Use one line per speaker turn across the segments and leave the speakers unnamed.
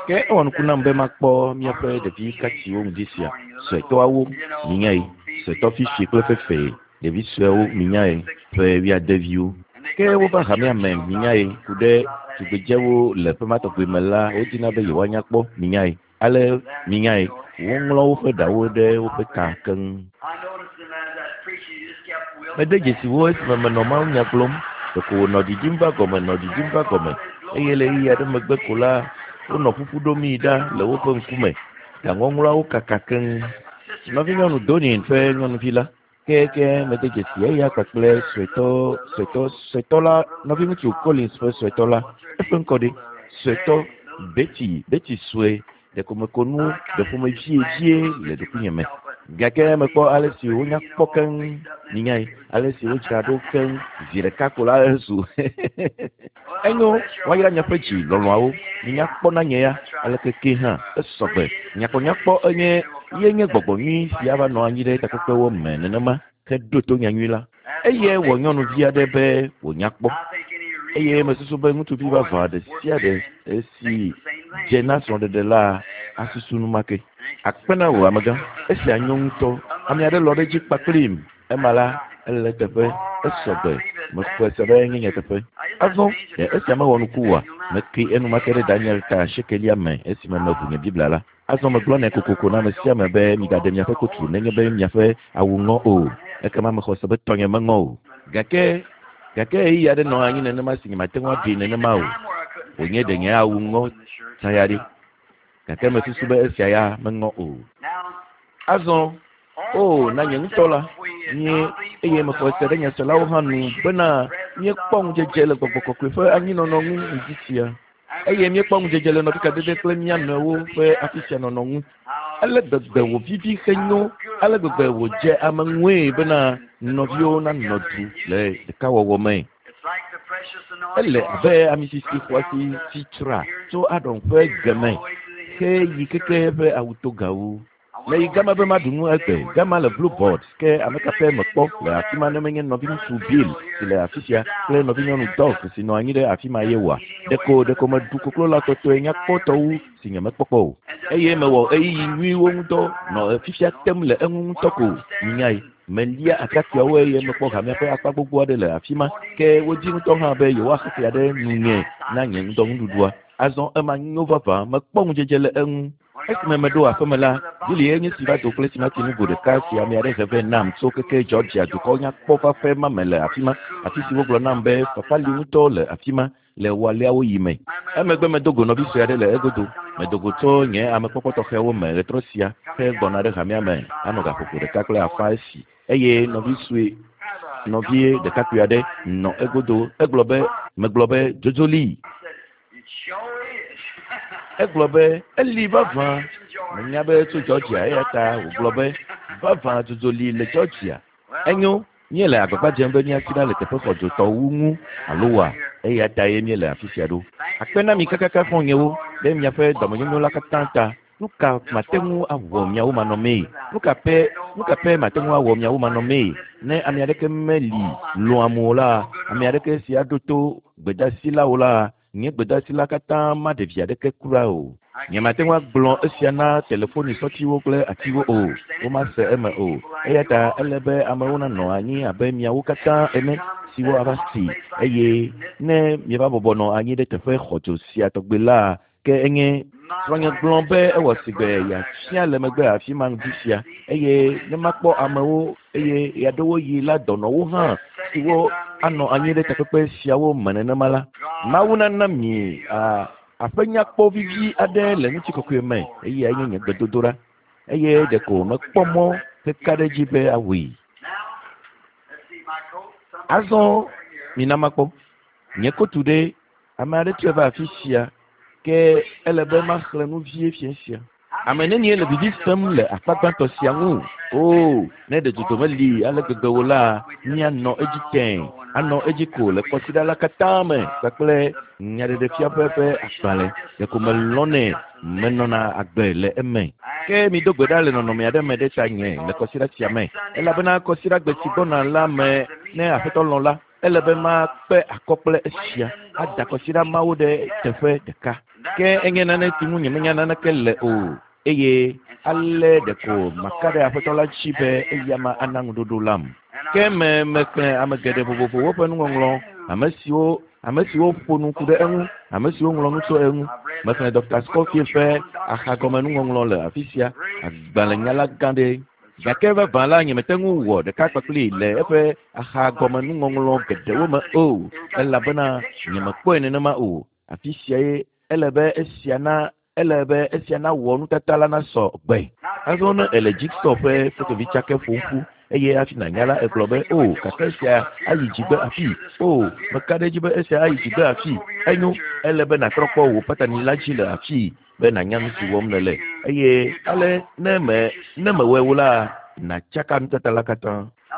Ke ewɔ nuku nam be makpɔ míaƒe ɖevi katsiwo ŋdi sia, suetɔawo, minyae, suetɔ fifi kple fefee, ɖevi suewo, minyae, ƒe wuiadeviwo. Ke wova hamea me, minyae, ku ɖe tugbedzewo le ƒe ma tɔgbi me la, wodina be yewoanya kpɔ, minyae. Ale, minyae, woŋlɔ woƒe ɖawo ɖe woƒe ta keŋ. Mede dzesi wo esime menɔ mawunya gblɔm. Ɖeko wònɔ ɖiɖim va gɔme, nɔ ɖiɖim va gɔme, eye le ɣeyiɣi aɖe megbe ko la, wonɔ ƒuƒu ɖomii ɖa le woƒe ŋkume. Ɖaŋɔŋlɔawo kaka keŋ. Nɔvinyɔnu Donin ƒe nyɔnuvi la, ke mede dzesi eya kpakple suetɔ, suetɔ, suetɔ la, nɔviŋutsu Collins ƒe suetɔ la, eƒe ŋkɔ ɖe? Suetɔ Betty, Betty sue, ɖeko meko nu ɖe ƒomevie vie le ɖokuinye me. Gake mekpɔ ale si wonya kpɔ keŋ, minyae, ale si wodzra ɖo keŋ zi ɖeka ko la ezu. Enyo, woayra miaƒe dzi lɔlɔ̃awo, minya kpɔ na nye ya, aleke ke hã, esɔgbe. Nyakpɔnyakpɔ enye, ye nye gbɔgbɔ nyui si ava nɔ anyi ɖe takpekpewo me nenema heɖo to nyanyui la. Eyae wɔ nyɔnuvi aɖe be wònya kpɔ. Eye mesusu be ŋutsuvi vavã ɖe sia ɖe si dze na srɔ̃ɖeɖe la asusu enumake. Akpe na wò, amegã. Esia nyo ŋutɔ. Ame aɖe lɔ̃ ɖe edzi kpakplim. Ema la, ele eteƒe. Esɔ gbe. Mexɔe se be enye nyateƒe. Azɔ, ɖe esia mewɔ nuku oa? Mekli enumake ɖe Daniel ta asiekelia me esime meʋu nye Biblia la. Azɔ megblɔnɛ kokoko na ame sia ame be migaɖe miaƒe kotru nenye be miaƒe awu ŋɔ o. Ekema mexɔ se be tɔnye meŋɔ o. Gake, gake ɣeyiɣi aɖe nɔ anyi nenema si nyemate ŋu aɖee nenema o. Wònye ɖe nye awu ŋɔ tsã ya ɖe. Gake mesusu be esia ya meŋɔ o. Azɔ, oo, na nye ŋutɔ la, mie, eye mexɔe se ɖe nyaselawo hã nu bena míekpɔ ŋudzedze le Gbɔgbɔ Kɔkɔe ƒe anyinɔnɔ ŋu ŋdi sia. Eye míekpɔ ŋudzedze le nɔvikadede kple mía nɔewo ƒe afi sia nɔnɔ ŋu. Ale gbegbe wòvivi henyo, ale gbegbe wòdze ame ŋue bena nɔviwo nanɔ du le ɖekawɔwɔ me. Ele abe ami sisi xɔasi si tsra tso Aron ƒe ge me heyi keke eƒe awutogawo. Meyi gama be maɖu nu egbe. Gama le Blue Board. Ke ame ka ƒe mekpɔ le afi ma ne menye nɔviŋutsu Bill si le afi sia kple nɔvinyɔnu Dolph si nɔ anyi ɖe afi ma ye oa? Ɖeko, ɖeko meɖu koklo tɔtɔe nyakpɔtɔ wu si nyemekpɔ kpɔ o. Eye mewɔ ɣeyiɣi nyuiwo ŋudɔ nɔ fifia tem le eŋu ŋutɔ ko. Minyae, melia atrakpuiawo eye mekpɔ hamea ƒe akpa gbogbo aɖe le afi ma. Ke wodi ŋutɔ hã be yewoaxe fea ɖe nunye na nye ŋdɔnuɖuɖua. Azɔ ema nyo vavã, mekpɔ ŋudzedze le eŋu. Esime meɖo aƒeme la, Billy ye nye si va do kple timati nugo ɖeka si ame aɖe he vɛ nam tso keke Georgia dukɔ nyakpɔ fafɛ ma me le afi ma, afi si wogblɔ nam be fafa li ŋutɔ le afi ma le wɔaleawo yi me. Emegbe medo go nɔvi sue aɖe le egodo. Medo go tso nye amekpɔkpɔ tɔxɛwo me ɣetrɔ sia hegbɔna ɖe hamea me anɔ gaƒoƒo ɖeka kple afã esi eye nɔvi sue nɔvie ɖekakpui aɖe nɔ egodo. Egblɔ be, megblɔ be, dzodzo li. Egblɔ be, eli vavã. Menya be tso Georgia eya ta wògblɔ be, vavã dzodzo li le Georgia. Enyo, míele agbagba dzem be míasi ɖa le teƒe xɔdzotɔwo ŋu alo wa, eya ta ye míele afi sia ɖo. Akpe na mi kakaka xɔ̃nyewo ɖe miaƒe dɔmenyonyo la katã ta. Nu ka mate ŋu awɔ miawo manɔmee? Nu ka pɛ, nu ka pɛ mate ŋu awɔ miawo manɔmee? Ne ame aɖeke meli lɔ̃am o la, ame aɖeke si aɖo to gbedasi la o la, nye gbedasi la katã maɖe vi aɖeke kura o. Nyemate ŋu agblɔ esia na telefoni sɔtiwo kple atiwo o, womase eme o. Eya ta ele be amewo nanɔ anyi abe miawo katã ene siwo ava si, eye ne mieva bɔbɔ nɔ anyi ɖe teƒe xɔdzo sia tɔgbi la, ke enye srɔ̃nye gblɔ be ewɔ sigbe yeafia le megbe afi ma ŋdi sia eye ne makpɔ amewo eye ɣeaɖewoɣi la dɔnɔwo hã siwo anɔ anyi ɖe takpekpe siawo me nenema la, Mawu nana mi a aƒe nyakpɔ vivi aɖe le ŋutikɔkɔe me eye enye nye gbedodoɖa eye ɖeko mekpɔ mɔ heka ɖe edzi be awɔe. Azɔ mina makpɔ nye kotu ɖe ame aɖe tsɔe va afi sia ke ele be maxlẽ nu vie fia sia. Ame nenie le vivi sem le akpa gbãtɔ sia ŋu? Oo, ne ɖe dzodzo meli ale gbegbe o la, míanɔ edzi tẽe, anɔ edzi ko le kɔsiɖa la katã me kpakple nyaɖeɖefia ƒe ƒe agbalẽ. Ɖeko melɔ̃nɛ, menɔna agbe le eme. Ke mido gbe ɖa le nɔnɔme aɖe me ɖe tanye le kɔsiɖa sia me, elabena kɔsiɖagbe si gbɔna la me, ne Aƒetɔ lɔ̃ la, ele be makpe akɔ kple esia, ada kɔsiɖa mawo ɖe teƒe ɖeka. Ke enye nane si ŋu nyemenya naneke le o eye ale ɖeko maka ɖe Aƒetɔ la dzi be eyama ana ŋuɖoɖo lam. Ke me mexlẽ ame geɖe vovovowo ƒe nuŋɔŋlɔ, ame siwo ame siwo ƒo nu ku ɖe eŋu, ame siwo ŋlɔ nu tso eŋu. Mexlẽ Dr. Scofield ƒe axagɔmenuŋɔŋlɔ le afi sia, agbalẽnyala gã ɖe. Gake vavã la nyemete ŋu wɔ ɖeka kpakpli le eƒe axagɔmenuŋɔŋlɔ geɖewo me o, elabena nyemekpɔe nenema o. Afi siae ele be esia na ele be esia nawɔ nutata la nasɔ gbe. Azɔ ne èle jigsaw ƒe fotovitsake ƒom ƒu eye hafi nànya la, egblɔ be, O, gake esia ayi dzigbe afii. O, meka ɖe edzi be esia ayi dzigbe afii. Enyo, ele be nàtrɔ kpɔ wò patani la dzi le afii be nànya nu si wɔm nèle. Eye ale ne me ne mewɔe o la, nàtsaka nutata la katã.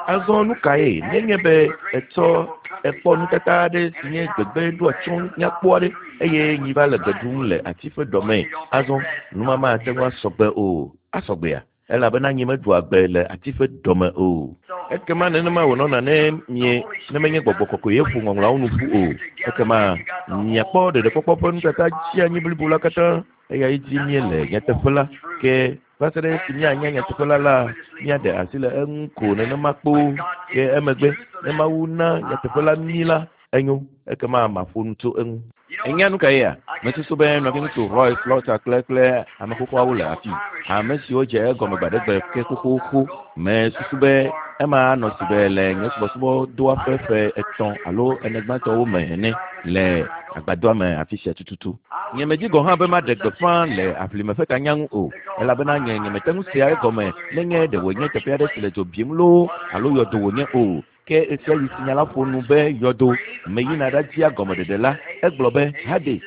Azɔ nu kae nenye be ètsɔ èkpɔ nutata aɖe si nye gbegbe ɖo atsyɔ̃ nyakpɔ aɖe eye nyi va le gbe ɖum le ati ƒe dɔme? Azɔ nu ma mate ŋu asɔ gbe o. Asɔ gbea? Elabena nyi meɖua gbe le ati ƒe dɔme o. Ekema nenema wònɔna ne mie ne menye gbɔgbɔ kɔkɔe ye ƒo ŋɔŋlɔawo nu ƒu o. Ekema miakpɔ ɖeɖekpɔkpɔ ƒe nutata dzi anyi blibo la katã. Eyae dim míele nyateƒe la. Ke va se ɖe esi míanya nyateƒe la la, míaɖe asi le eŋu ko nenema kpoo. Ke emegbe ne Mawu na nyateƒe la mí la, enyo, ekema maƒo nu tso eŋu. Ènya nu kaea? Mesusu be nɔviŋutsu Roy Slaughter kple kple ame xoxoawo le afii, ame siwo dze egɔme gbaɖegbe ke xoxoxo. Mesusu be ema anɔ si be le nye subɔsubɔdɔa ƒe ƒe etɔ̃ alo ene gbãtɔwo me ene le agbadɔa me afi sia tututu. Nyemedi gɔ̃ hã be maɖe gbeƒã le aʋlime ƒe tanya ŋu o, elabena nye nyemete ŋu sea egɔme nenye ɖe wònye teƒe aɖe si le dzo bim loo alo yɔdo wònye o. Ke ɣesiaɣi si nya la ƒo nu be yɔdo, meyina ɖadia gɔmeɖeɖe la, egblɔ be Hades.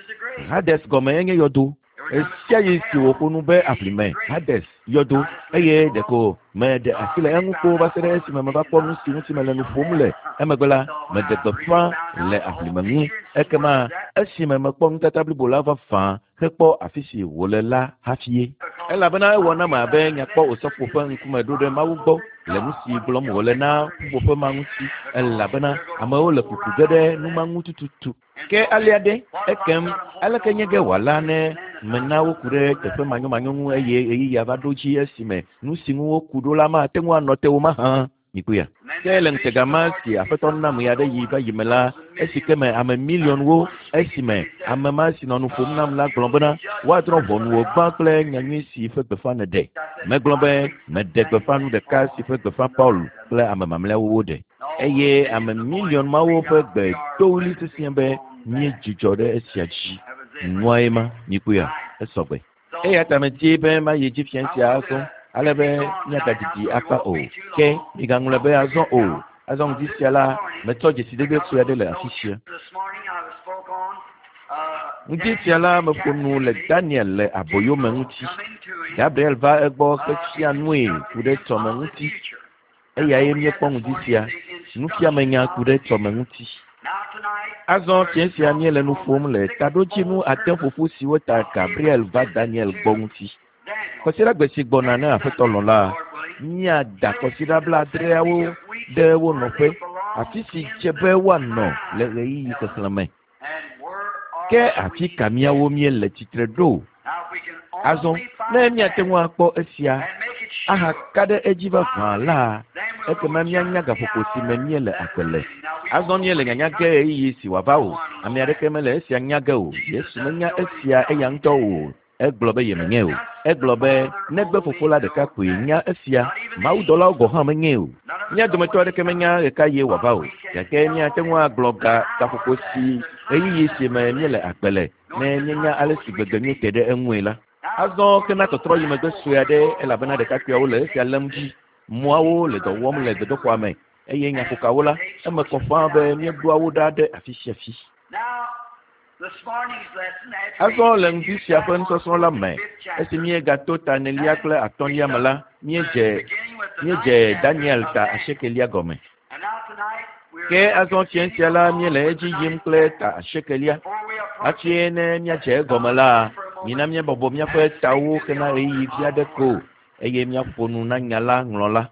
Hades gɔme enye yɔdo. Ɣesiaɣi si wòƒo nu be aʋlime, Hades, yɔdo, eye ɖeko meɖe asi le eŋu kpoo va se ɖe esime meva kpɔ nu si ŋuti mele nu ƒom le. Emegbe la, meɖe gbeƒã le aʋlime ŋu. Ekema esime mekpɔ nutata blibo la vavã hekpɔ afi si wòle la hafie. Elabena ewɔ nam abe nya kpɔ osɔfo ƒe ŋkume ɖo ɖe Mawu gbɔ le nu si gblɔm wòle na ƒuƒoƒe ma ŋuti, elabena amewo le kuku ge ɖe nu ma ŋu tututu. Ke alea ɖe, ekem aleke nye ge wòala ne mena woku ɖe teƒe manyomanyo ŋu eye ɣeyiɣia va ɖo dzi esime nu si ŋu woku ɖo la mate ŋu anɔ te o mahã? Mikpɔea? Ke le ŋutega ma si Aƒetɔ nam ɣeaɖeɣi va yi me la, esi ke me ame miliɔnwo, esime ame ma si nɔ nu ƒom nam la gblɔ bena, Woadrɔ̃ ʋɔnu wò gbã kple nyanyui si ƒe gbeƒã nèɖe. Megblɔ be, Meɖe gbeƒã nu ɖeka si ƒe gbeƒã Paul kple ame mamlɛawo woɖe. Eye ame miliɔn mawo ƒe gbe do ɣli sesĩe be, Míedzudzɔ ɖe esia dzi. Nuae ma, mikpɔea? Esɔ gbe. Eya ta medi be mayi edzi fiẽ sia azɔ, ale be míagadidi akpa o. Ke migaŋlɔe be azɔ o. Azɔ ŋdi sia la, metsɔ dzesidede sue aɖe le afi sia. Ŋdi sia la, meƒo nu le Daniel le aboyo me ŋuti. Gabriel va egbɔ hefia nue ku ɖe tsɔme ŋuti. Eyae míekpɔ ŋdi sia, nufiamenya ku ɖe tsɔme ŋuti. Azɔ fiẽ sia míele nu ƒom le taɖodzinu ade ƒoƒu siwo ta Gabriel va Daniel gbɔ ŋuti. Kɔsiɖagbe si gbɔna ne Aƒetɔ lɔ̃ la, míada kɔsiɖa blaadreawo ɖe wo nɔƒe, afi si dze be woanɔ le ɣeyiɣi xexlẽme. Ke afi ka míawo míele tsitre ɖo? Azɔ ne míate ŋu akpɔ esia ahaka ɖe edzi vavã la, ekema míanya gaƒoƒo si me míele agbe le. Azɔ míele nyanya ge ɣeyiɣi si wòava o. Ame aɖeke mele esia nya ge o. Yesu menya esia eya ŋutɔ o. Egblɔ be yemenyae o. Egblɔ be negbe Fofo la ɖeka koe nya esia. Mawudɔlawo gɔ̃ hã menyae o. Mía dometɔ aɖeke menya ɣekaɣie wòava o. Gake míate ŋu agblɔ ga gaƒoƒo si ɣeyiɣi si me míele agbe le ne míenya ale si gbegbe míete ɖe eŋue la. Azɔ ke na tɔtrɔ yi megbe sue aɖe elabena ɖekakpuiawo le esia lém dzi. Mɔawo le dɔ wɔm le gbedoxɔa me eye nyaƒokawo la, eme kɔ ƒãa be míeɖoa wo ɖa ɖe afi sia fi. Azɔ le ŋdi sia ƒe nusɔsrɔ̃ la me, esi míegato ta enelia kple atɔ̃lia me la, míedze míedze Daniel ta asiekelia gɔme. Ke azɔ fiẽ sia la, míele edzi yim kple ta asiekelia. Hafi ne míadze egɔme la, mina míabɔbɔ míaƒe tawo hena ɣeyiɣi vi aɖe ko eye míaƒo nu na nya la ŋlɔla.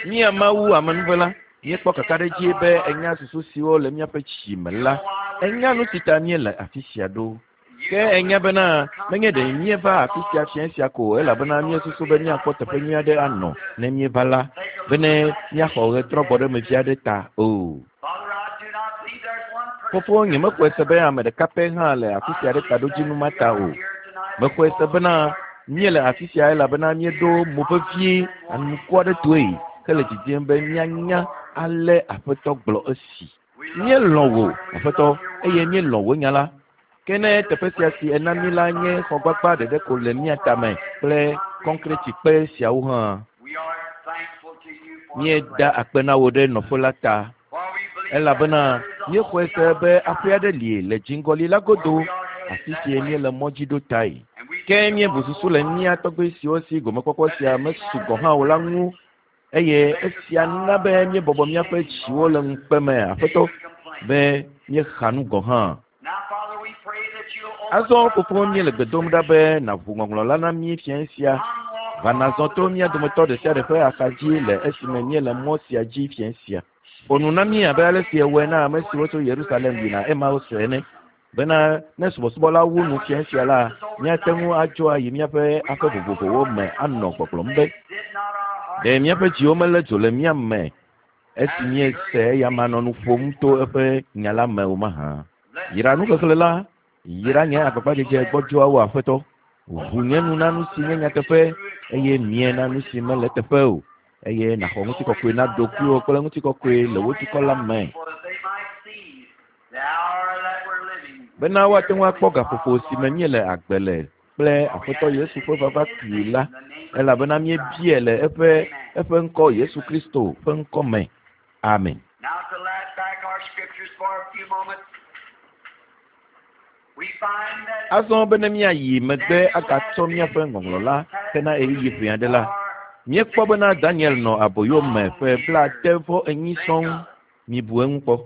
Mía Mawu amenuvela, Míekpɔ kakaɖedzi be enya susu siwo le míaƒe tsi me la. Enya nu si ta míele afi sia ɖo. Ke enya bena menye ɖe míeva afi sia fiẽ sia ko elabena míesusu be míakpɔ teƒe nyui aɖe anɔ ne míeva la, bene míaxɔ ɣetrɔgbɔɖemevi aɖe ta o. Fofo, nyemexɔe se be ame ɖeka pɛ hã le afi sia ɖe taɖodzinu ma ta o. Mexɔe se bena míele afi sia elabena míeɖo mo vevie anuku aɖe toe hele didim be míanya ale Aƒetɔ gblɔ esi. Míelɔ̃ wò, Aƒetɔ, eye míelɔ̃ wò nya la. Ke ne teƒe sia si ena mí la nye xɔgbagba ɖeɖe ko le mía tame kple kɔnkretikpe siawo hã, míeda akpe na wò ɖe nɔƒe la ta, elabena míexɔe se be aƒe aɖe li le dziŋgɔli la godo, afi si míele mɔ dzi ɖo tae. Ke míebu susu le mía tɔgbui siwo si gomekpɔkpɔ sia mesu gɔ̃ hã o la ŋu, eye esia na be míebɔbɔ míaƒe dziwo le ŋukpe me, Aƒetɔ, be míexa nu gɔ̃ hã. Azɔ fofo míele gbe dom ɖa be nàʋu ŋɔŋlɔ la na mí fiẽ sia. Va nàzɔ to mía dometɔ ɖe sia ɖe ƒe axa dzi le esime míele mɔ sia dzi fiẽ sia. Ƒo nu na mí abe ale si èwɔe na ame siwo tso Yerusalem yina Emaus ene, bena ne subɔsubɔ la wu nu fiẽ sia la, míate ŋu adzo ayi míaƒe aƒe vovovowo me anɔ gbɔgblɔm be, ɖe míaƒe dziwo melé dzo le mía me esi míese eyama nɔ nu ƒom to eƒe nya la me o mahã. Yra nuxexlẽ la, yra nye agbagbadzedze gbɔdzɔawo, Aƒetɔ. Ʋu nye nu na nu si nye nyateƒe, eye mie na nu si mele teƒe o, eye nàxɔ ŋutikɔkɔe na ɖokuiwò kple ŋutikɔkɔe le wò dukɔ la me, bena woate ŋu akpɔ gaƒoƒo si me míele agbe le kple Aƒetɔ Yesu ƒe vava kpuie la, elabena míebiae le eƒe eƒe ŋkɔ Yesu Kristo ƒe ŋkɔ me. Amen.
Now to lad back our scriptures for a few moments, we find that
Azɔ bene míayi megbe agatsɔ míaƒe ŋɔŋlɔ la hena ɣeyiɣi ʋɛ aɖe la, míekpɔ bena Daniel nɔ aboyo me ƒe 94 sɔŋ. Mibu eŋu kpɔ.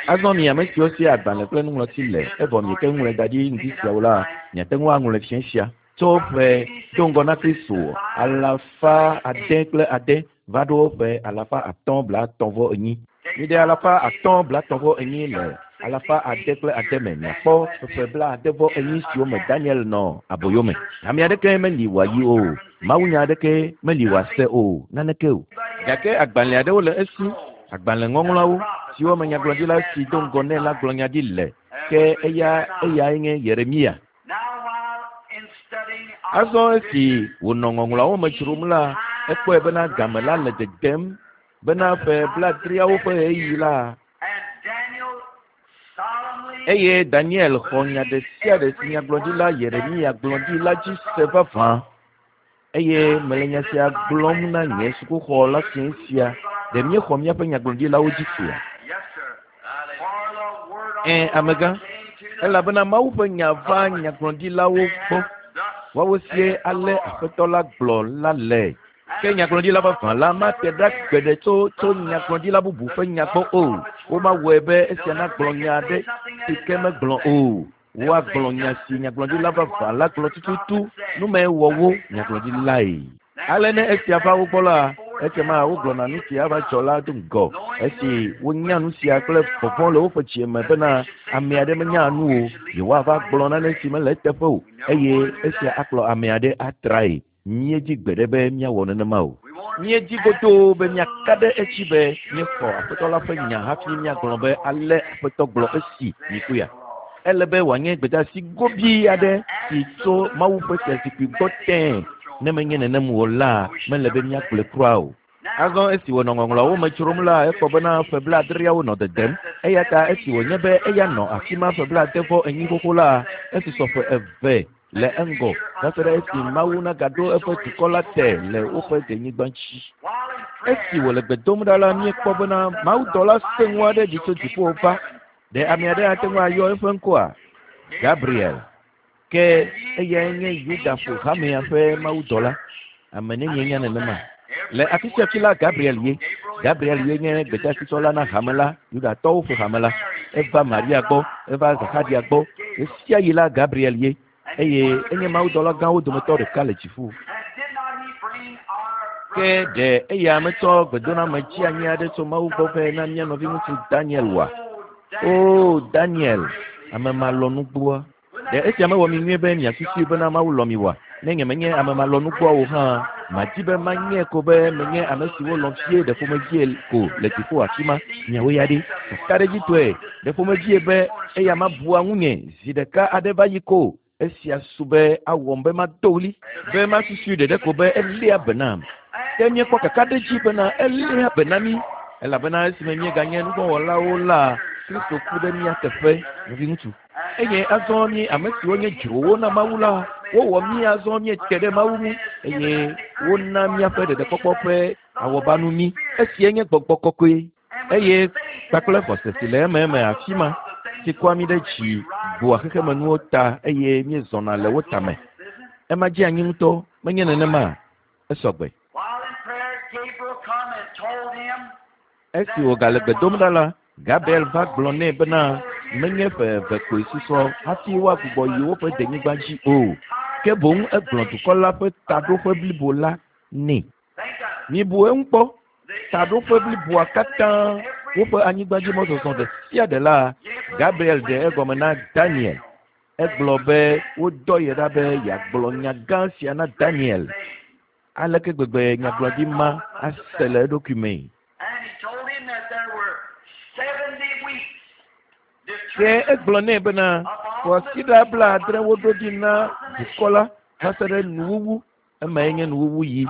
Azɔ mi ame siwo si agbalẽ kple nuŋlɔti le, evɔ miete ŋu ŋlɔe da ɖi ŋdi siawo la, miate ŋu aŋlɔe fiẽ sia. Tso ƒe do ŋgɔ na Kristo 606 va ɖo ƒe 534. Miɖe 534 le 606 me miakpɔ ƒe 94 siwo me Daniel nɔ aboyo me. Ame aɖeke meli wòayi o, mawunya aɖeke meli wòase o, naneke o. Gake agbalẽ aɖewo le esi, agbalẽ ŋɔŋlɔawo, siwo me nyagblɔɖila si do ŋgɔ nɛ la gblɔ nya ɖi le, ke eya eyae nye Yeremia.
now while in studying
Azɔ esi wònɔ ŋɔŋlɔawo me dzrom la, ekpɔe bena game la le dedem bena ƒe 70awo ƒe ɣeyiɣi la,
and Daniel solemnly
eye Daniel xɔ nya ɖe sia ɖe si nyagblɔɖila Yeremia gblɔ ɖi la dzi se vavã. Eye mele nya sia gblɔm na nye sukuxɔ la fiẽ sia, ɖe míexɔ míaƒe nyagblɔɖilawo dzi sea?
Yes, sir. For the word of
Ẽ,
the Lord
amegã,
came to the
elabena Mawu ƒe nya va nyagblɔɖilawo gbɔ. Woawo sie ale Aƒetɔ la gblɔ la le. Ke nyagblɔɖila vavã la mate ɖa gbeɖe tso tso nyagblɔɖila bubu ƒe nya gbɔ o. Womawɔe be esia nagblɔ nya aɖe si ke megblɔ o. Woagblɔ nya si nyagblɔɖila vavã la gblɔ tututu nume wɔ wo nyagblɔɖilae. Ale ne esia va wo gbɔ la, ekema wogblɔna nu si ava dzɔ la do ŋgɔ. Esi wonya nu sia kple vɔvɔ̃ le woƒe dzi me bena ame aɖe menya nu o, yewoava gblɔ nane si mele eteƒe o, eye esia akplɔ ame aɖe atrae. Míedzi gbeɖe be míawɔ nenema o. Míedzi godoo be míaka ɖe edzi be míexɔ Aƒetɔ la ƒe nya hafi míagblɔ be ale Aƒetɔ gblɔ esi mikpɔea. Ele be wòanye gbedeasi gobii aɖe si tso Mawu ƒe fiazikpui gbɔ tẽe. Ne menye nenem o la, mele be míagblɔe kura o. Azɔ esi wònɔ ŋɔŋlɔawo me dzrom la, ekpɔ bena ƒe 70awo nɔ dedem. Eya ta esi wònye be eya nɔ afi ma ƒe 94 xoxo la, esusɔ ƒe eve le eŋgɔ va se ɖe esi Mawu nagaɖo eƒe dukɔ la te le woƒe denyigba dzi. Esi wòle gbe dom ɖa la, míekpɔ bena mawudɔla sẽŋu aɖe ɖi tso dziƒo va. Ɖe ame aɖe ate ŋu ayɔ eƒe ŋkɔa? Gabriel. Ke eyae nye Yuda ƒo hamea ƒe mawudɔla. Ame nenye nya nenema. Le afi sia fi la, Gabriel ye. Gabriel ye nye gbedeasitsɔla na hame la, Yudatɔwo ƒe hame la. Eva Maria gbɔ, eva Zaxaria gbɔ. Ɣe sia ɣi la, Gabriel ye. Eye enye mawudɔla gãwo dometɔ ɖeka le dziƒo.
And did not he bring our
Ke ɖe eya metsɔ gbedoname tsi anyi aɖe tso Mawu gbɔ vɛ na mía nɔviŋutsu Daniel oa? Oo, Daniel, ame malɔ̃nugbɔa. Ɖe esia mewɔ mi nyuie be miasusui bena Mawu lɔ̃ mi oa? Ne nyemenye ame malɔ̃nugbɔa o hã, madi be manye ko be menye ame siwo lɔ̃ vie ɖe ƒomevie ko le dziƒo afi ma. Miawo ya ɖe? Kakaɖedzitɔe, ɖe ƒomevie be eya mabua ŋunye zi ɖeka aɖe va yi ko. Esia su be awɔm be mado ɣli, be masusui ɖeɖe ko be eléa be nam. Ke míekpɔ kakaɖedzi bena eléa be na mí, elabena esime míeganye nuvɔ̃wɔlawo la, Kristo ku ɖe mía teƒe, nɔviŋutsu. Eye azɔ mí ame siwo nye dzrowo na Mawu la, wowɔ mí azɔ míete ɖe Mawu ŋu, eye wona míaƒe ɖeɖekpɔkpɔ ƒe awɔbanu mí. Esia nye Gbɔgbɔ Kɔkɔe. Eye kpakple xɔse si le ememe afi ma, si kɔa mí ɖe dzi bua xexemenuwo ta eye míezɔna le wo tame. Ema dze anyi ŋutɔ, menye nenema? Esɔgbe. Esi wògale gbe dom ɖa la, Gabriel va gblɔ nɛ bena menye ƒe eve koe susɔ hafi woagbugbɔ yi woƒe denyigba dzi o, ke boŋ egblɔ dukɔ la ƒe taɖoƒe blibo la nɛ. Mibu eŋu kpɔ, taɖoƒe bliboa katã, woƒe anyigbadzimɔzɔzɔ ɖe sia ɖe la, Gabriel ɖe egɔme na Daniel. Egblɔ be wodɔ ye ɖa be yeagblɔ nya gã sia na Daniel. Aleke gbegbe nyagblɔɖi ma ase le eɖokui mee? Ke egblɔ nɛ bena kwasiɖa 70 woɖo ɖi na dukɔ la va se ɖe nuwuwu. Emae nye nuwuwu yi.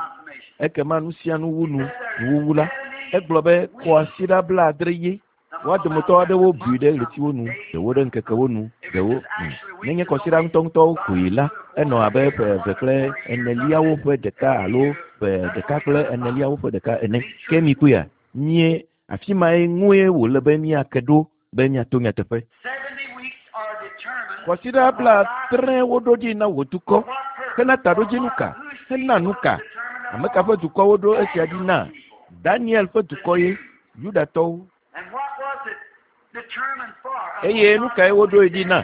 Ekema nu sia nu wu nu, nuwuwu la. Egblɔ be kwasiɖa 70 ye. Woa dometɔ aɖewo bui ɖe ɣletiwo nu, ɖewo ɖe ŋkekewo nu, ɖewo nenye kwasiɖa ŋutɔŋutɔwo koe la, enɔ abe ƒe eve kple eneliawo ƒe ɖeka alo ƒe ɖeka kple eneliawo ƒe ɖeka ene. Ke mi kpɔea, mie afi mae ŋue wòle be míake ɖo be míato nyateƒe. Kwasiɖa 70 woɖo ɖi na wò dukɔ. Hena taɖodzinu ka? Hena nu ka? Ame ka ƒe dukɔ woɖo esia ɖi na? Daniel ƒe dukɔ ye, Yudatɔwo. Eye nu kae woɖoe ɖi na?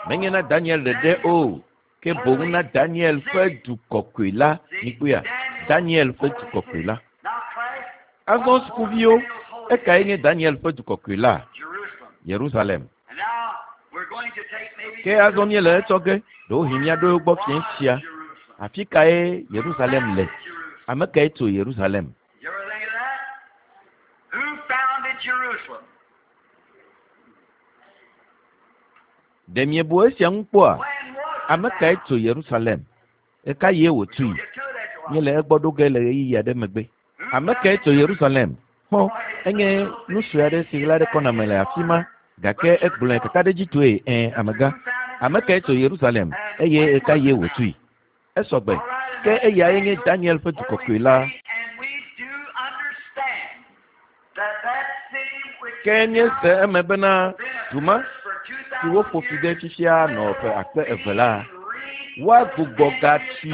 Menye na Daniel ɖeɖe o, ke boŋ na Daniel ƒe du kɔkɔe la. Mikpɔea? Daniel ƒe du kɔkɔe la. Azɔ sukuviwo, ekae nye Daniel ƒe du kɔkɔe la? Yerusalem. Ke azɔ míele etsɔ ge, ɖewohĩ míaɖo egbɔ fiẽ sia. Afi kae Yerusalem le? Ame kae tso Yerusalem? Ɖe miebu esia ŋu kpɔa? Ame kae tso Yerusalem? Eka ye wòtui? Míele egbɔ ɖo ge le ɣeyiɣi aɖe megbe. Ame kae tso Yerusalem? Xɔ, enye nu sue aɖe si ɣla ɖe kɔna me le afi ma, gake egblɔe kakaɖedzitɔe, ẽ, amegã. Ame kae tso Yerusalem eye eka ye wòtui? Esɔgbe. Ke eyae nye Daniel ƒe du kɔkɔe la. Ke míese eme bena du ma si woƒo fi ɖe fifia nɔ ƒe akpe eve la, woagbugbɔ gatui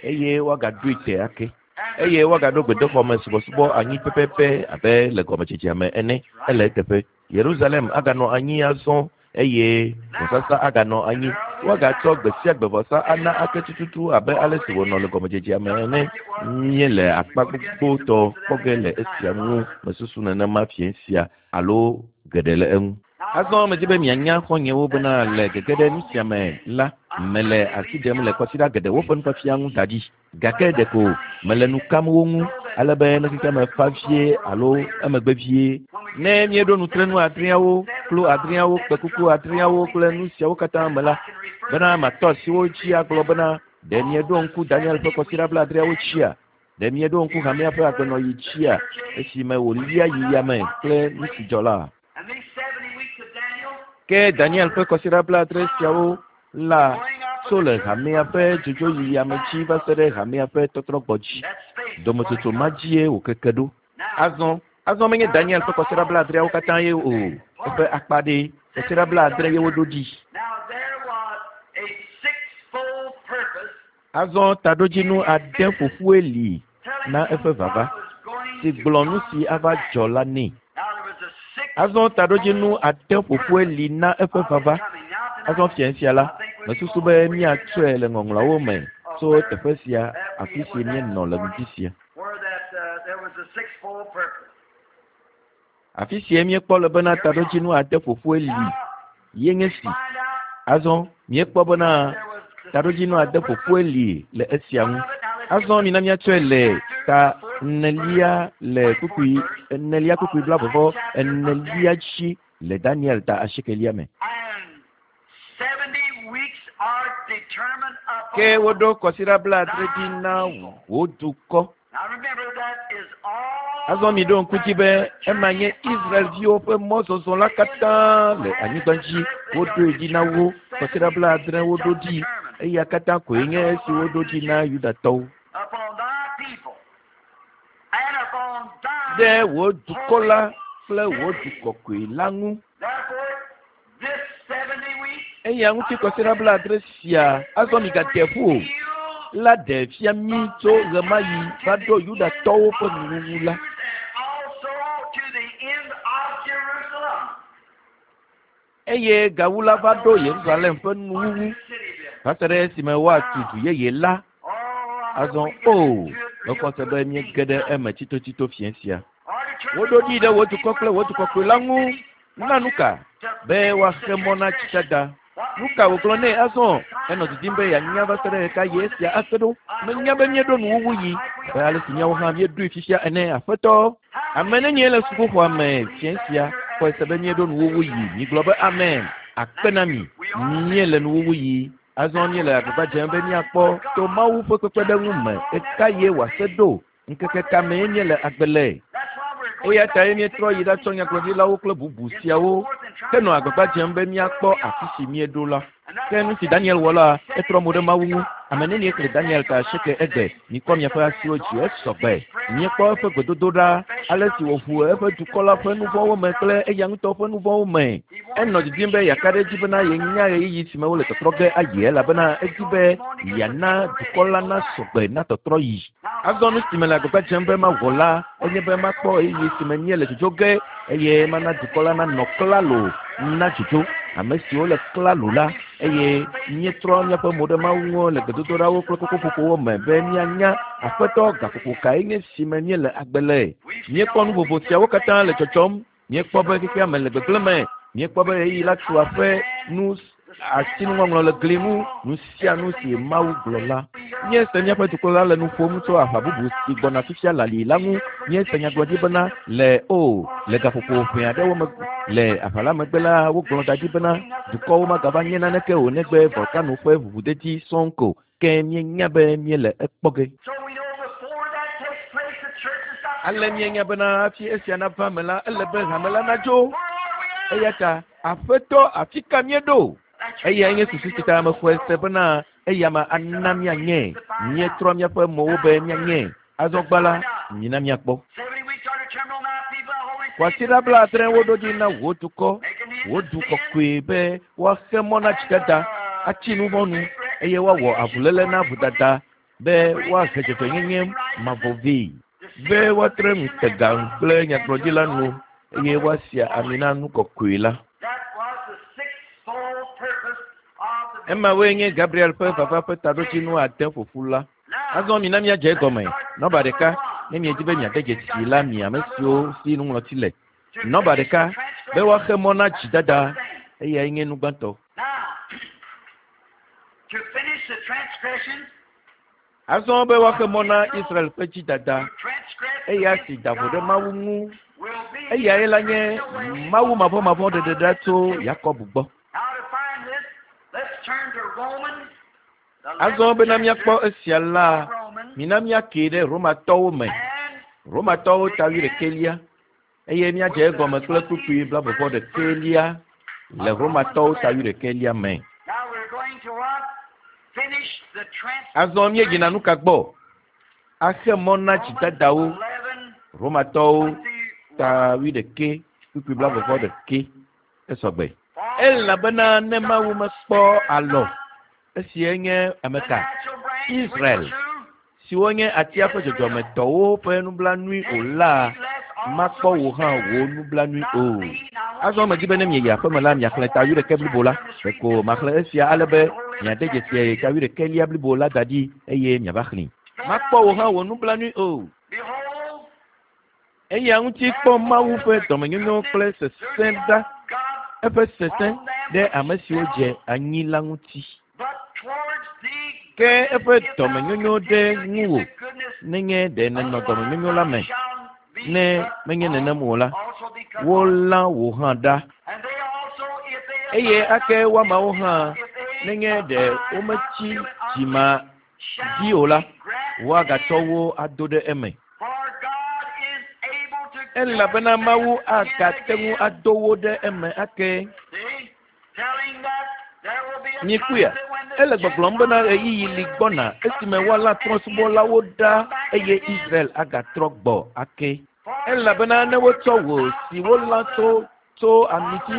eye woagaɖoe te ake. Eye woagaɖo gbedoxɔme subɔsubɔ anyi pɛpɛpɛ abe le gɔmedzedzea me ene. Ele eteƒe. Yerusalem aganɔ anyi azɔ eye vɔsasa aganɔ anyi. Woagatsɔ gbe sia gbe vɔsa ana ake tututu abe ale si wònɔ le gɔmedzedzea me ene. Míele akpa gbogbotɔ kpɔ ge le esia ŋu mesusu nenema fiẽ sia alo geɖe le eŋu. Azɔ medi be mianya xɔ̃nyewo bena le gege ɖe nu sia me la, mele asi ɖem le kwasiɖa geɖewo ƒe nufiafia ŋu da ɖi. Gake ɖeko mele nu kam wo ŋu ale be ne xexea me fa vie alo emegbe vie. Ne míeɖo nutrenu adreawo, klo adreawo, kpekuku adreawo kple nu siawo katã me la, bena matɔ asi wo dzi agblɔ bena ɖe mieɖo ŋku Daniel ƒe kwasiɖa 70 dzia? Ɖe mieɖo ŋku hamea ƒe agbenɔɣi dzia esime wòlia yi yame kple nu si dzɔ la? Ke Daniel ƒe kwasiɖa 70 siawo la tso le hamea ƒe dzodzoyiyi ame dzi va se ɖe hamea ƒe tɔtrɔgbɔ dzi. Dometsotso ma dzie wòkeke ɖo. Azɔ menye Daniel ƒe kwasiɖa 70 katã ye o, eƒe akpa ɖe kwasiɖa 70 ye woɖo ɖi. Azɔ taɖodzinu ade ƒoƒue li na eƒe vava, si gblɔ nu si ava dzɔ la nɛ. Azɔ taɖodzinu ade ƒoƒue li na eƒe vava. Azɔ fiẽ sia la, mesusu be míatsɔe le ŋɔŋlɔawo me tso teƒe sia afi si míenɔ le ŋdi sia. Afi sie míekpɔ le bena taɖodzinu ade ƒoƒoe li ye nye si. Azɔ míekpɔ bena taɖodzinu ade ƒoƒoe li le esia ŋu. Azɔ mina míatsɔe le ta enelia le kpukpui enelia kpukpui blaeve vɔ enelia dzi le Daniel ta asiekelia me. Ke woɖo kɔsiɖa blaadre ɖi na wò dukɔ. Azɔ miɖo ŋku dzi be ema nye Israelviwo ƒe mɔzɔzɔ la katã le anyigba dzi. Woɖoe ɖi na wo kɔsiɖa blaadre woɖo ɖi. Eya katã koe nye esi woɖo ɖi na Yudatɔwo. Ɖe wò dukɔ la kple wò du kɔkɔe la ŋu. Eya ŋuti kɔsiɖa blaadre sia azɔ migate ƒu o la ɖe fia mí tso ɣemaɣi va ɖo Yudatɔwo ƒe nuwuwu la. Eye gawu la va ɖo Yerusalem ƒe nuwuwu va se ɖe esime woatu du yeye la. Azɔ o, mexɔ se be míege ɖe eme tsitotsito fiẽ sia. Woɖo ɖi ɖe wò dukɔ kple wò dukɔkɔe la ŋu na nu ka? Be woaxe mɔ na tsidada. Nu ka wògblɔ nɛ azɔ? Enɔ didim be yeanya va se ɖe ɣekaɣi esia ase ɖo. Menya be míeɖo nuwuwu yi abe ale si míawo hã míeɖoe fifia ene, Aƒetɔ. Ame nenie le sukuxɔa me fiẽ sia xɔe se be míeɖo nuwuwu yi? Migblɔ be amen. Akpe na mi. Míele nuwuwu yi. Azɔ míele agbagba dzem be míakpɔ to Mawu ƒe kpekpeɖeŋu me ɣekaɣie wòase ɖo. Ŋkeke ka mee míele agbe le? Eya tae míetrɔ yi ɖatsɔ nyagblɔɖilawo kple bubu siawo henɔ agbagba dzem be míakpɔ afi si míeɖo la. Ke nu si Daniel wɔ la, etrɔ mo ɖe Mawu ŋu. Ame nenie xlẽ Daniel ta asieke egbe? Mikɔ miaƒe asiwo dzi, esɔ gbe. Míekpɔ eƒe gbedodoɖa, ale si wòʋu eƒe dukɔ la ƒe nu vɔ̃wo me kple eya ŋutɔ ƒe nu vɔ̃wo me. Enɔ didim be yeaka ɖe edzi bena yenya ɣeyiɣi si me wole tɔtrɔ ge ayi elabena edi be yeana dukɔ la nasɔ gbe na tɔtrɔyi. Azɔ nu si mele agbagba dzem be mawɔ la enye be makpɔ ɣeyiɣi si me míele dzodzo ge eye mana dukɔ la nanɔ klalo na dzodzo. Ame siwo le klalo la eye míetrɔ míaƒe mo ɖe Mawu ŋu le gbedodoɖawo kple kokoƒoƒowo me be míanya Aƒetɔ gaƒoƒo kae nye si me míele agbe le. Míekpɔ nu vovo siawo katã le dzɔdzɔm. Míekpɔ be xexea me le gbegblẽ me. Míekpɔ be ɣeyiɣi la tu aƒe nu asinuŋɔŋlɔ le gli ŋu, nu sia nu si Mawu gblɔ la. Míese míaƒe dukɔ la le nu ƒom tso aʋa bubu si gbɔna fifia le ali la ŋu. Míese nyagblɔɖi bena le o, le gaƒoƒo ʋɛ aɖewo me le aʋa la megbe la, wogblɔ da ɖi bena dukɔwo magava nye naneke o negbe volkano ƒe ʋuʋudedi sɔŋ ko. Ke míenya be míele ekpɔ ge. Ale míenya bena hafi esia nava eme la, ele be hame la nadzo. Eya ta, Aƒetɔ, afi ka míeɖo? Eyae nye susu si ta mexɔe se bena eya ma ana míanye. Míetrɔ míaƒe mowo be míanye. Azɔ gbã la, mina míakpɔ. Kwasiɖa blaadre woɖo ɖi na wò dukɔ, wò du kɔkɔe be woaxe mɔ na dzidada, atsi nu vɔ̃ nu, eye woawɔ avuléle na vodada be woahe dzɔdzɔenyenye mavɔ vɛ, be woatre ŋutega kple nyagblɔɖila nu, eye woasia ami na nu kɔkɔe la. Emawoe nye Gabriel ƒe vava ƒe taɖodzinu ade ƒoƒu la. Azɔ mina míadze egɔme. Nɔba ɖeka, ne miedi be miade dzesi la mi ame siwo si nuŋlɔti le. Nɔba ɖeka, be woaxe mɔ na dzidada, eyae nye nu gbãtɔ. Azɔ be woaxe mɔ na Israel ƒe dzidada, eya si da vo ɖe Mawu ŋu, eyae la nye Mawu mavɔmavɔ ɖeɖeɖa tso Yakob gbɔ. Azɔ bena míakpɔ esia la, mina míakee ɖe Romatɔwo me. Romatɔwo ta wuiɖekɛlia eye míadze egɔme kple kpukpui blaeve vɔ ɖekɛlia le Romatɔwo ta wuiɖekɛlia me. Azɔ míeyina nu ka gbɔ? Axe mɔ na dzidadawo. Romatɔwo ta wuiɖekɛ kpukpui blaeve vɔ ɖekɛ esɔgbe. Elabena ne Mawu mekpɔ alɔ esie nye ame ka? Israel, siwo nye atia ƒe dzɔdzɔmetɔwo ƒe nublanui o la, makpɔ wò hã wò nublanui o. Azɔ medi be ne mieyi aƒeme la, miaxlẽ ta wuiɖekɛ blibo la. Ɖeko maxlẽ esia ale be miade dzesi ta wuiɖekɛlia blibo la da ɖi eye miava xlẽe. Makpɔ wò hã wò nublanui o. Eya ŋuti kpɔ Mawu ƒe dɔmenyonyo kple sesẽ ɖa, eƒe sesẽ ɖe ame siwo dze anyi la ŋuti. Ke eƒe dɔmenyonyo ɖe ŋuwò nenye ɖe nènɔ dɔmenyonyo la me. Ne menye nenem o la, wolã wò hã ɖa. Eye ake woamawo hã nenye ɖe wometsi dzima dzi o la, woagatsɔ wo ado ɖe eme. Elabena Mawu agate ŋu ado wo ɖe eme ake. Mikpɔea? Ele gbɔgblɔm bena ɣeyiɣi li gbɔna esime woalã trɔ̃subɔlawo ɖa eye Israel agatrɔ gbɔ ake. Elabena ne wotsɔ wò si wolã tso tso amiti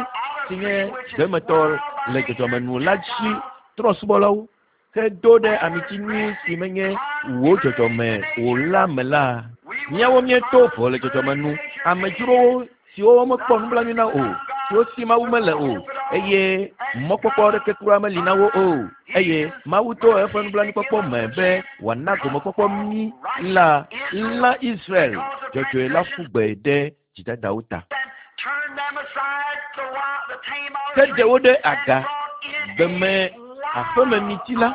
si nye gbemetɔ le dzɔdzɔme nu la dzi trɔ̃subɔlawo hedo ɖe amiti nyui si menye wò dzɔdzɔme o la me la, míawo míeto vo le dzɔdzɔme nu, amedzrowo siwo womekpɔ nublanui na o, siwo si Mawu mele o, eye mɔkpɔkpɔ aɖeke kura meli na wo o. Eye Mawu to eƒe nublanuikpɔkpɔ me be wòana gomekpɔkpɔ mí la, lã Israel dzɔdzɔe la ƒu gbe ɖe dzidadawo ta. Ke ɖe wo ɖe aga gbeme aƒememiti la,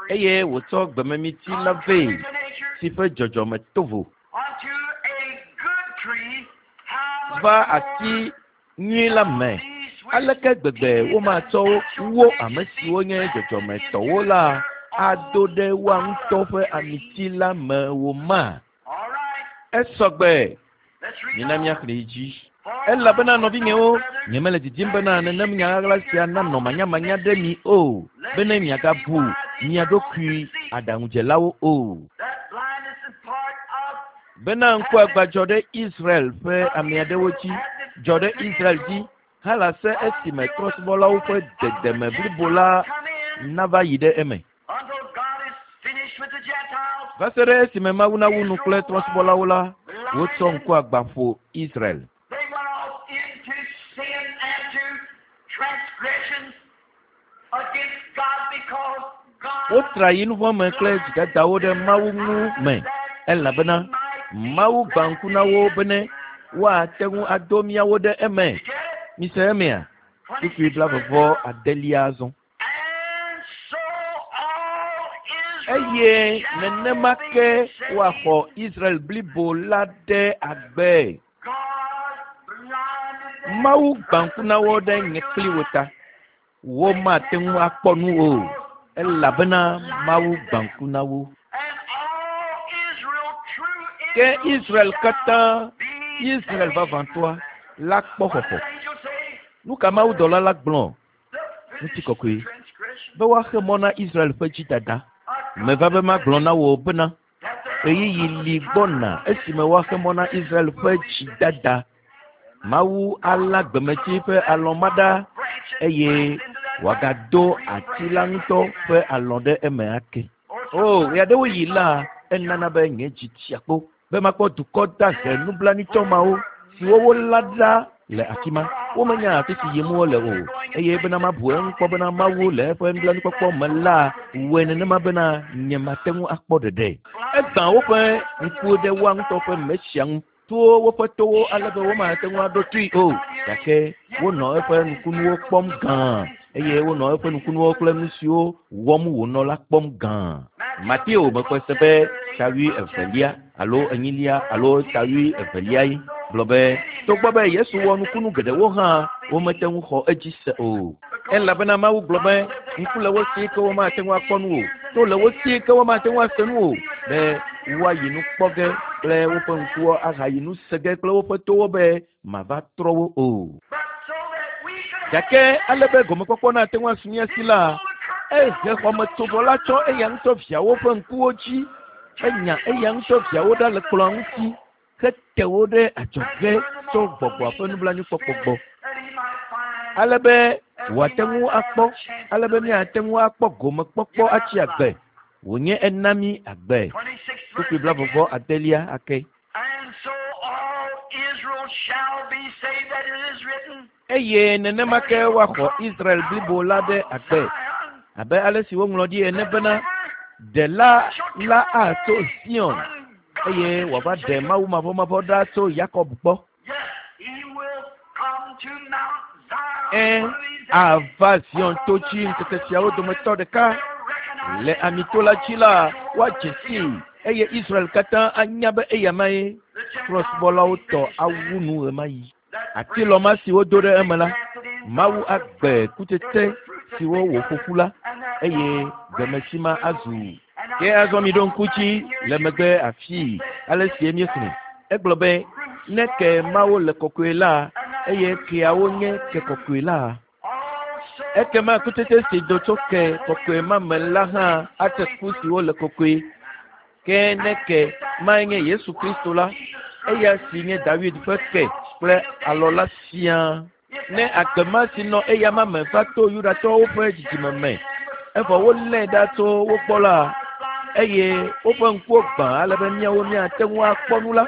eye wòtsɔ gbememiti la vɛ, si ƒe dzɔdzɔme to vo va ati nyui la me. Aleke gbegbe womatsɔ wo ame siwo nye dzɔdzɔmetɔwo la ado ɖe woa ŋutɔ ƒe amiti la me o ma? Esɔgbe. Mina míaxlẽe dzi. Elabena nɔvinyewo, nyemele didim bena nenem nya ɣaɣla sia nanɔ manyamanya ɖe mi o, bene miagabu mia ɖokui aɖaŋudzelawo o. Bena ŋkuagbã dzɔ ɖe Israel ƒe ame aɖewo dzi, dzɔ ɖe Israel dzi halase esime trɔ̃subɔlawo ƒe dedeme blibo la nava yi ɖe eme. Va se ɖe esime Mawu nawu nu kple trɔ̃subɔlawo la, wotsɔ ŋkuagbã ƒo Israel. Wotra yi nuvɔ̃ me kple dzidadawo ɖe Mawu ŋu me, elabena Mawu gbã ŋku na wo bene woate ŋu ado míawo ɖe eme. Mise emea? Kpukpui blaeve-vɔ-adelia azɔ. Eye nenema ke woaxɔ Israel blibo la ɖe agbe. Mawu gbã ŋku na wo ɖe nye kpli wò ta. Womate ŋu akpɔ nu o, elabena Mawu gbã ŋku na wo. Ke Israel katã, Israel vavãtɔa, la kpɔ xɔxɔ. Nu ka mawudɔla la gblɔ? Ŋutikɔkɔe, be woaxe mɔ na Israel ƒe dzidada. Meva be magblɔ na wò bena, ɣeyiɣi li gbɔna esime woaxe mɔ na Israel ƒe dzidada. Mawu alã gbemeti ƒe alɔ ma ɖa eye wòagado ati la ŋutɔ ƒe alɔ ɖe eme ake. O, ɣeaɖewoɣi la, enana be nye dzi tsia kpo be makpɔ dukɔ dahe nublanuitɔ mawo siwo wolã ɖa le afi ma. Womenya afi si yim wole o, eye bena mabu eŋu kpɔ bena Mawu le eƒe nublanuikpɔkpɔ me la wɔe nenema bena nyemate ŋu akpɔ ɖeɖe. Egbã woƒe ŋkuwo ɖe woa ŋutɔ ƒe Mesia ŋu to woƒe towo ale be womate ŋu aɖo toe o, gake wonɔ eƒe nukunuwo kpɔm gã, eye wonɔ eƒe nukunuwo kple nu siwo wɔm wònɔ la kpɔm gã. Mateo mexɔe se be ta wuievelia alo enyilia alo ta wuieveliae gblɔ be togbɔ be Yesu wɔ nukunu geɖewo hã, womete ŋu xɔ edzi se o. Elabena Mawu gblɔ be, Ŋku le wo si ke womate ŋu akpɔ nu o, to le wo si ke womate ŋu ase nu o, be woayi nu kpɔ ge kple woƒe ŋkuwo ahayi nu se ge kple woƒe towo be mava trɔ wo o. Gake ale be gomekpɔkpɔ nate ŋu asu mía si la, ehe xɔmetsovɔ la tsɔ eya ŋutɔ viawo ƒe ŋkuwo dzi, enya eya ŋutɔ viawo ɖa le kplɔ̃a ŋuti hete wo ɖe adzɔge tso gbɔgbɔa ƒe nublanuikpɔkpɔ gbɔ, ale be wòate ŋu akpɔ, ale be míate ŋu akpɔ gomekpɔkpɔ atsi agbe, wònye ena mí agbe. Kpukpui blaeve-vɔ-adelia ake. Eye nenema ke woaxɔ Israel blibo la ɖe agbe, abe ale si woŋlɔ ɖi ene bena, Ɖela la atso Zion. eye wòava ɖe Mawu mavɔmavɔ ɖa tso Yakob gbɔ. Ẽ, ava Zion to dzi ŋkeke siawo dometɔ ɖeka. Le Amito la dzi la, woadze sii, eye Israel katã anya be eyamae trɔ̃subɔlawo tɔ awu nu ɣemaɣi. Atilɔ ma si wodo ɖe eme la, Mawu agbe kutsetse siwo wòƒo ƒu la, eye gbemesi ma azu. Ke azɔ miɖo ŋku dzi le megbe afii ale sie míexlẽ. Egblɔ be, Ne ke mawo le kɔkɔe la, eye keawo nye ke kɔkɔe la, ekema kutsetse si do tso ke kɔkɔe ma me la hã ate ku siwo le kɔkɔe. Ke ne ke mae nye Yesu Kristo la, eya si nye Dawid ƒe ke kple alɔ la siaa. Ne agbe ma si nɔ eyama me va to Yudatɔwo ƒe dzidzime me, evɔ wolée ɖa tso wo gbɔ la, eye woƒe ŋkuwo gbã ale be míawo míate ŋu akpɔ nu la,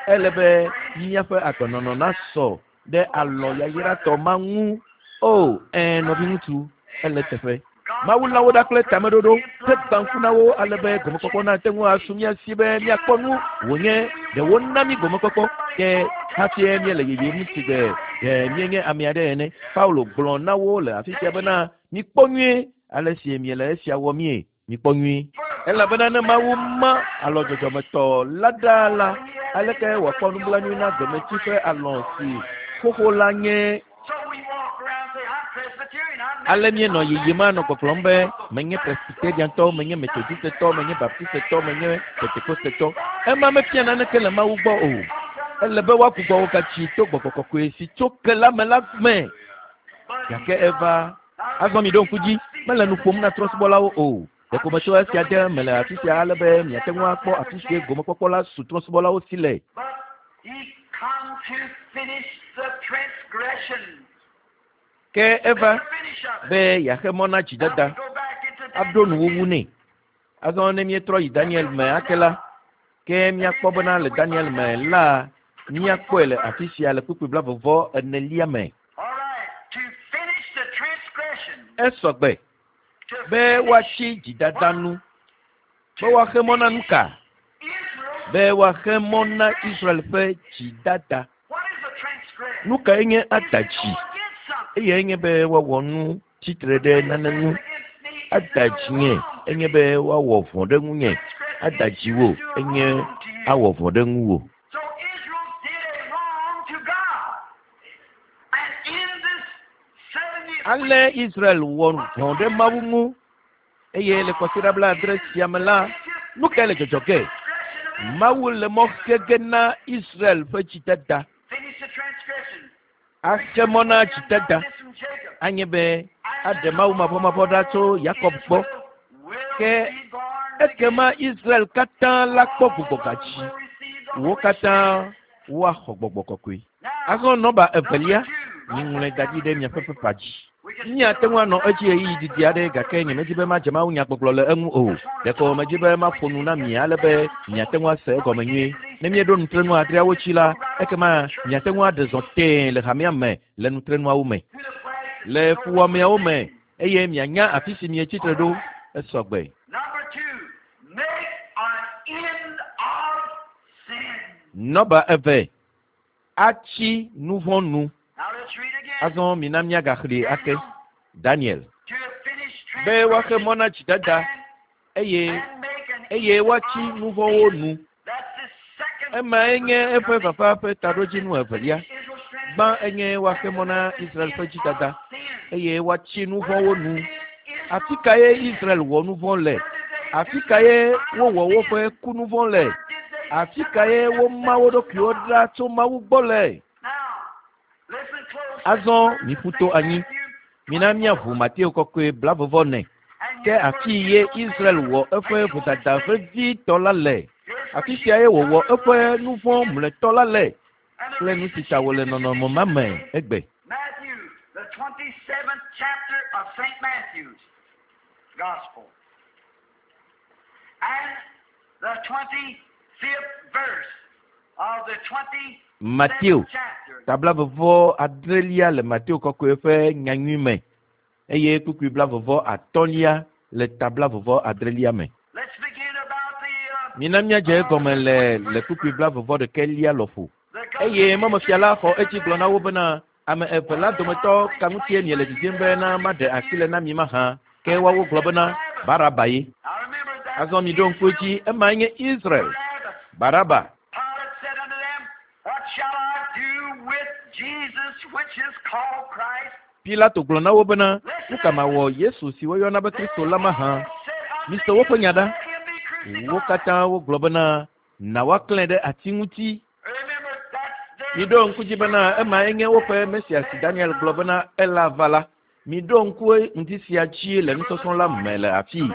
ele be míaƒe agbenɔnɔ nasɔ ɖe alɔ yayratɔ ma ŋu. O, ɛ̃, nɔviŋutsu, ele teƒe. Mawu lã wo ɖa kple tameɖoɖo hegbã ŋku na wo ale be gomekpɔkpɔ nate ŋu asu mía si be míakpɔ nu wònye ɖe wona mí gomekpɔkpɔ. Ke hafie míele yiyim sigbe ɖe míenye ame aɖe ene. Paulo gblɔ na wo le afi sia bena, Mikpɔ nyuie ale si miele esia wɔmie, mikpɔ nyuie. Elabena ne Mawu ma alɔ dzɔdzɔmetɔ la ɖa la, aleke wòakpɔ nublanui na gbemetsi ƒe alɔ si xoxo la nye? Ale míenɔ yiyim anɔ gbɔgblɔm be, Menye Presbyteriantɔ, menye Metodistetɔ, menye Baptistetɔ, menye Pentekostetɔ. Ema mefia naneke le Mawu gbɔ o. Ele be woagbugbɔ wò gatsi to Gbɔgbɔ Kɔkɔe si tso ke la me la me. Gake eva. Azɔ miɖo ŋku dzi, mele nu ƒom na trɔ̃subɔlawo o. Ɖeko metsɔ esia de eme le afi sia ale be miate ŋu akpɔ afi si gomekpɔkpɔ la su trɔ̃subɔlawo si le. Ke eva be yeaxe mɔ na dzidada aɖo nuwuwu nɛ. Azɔ ne míetrɔ yi Daniel me ake la, ke míakpɔ bena le Daniel me la, míakpɔe le afi sia le kpukpui blaeve-vɔ-enelia me. Esɔ gbe be woatsi dzidada nu, be woaxe mɔ na nuka? Be woaxe mɔ na Israel ƒe dzidada. Nukae nye ada dzi? Eyae nye be woawɔ nu tsitre ɖe nane ŋu. Ada dzinye enye be woawɔ vɔ̃ ɖe ŋunye. Ada dziwò enye awɔ vɔ̃ ɖe ŋuwò. Ale Israel wɔ vɔ̃ ɖe Mawu ŋu, eye le kwasiɖa blaadre sia me la, nu kae le dzɔdzɔ ge? Mawu le mɔ xe ge na Israel ƒe dzidada. Axe mɔ na dzidada anye be aɖe Mawu mavɔmavɔ ɖa tso Yakob gbɔ. Ke ekema Israel katã la kpɔ gbugbɔgadzi. Wo katã woaxɔ gbɔgbɔ kɔkɔe. Azɔ nɔba evelia, miŋlɔe da ɖi ɖe miaƒe pepa dzi. Míate ŋu anɔ edzi ɣeyiɣi didi aɖe, gake nyemedi be madze mawunyagbɔgblɔ le eŋu o. Ɖeko medi be maƒo nu na mi ale be miate ŋu ase egɔme nyuie. Ne míeɖo nutrenu adreawo dzi la, ekema miate ŋu aɖe zɔ tẽe le hamea me le nutrenuawo me, le fuwɔameawo me, eye mianya afi si mietsi tre ɖo. Esɔ gbe. Nɔba eve, atsi nuvɔ̃ nu. Azɔ mina míagaxlẽe ake. Daniel. Be woaxe mɔ na dzidada eye eye woatsi nuvɔ̃wo nu. Emae nye eƒe vava ƒe taɖodzinu evelia. Gbã enye woaxe mɔ na Israel ƒe dzidada eye woatsi nuvɔ̃wo nu. Afi kae Israel wɔ nuvɔ̃ le? Afi kae wowɔ woƒe kunuvɔ̃ le? Afi kae woma wo ɖokuiwo ɖa tso Mawu gbɔ le? Azɔ miƒu to anyi. Mina míaʋu Mateo kɔkɔe blaeve ne. Ke afi ye Israel wɔ eƒe vodada vevitɔ la le. Afi siae wòwɔ eƒe nuvɔ̃ mlɔetɔ la le kple nu si ta wòle nɔnɔme ma me egbe.
Matthew, the 27th chapter of St. Matthew's Gospel, and the 25th verse of the 27th
Mateo,
chapter.
ta blaeve-vɔ-adrelia le Mateo kɔkɔe ƒe nyanyui me, eye kpukpui blaeve-vɔ-atɔ̃lia le ta blaeve-vɔ-adrelia me.
Let's begin about the
Mina míadze egɔme le le kpukpui 41 lɔƒo. Eye mɔmefia la xɔ edzi gblɔ na wo bena, ame eve la dometɔ ka ŋutie miele didim bena maɖe asi le na mi mahã? Ke woawo gblɔ bena, Baraba ye. Azɔ miɖo ŋku edzi, emae nye Israel. Baraba.
Pilate said unto them, What shall I do with Jesus, which is called Christ?
Pilato gblɔ na wo bena, Nu ka mawɔ Yesu si woyɔna be Kristo la mahã? Mise woƒe nya ɖa. Wo katã wogblɔ bena, Na woaklãe ɖe ati ŋuti.
Remember, that's their
Miɖo ŋku dzi bena emae nye woƒe Mesia si Daniel gblɔ bena ela va la. Miɖo ŋku ŋdi sia dzi le nusɔsrɔ̃ la me le afii.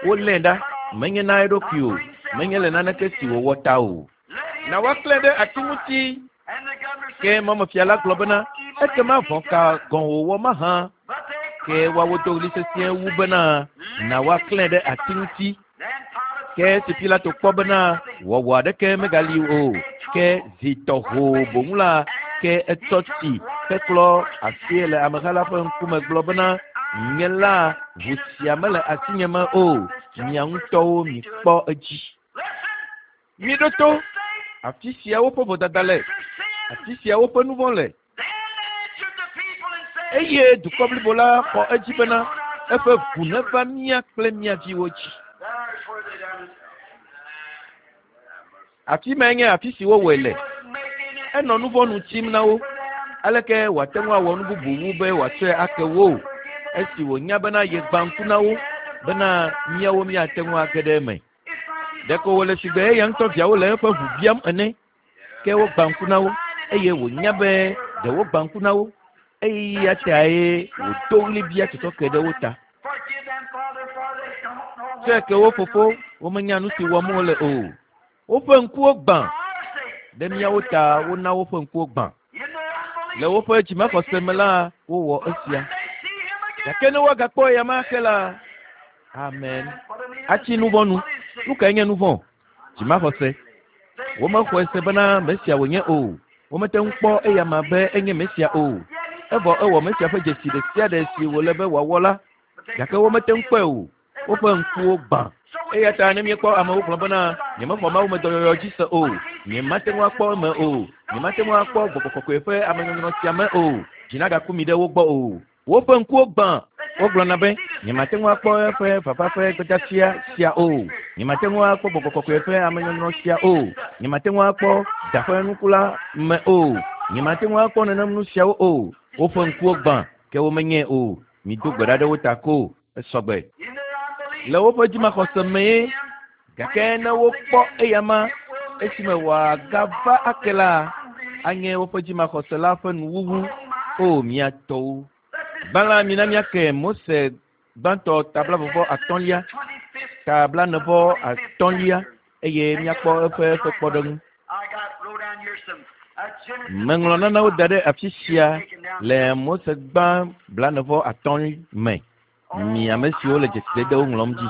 Wolée ɖa, menye na eɖokui o, menye le naneke si wòwɔ ta o. Na woaklãe ɖe ati ŋuti. Ke mɔmefia la gblɔ bena, Ekema vɔ̃ ka gɔ̃ wòwɔ mahã? Ke woawo do ɣli sesĩe wu bena, Na woaklãe ɖe ati ŋuti. Ke esi Pilato kpɔ bena wɔwɔ aɖeke megali o, ke zi tɔ hoo boŋ la, ke etsɔ tsi heklɔ asie le ameha la ƒe ŋkume gblɔ bena, Nye la, ʋu sia mele asinye me o, mia ŋutɔwo mikpɔ edzi. Miɖo to, afi sia woƒe vodada le, afi sia woƒe nu vɔ̃ le. Eye dukɔ blibo la xɔ edzi bena, eƒe ʋu neva mía kple mía viwo dzi. Afi mae nye afi si wowɔe le. Enɔ nu vɔ̃ nu tsim na wo. Aleke wòate ŋu awɔ nu bubu wu be wòatsɔe ake wo esi wònya bena yegbã ŋku na wo bena míawo míate ŋu age ɖe eme? Ɖeko wòle sigbe eya ŋutɔ viawo le eƒe ʋu biam ene. Ke wogbã ŋku na wo eye wònya be ɖe wogbã ŋku na wo. Eya tae wòdo ɣli bia tsɔtsɔke ɖe wo ta. Tsɔe ke wo fofo, womenya nu si wɔm wole o. Woƒe ŋkuwo gbã. Ɖe míawo ta wona woƒe ŋkuwo gbã. Le woƒe dzimaxɔse me la, wowɔ esia. Gake ne woagakpɔ eyama ake la, amen. Atsi nu vɔ̃ nu. Nu kae nye nu vɔ̃? Dzimaxɔse. Womexɔe se bena Mesia wònye o. Womete ŋu kpɔ eyama be enye Mesia o. Evɔ ewɔ Mesia ƒe dzesi ɖe sia ɖe si wòle be wòawɔ la, gake womete ŋu kpɔe o. Woƒe ŋkuwo gbã. Eya ta ne míekpɔ amewo gblɔ bena, Nyemexɔ mawumedɔyɔyɔ dzi se o, nyemate ŋu akpɔ eme o, nyemate ŋu akpɔ Gbɔgbɔ Kɔkɔe ƒe amenyɔnyrɔ sia me o, dzi nagaku mi ɖe wo gbɔ o. Woƒe ŋkuwo gbã. Wogblɔna be, Nyemate ŋu akpɔ eƒe vava ƒe gbedeasia sia o. Nyemate ŋu akpɔ Gbɔgbɔ Kɔkɔe ƒe amenyɔnyrɔ sia o. Nyemate ŋu akpɔ da ƒe nuku la me o. Nyemate ŋu akpɔ nenem nu siawo o. Woƒe ŋkuwo gbã, ke womenyae o. Mido gbe ɖa ɖe wo ta ko. Esɔgbe. Le woƒe dzimaxɔse mee. Gake ne wokpɔ eyama esime wòagava ake la, anye woƒe dzimaxɔse la ƒe nuwuwu. O, mía tɔwo! Gbã la, mina míake Mose gbãtɔ ta 35, ta 45 eye míakpɔ eƒe eƒe kpɔɖeŋu. Meŋlɔ nanewo da ɖe afi sia le Mose gbã 45 me. Mi ame siwo le dzesidedewo ŋlɔm dzi.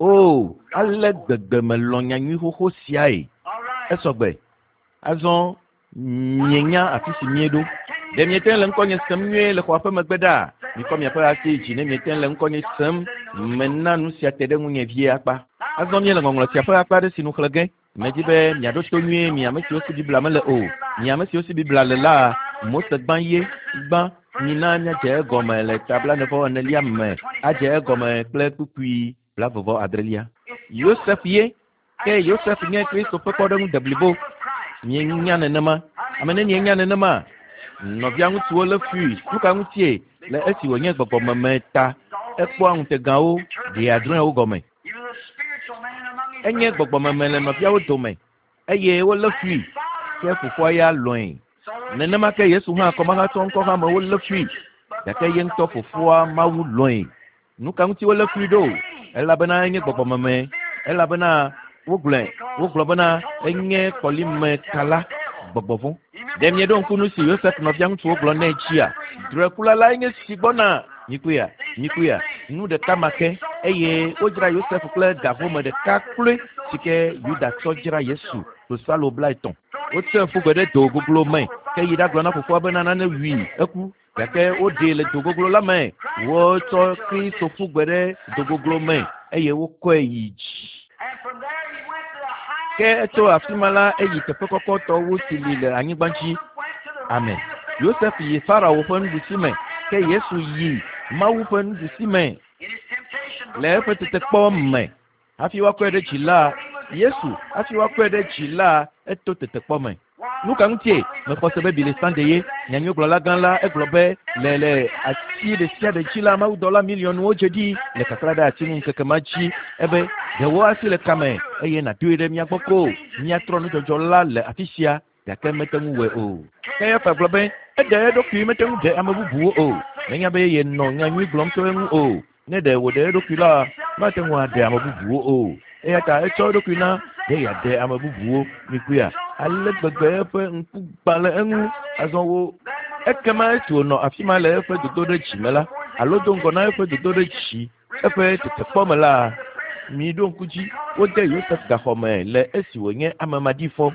O, ale gbegbe melɔ̃ nyanyui xoxo siae. Esɔgbe. Azɔ mienya afi si míeɖo. Ɖe miete le ŋkɔnye sem nyuie le xɔa ƒe megbe ɖaa? Mikɔ miaƒe asi yi dzi ne miete le ŋkɔnye sem. Mena nu sia te ɖe ŋunye vie akpa. Azɔ míele ŋɔŋlɔ sia ƒe akpa aɖe si nu xlẽ ge. Medi be miaɖo to nyuie, mi ame siwo si Biblia mele o. Mi ame siwo si Biblia le la, Mose gbã ye gbã. Mina míadze egɔme le ta 44 me, adze egɔme kple kpukpui 86. Yosef ye. Ke Yosef nye Kristo ƒe kpɔɖeŋu deblibo. Mienya nenema? Ame nenie nya nenema? Nɔvia ŋutsuwo lé fui. Nu ka ŋutie? Le esi wònye gbɔgbɔmeme ta. Ekpɔa ŋutegawo, ɖea drɔ̃ewo gɔme. Enye gbɔgbɔmeme le nɔviawo dome eye wolé fui, ke fofoa ya lɔ̃e. Nenema ke Yesu hã kɔmahatsɔ ŋkɔ hã me wolé fui, gake ye ŋutɔ fofoa Mawu lɔ̃e. Nu ka ŋuti wolé fui ɖo? Elabena enye gbɔgbɔmeme, elabena wogblɔe, wogblɔ bena enye kɔlime kala, gbɔgbɔ vɔ̃. Ɖe mieɖo ŋku nu si Yosef nɔvia ŋutsuwo gblɔ nɛ dzia? Drɔ̃ekula lae nye si gbɔna. Mikpɔea? Mikpɔea? Nu ɖeka ma ke. Eye wodzra Yosef kple ga home ɖeka kloe si ke Yuda tsɔ dzra Yesu, klosalo 30. Wotsɔe ƒu gbe ɖe do goglo me, ke yi ɖagblɔ na fofoa bena nane wui, eku. Gake woɖee le do goglo la me. Wotsɔ Kristo ƒu gbe ɖe do goglo me eye wokɔe yi dzi. Ke etso afi ma la eyi teƒe kɔkɔtɔ wu si li le anyigba dzi. Amen. Yosef yi Farao ƒe nuɖusi me, ke Yesu yi Mawu ƒe nuɖusi me le eƒe tetekpɔ me. Hafi woakɔe ɖe dzi la, Yesu, hafi woakɔe ɖe dzi la, eto tetekpɔ me. Nu ka ŋutie? Mexɔ se be Billy Sunday ye, nyanyuigblɔla gã la, egblɔ be le le ati ɖe sia ɖe dzi la, mawudɔla miliɔnwo dze ɖi le kakla ɖe ati ŋu ŋkeke ma dzi. Ebe, ɖe wò asi le kame eye nàdoe ɖe mía gbɔ ko. Míatrɔ nudzɔdzɔ la le afi sia, gake mete ŋu wɔe o. Kayafa gblɔ be, eɖe eɖokui mete ŋu ɖe ame bubuwo o. Menya be yenɔ nyanyui gblɔm tso eŋu o. Ne ɖe wòɖe eɖokui la, mate ŋu aɖe ame bubuwo o. Eya ta etsɔ eɖokui na be yeaɖe ame bubuwo. Mikpɔea? Ale gbegbe eƒe ŋku gbã le eŋu azɔ wo. Ekema esi wònɔ afi ma le eƒe dodoɖedzi me la, alo do ŋgɔ na eƒe dodoɖedzi, eƒe tetekpɔ me la, miɖo ŋku dzi, wode Yosef gaxɔ me le esi wònye ame maɖifɔ.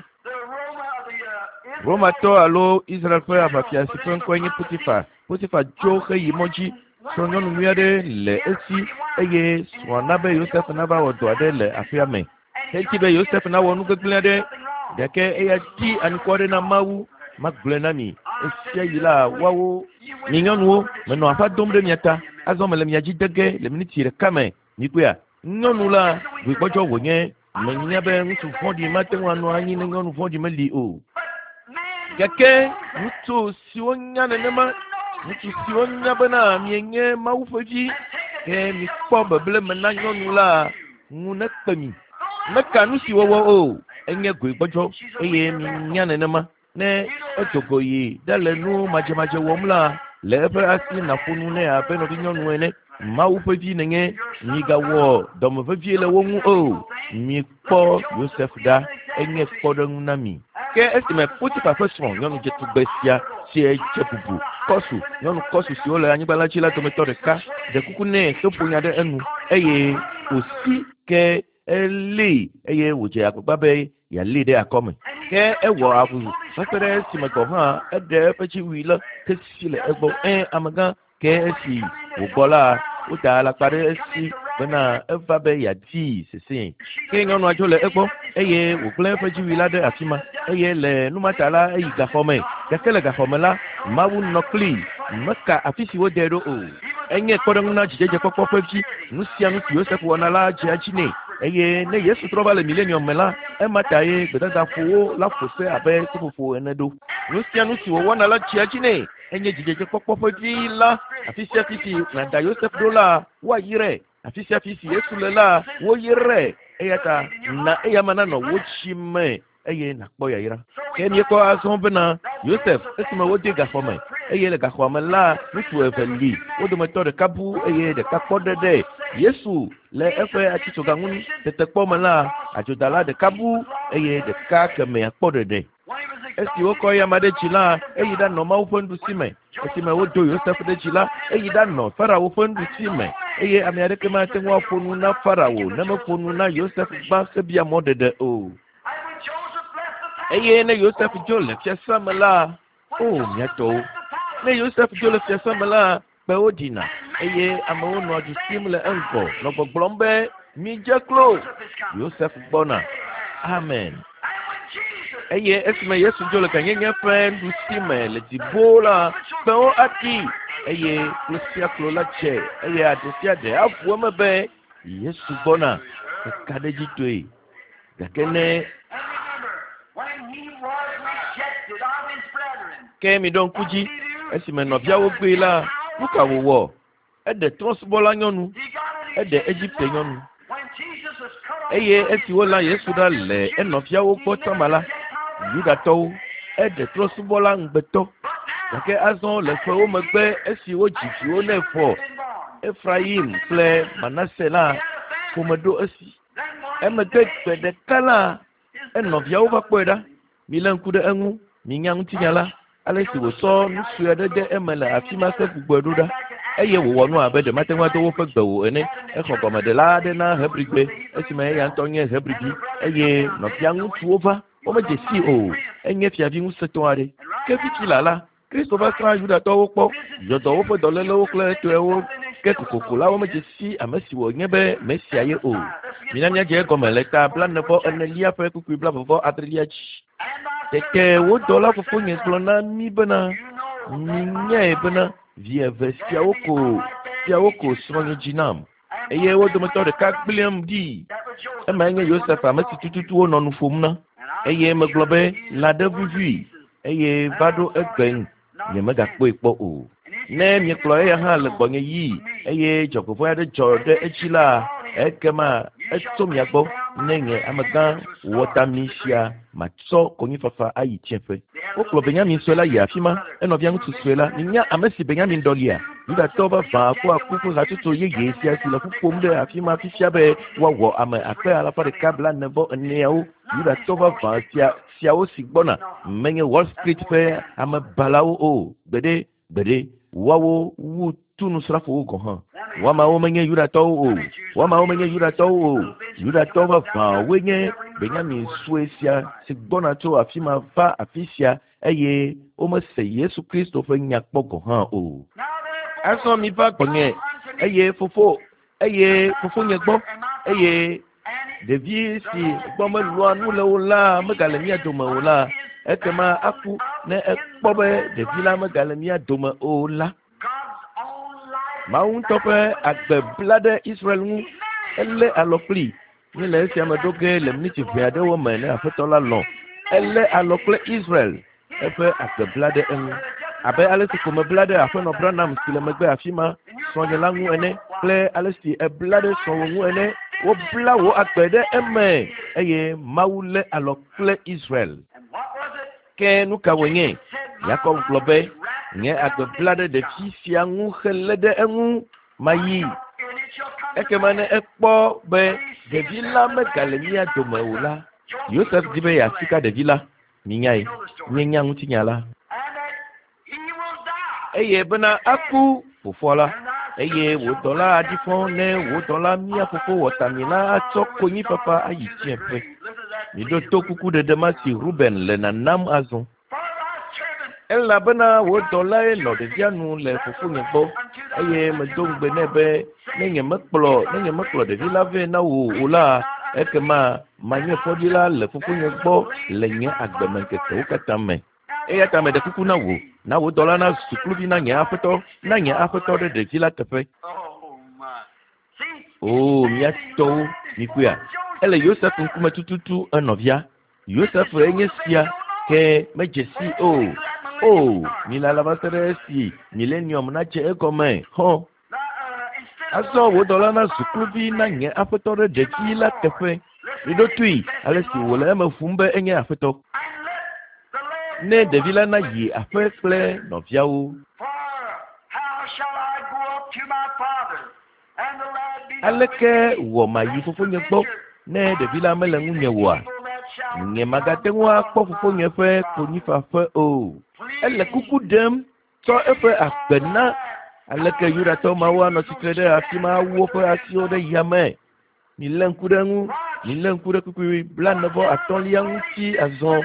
Romatɔ alo Israel ƒe aʋafia si ƒe ŋkɔe nye Potifa. Potifa tso heyi mɔ dzi srɔ̃nyɔnu nyui aɖe le esi eye srɔ̃a na be Yosef nava wɔ dɔ aɖe le aƒea me. Edi be Yosef nawɔ nu gbegblẽ aɖe gake eya di anukware na Mawu. Magblɔe na mi esia yi la woawo mi nyɔnuwo menɔ aƒa dom ɖe mia ta. Azɔ mele mia dzi de ge le miniti ɖeka me. Mikpɔea? Nyɔnu la goegbɔdzɔ wònye. Menya be ŋutsu vɔ̃ɖi mate ŋu anɔ anyi ne nyɔnu vɔ̃ɖi meli o. Gake ŋutsu siwo nya nenema, ŋutsu siwo nya bena mienye Mawu ƒe vi, ke mikpɔ beble me na nyɔnu la ŋu nekpe mi. Meka nu si wɔwɔ o, enye goegbɔdzɔ eye minya nenema. Ne edo go yi ɖe le nu madzemadze wɔm la, le eƒe asi nàƒo nu nɛ abe nɔvinyɔnu ene. Mawu ƒe vi nènye, migawɔ dɔmevevie le wo ŋu o. Mikpɔ Yosef ɖa, enye kpɔɖeŋu na mi. Ke esime Potifa ƒe srɔ̃, nyɔnu dzetugbe sia, si dze bubu, kɔsu, nyɔnu kɔsu siwo le anyigba la dzi la dometɔ ɖeka, ɖe kuku nɛ heƒo nya ɖe enu eye wòsi ke elée eye wòdze agbagba be yealée ɖe akɔme. Ke ewɔ avu va se ɖe esime gɔ̃ hã eɖe eƒe dziwui la hesi le egbɔ. Ẽ, amegã, ke esi wògbɔ la, woda alakpa ɖe esi bena eva be yeadii sesẽe. Ke nyɔnua dzo le egbɔ eye wògblẽ eƒe dziwui la ɖe afi ma eye le nu ma ta la eyi gaxɔ me. Gake le gaxɔ me la, Mawu nɔ kplii, meka afi si wodee ɖo o. Enye kpɔɖeŋu na dzidzedzekpɔkpɔ ƒe vi. Nu sia nu si Yosef wɔna la dzea edzi nɛ. Eye ne Yesu trɔ va le milenium me la, ema tae gbedadaƒowo la ƒo se abe seƒoƒo ene ɖo. Nu sia nu si wòwɔna la dzea edzi nɛ. Enye dzidzedzekpɔkpɔ ƒe vi la. Afi sia afi si nàda Yosef ɖo la, woayrae. Afi sia afi si Yesu le la, woyrae. Eya ta na eyama nanɔ wò dzi me eye nàkpɔ yayra. Ke míekpɔ azɔ bena Yosef esime wode gaxɔ me eye le gaxɔa me la ŋutsu eve li, wo dometɔ ɖeka bu eye ɖeka kpɔ ɖe ɖe. Yesu le eƒe atitsoga ŋu tetekpɔ me la, adzodala ɖeka bu eye ɖeka kemɛa kpɔ ɖeɖe. Esi wokɔ eyama ɖe dzi la, eyi ɖanɔ Mawu ƒe nuɖusi me. Esime wodo Yosef ɖe dzi la, eyi ɖanɔ Farao ƒe nuɖusi me eye ame aɖeke mate ŋu aƒo nu na Farao ne meƒo nu na Yosef gbã hebia mɔɖeɖe o. Eye ne Yosef dzo le fiasã me la, o mía tɔwo, ne Yosef dzo le fiasã me la, kpewo ɖina eye amewo nɔa du sim le eŋgɔ nɔ gbɔgblɔm be, midze klo, Yosef gbɔna. Amen. Eye esime Yesu dzo le gãnyenye ƒe nuɖusi me le dziƒo la, kpewo aɖi eye klo sia klo la dze eye aɖe sia ɖe aʋu eme be Yesu gbɔna kakaɖedzitɔe. Gake ne ke miɖo ŋku dzi esime nɔviawo gbee la, nu ka wòwɔ? Eɖe trɔ̃subɔla nyɔnu, eɖe Egipte nyɔnu. Eye esi wolã Yesu ɖa le enɔviawo gbɔ tsɔma la, Yudatɔwo, eɖe trɔ̃subɔla ŋugbetɔ. Gake azɔ le ƒewo megbe esi wodzi viwo nɛ vɔ, Efrayim kple Manase la, ƒome ɖo esi. Emegbe gbe ɖeka la, enɔviawo va kpɔe ɖa. Milé ŋku ɖe eŋu, minya ŋutinya la, ale si wòtsɔ nu sue aɖe de eme le afi ma hegbugbɔe ɖo ɖa. Eye wòwɔ nu abe ɖe mate ŋu ado woƒe gbe o ene. Exɔ gɔmeɖela aɖe na Hebrigbe esime eya ŋutɔ nye Hebrivi eye nɔvia ŋutsuwo va. Womedze sii o. Enye fiavi ŋusẽtɔ aɖe. Ke fifi laa la, Kristo va srã Yudatɔwo kpɔ, yɔ dɔ woƒe dɔlélewo kple etɔewo. Ke kokoko la womedze si ame si wònye be Mesia ye o. Mina míadze egɔme le ta 46enelia ƒe kpukpui 26lia dzi. Tete wo dɔla fofonye gblɔ na mí bena, Minyae bena vi eve siawo ko siawo ko srɔ̃nye dzi nam eye wo dometɔ ɖeka gblẽm ɖi. Emae nye Yosef ame si tututu wonɔ nu ƒom na. Eye megblɔ be lã ɖe vuvui eye va ɖo egbe nyemegakpɔe kpɔ o. Ne miekplɔ eya hã le gbɔnye yii eye dzɔgbevɔ̃e aɖe dzɔ ɖe edzi la, ekema etso mia gbɔ ne nye amegã wɔtami sia matsɔ konyifafa ayi tsiẽƒe. Wokplɔ Benyamin sue la yi afi ma, enɔvia ŋutsu sue la. Minya ame si Benyamin ɖɔlia? Yudatɔ vavã kpɔ aku ƒe hatsotso yeye sia si le ƒu ƒom ɖe afi ma fifia be woawɔ ame akpe alafa ɖeka 44eawo. Yudatɔ vavã sia siawo si gbɔna menye Wall Street ƒe amebalawo o. Gbeɖe, gbeɖe, woawo wu tunusrafowo gɔ̃ hã. Woamawo menye Yudatɔwo o. Woamawo menye Yudatɔwo o. Yudatɔ vavãwoe nye Benyamin sue sia si gbɔna tso afi ma va afi sia eye womese Yesu Kristo ƒe nya kpɔ gɔ̃ hã o. Azɔ miva gbɔnye eye fofo eye fofonye gbɔ eye ɖevi si gbɔ melɔa nu le o la megale mía dome o la, ekema aku ne ekpɔ be ɖevi la megale mía dome o la. Mawu ŋutɔ ƒe agbe bla ɖe Israel ŋu. Elé alɔ kpli. Míele esia me ɖo ge le miniti ʋɛ aɖewo me ne Aƒetɔ la lɔ̃. Elé alɔ kple Israel. Eƒe agbe bla ɖe eŋu. Abe ale si ko mebla ɖe Aƒenɔ Branham si le megbe afi ma, srɔ̃nye la ŋu ene, kple ale si ebla ɖe srɔ̃wò ŋu ene, wobla wò agbe ɖe eme eye Mawu lé alɔ kple Israel. Ke nu ka wònye? Yakob gblɔ be, Nye agbe bla ɖe ɖevi sia ŋu helé ɖe eŋu mayi. Ekema ne ekpɔ be ɖevi la megale mía dome o la, Yosef di be yeasika ɖevi la. Minyae, míenya ŋutinya la. Eye bena aku fofoa la, eye wò dɔla aɖi fɔ ne wò dɔla mía fofo wɔtami la atsɔ konyifafa ayi tsiẽƒe. Miɖo to kukuɖeɖe ma si Ruben le nanam azɔ. Elabena wò dɔlae nɔ ɖevia nu le fofonye gbɔ eye medo ŋugbe nɛ be ne nyemekplɔ ne nyemekplɔ ɖevi la vɛ na wò o la, ekema manye fɔɖila le fofonye gbɔ le nye agbemeŋkekewo katã me. Eya ta meɖe kuku na wò, na wò dɔla nazu kluvi na nye aƒetɔ, na nye aƒetɔ ɖe ɖevi la teƒe. Oo, mía tɔwo, mikpɔea? Ele Yosef ŋkume tututu enɔvia. Yosef enye sia, ke medze si o. O, milala va se ɖe esi milenium nadze egɔme. Hɔ. Azɔ wò dɔla nazu kluvi na nye aƒetɔ ɖe ɖevi la teƒe. Miɖo toe ale si wòle eme ƒum be enye aƒetɔ. Ne ɖevi la nayi aƒe kple nɔviawo.
For how shall I go up to my father, and the lad be not
Aleke
with me?
wɔ mayi fofonye gbɔ ne ɖevi la mele ŋunye oa? Nye magate ŋu akpɔ fofonye ƒe konyifaƒe o. Ele kuku ɖem tsɔ eƒe agbe na. Aleke Yudatɔ mawo anɔ tsitre ɖe afi ma awu woƒe asiwo ɖe yame? Milé ŋku ɖe eŋu. Milé ŋku ɖe kpukpui 45lia ŋuti azɔ.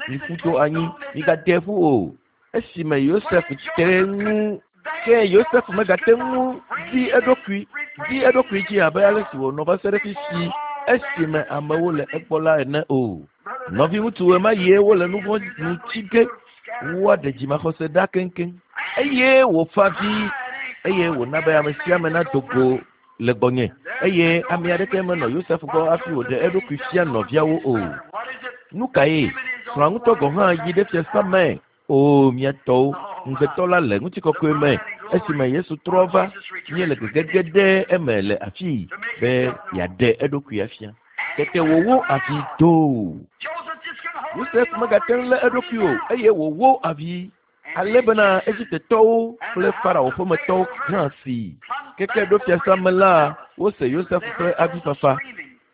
Miƒu to anyi. Migade ƒu o. Esime Yosef te ŋu ke Yosef megate ŋu di eɖokui di eɖokui dzi abe ale si wònɔ va se ɖe fisi esime amewo le egbɔ la ene o. Nɔviŋutsu ɣemaɣie wole nu vɔ̃ nu tsi ge woaɖe dzimaxɔse ɖa keŋkeŋ. Eye wòfa avi eye wòna be ame sia ame nado go le gbɔnye eye ame aɖeke menɔ Yosef gbɔ hafi wòɖe eɖokui fia nɔviawo o. Nu kae? Srɔ̃a ŋutɔ gɔ̃ hã yi ɖe fiasã me. O, mía tɔwo, ŋugbetɔ la le ŋutikɔkɔe me. Esime Yesu trɔ va, míele gegege ɖe eme le afii be yeaɖe eɖokui afia. Tete wòwó avi doo.
Joseph just couldn't hold
Yosef megate ŋu lé eɖokui o eye wòwó avi ale bena Egiptetɔwo kple Farao ƒemetɔwo hã si. Keke ɖo fiasã me la, wose Yosef ƒe avifafa.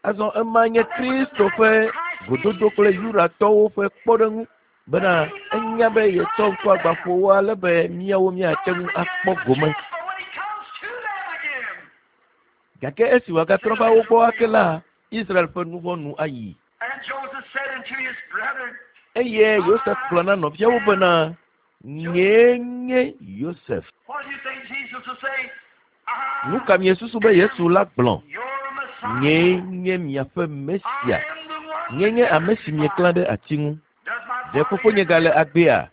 Azɔ ema nye Kristo ƒe gododo kple Yudatɔwo ƒe kpɔɖeŋu bena enya be yetsɔ ŋkuagbãƒowo ale be míawo míate ŋu akpɔ gome.
But when he comes to them again,
Gake esi wòagatrɔ va wo gbɔ ake la, Israel ƒe nu vɔ̃ nu ayi.
and Joseph said unto his brethren,
Eye Yosef gblɔ na nɔviawo bena, nyee nye Yosef.
What do you think Jesus will say?
Nu ka miesusu be Yesu la gblɔ? Nyee nye miaƒe Mesia. Nye nye ame si mieklã ɖe ati ŋu. Ɖe fofonye gale agbea?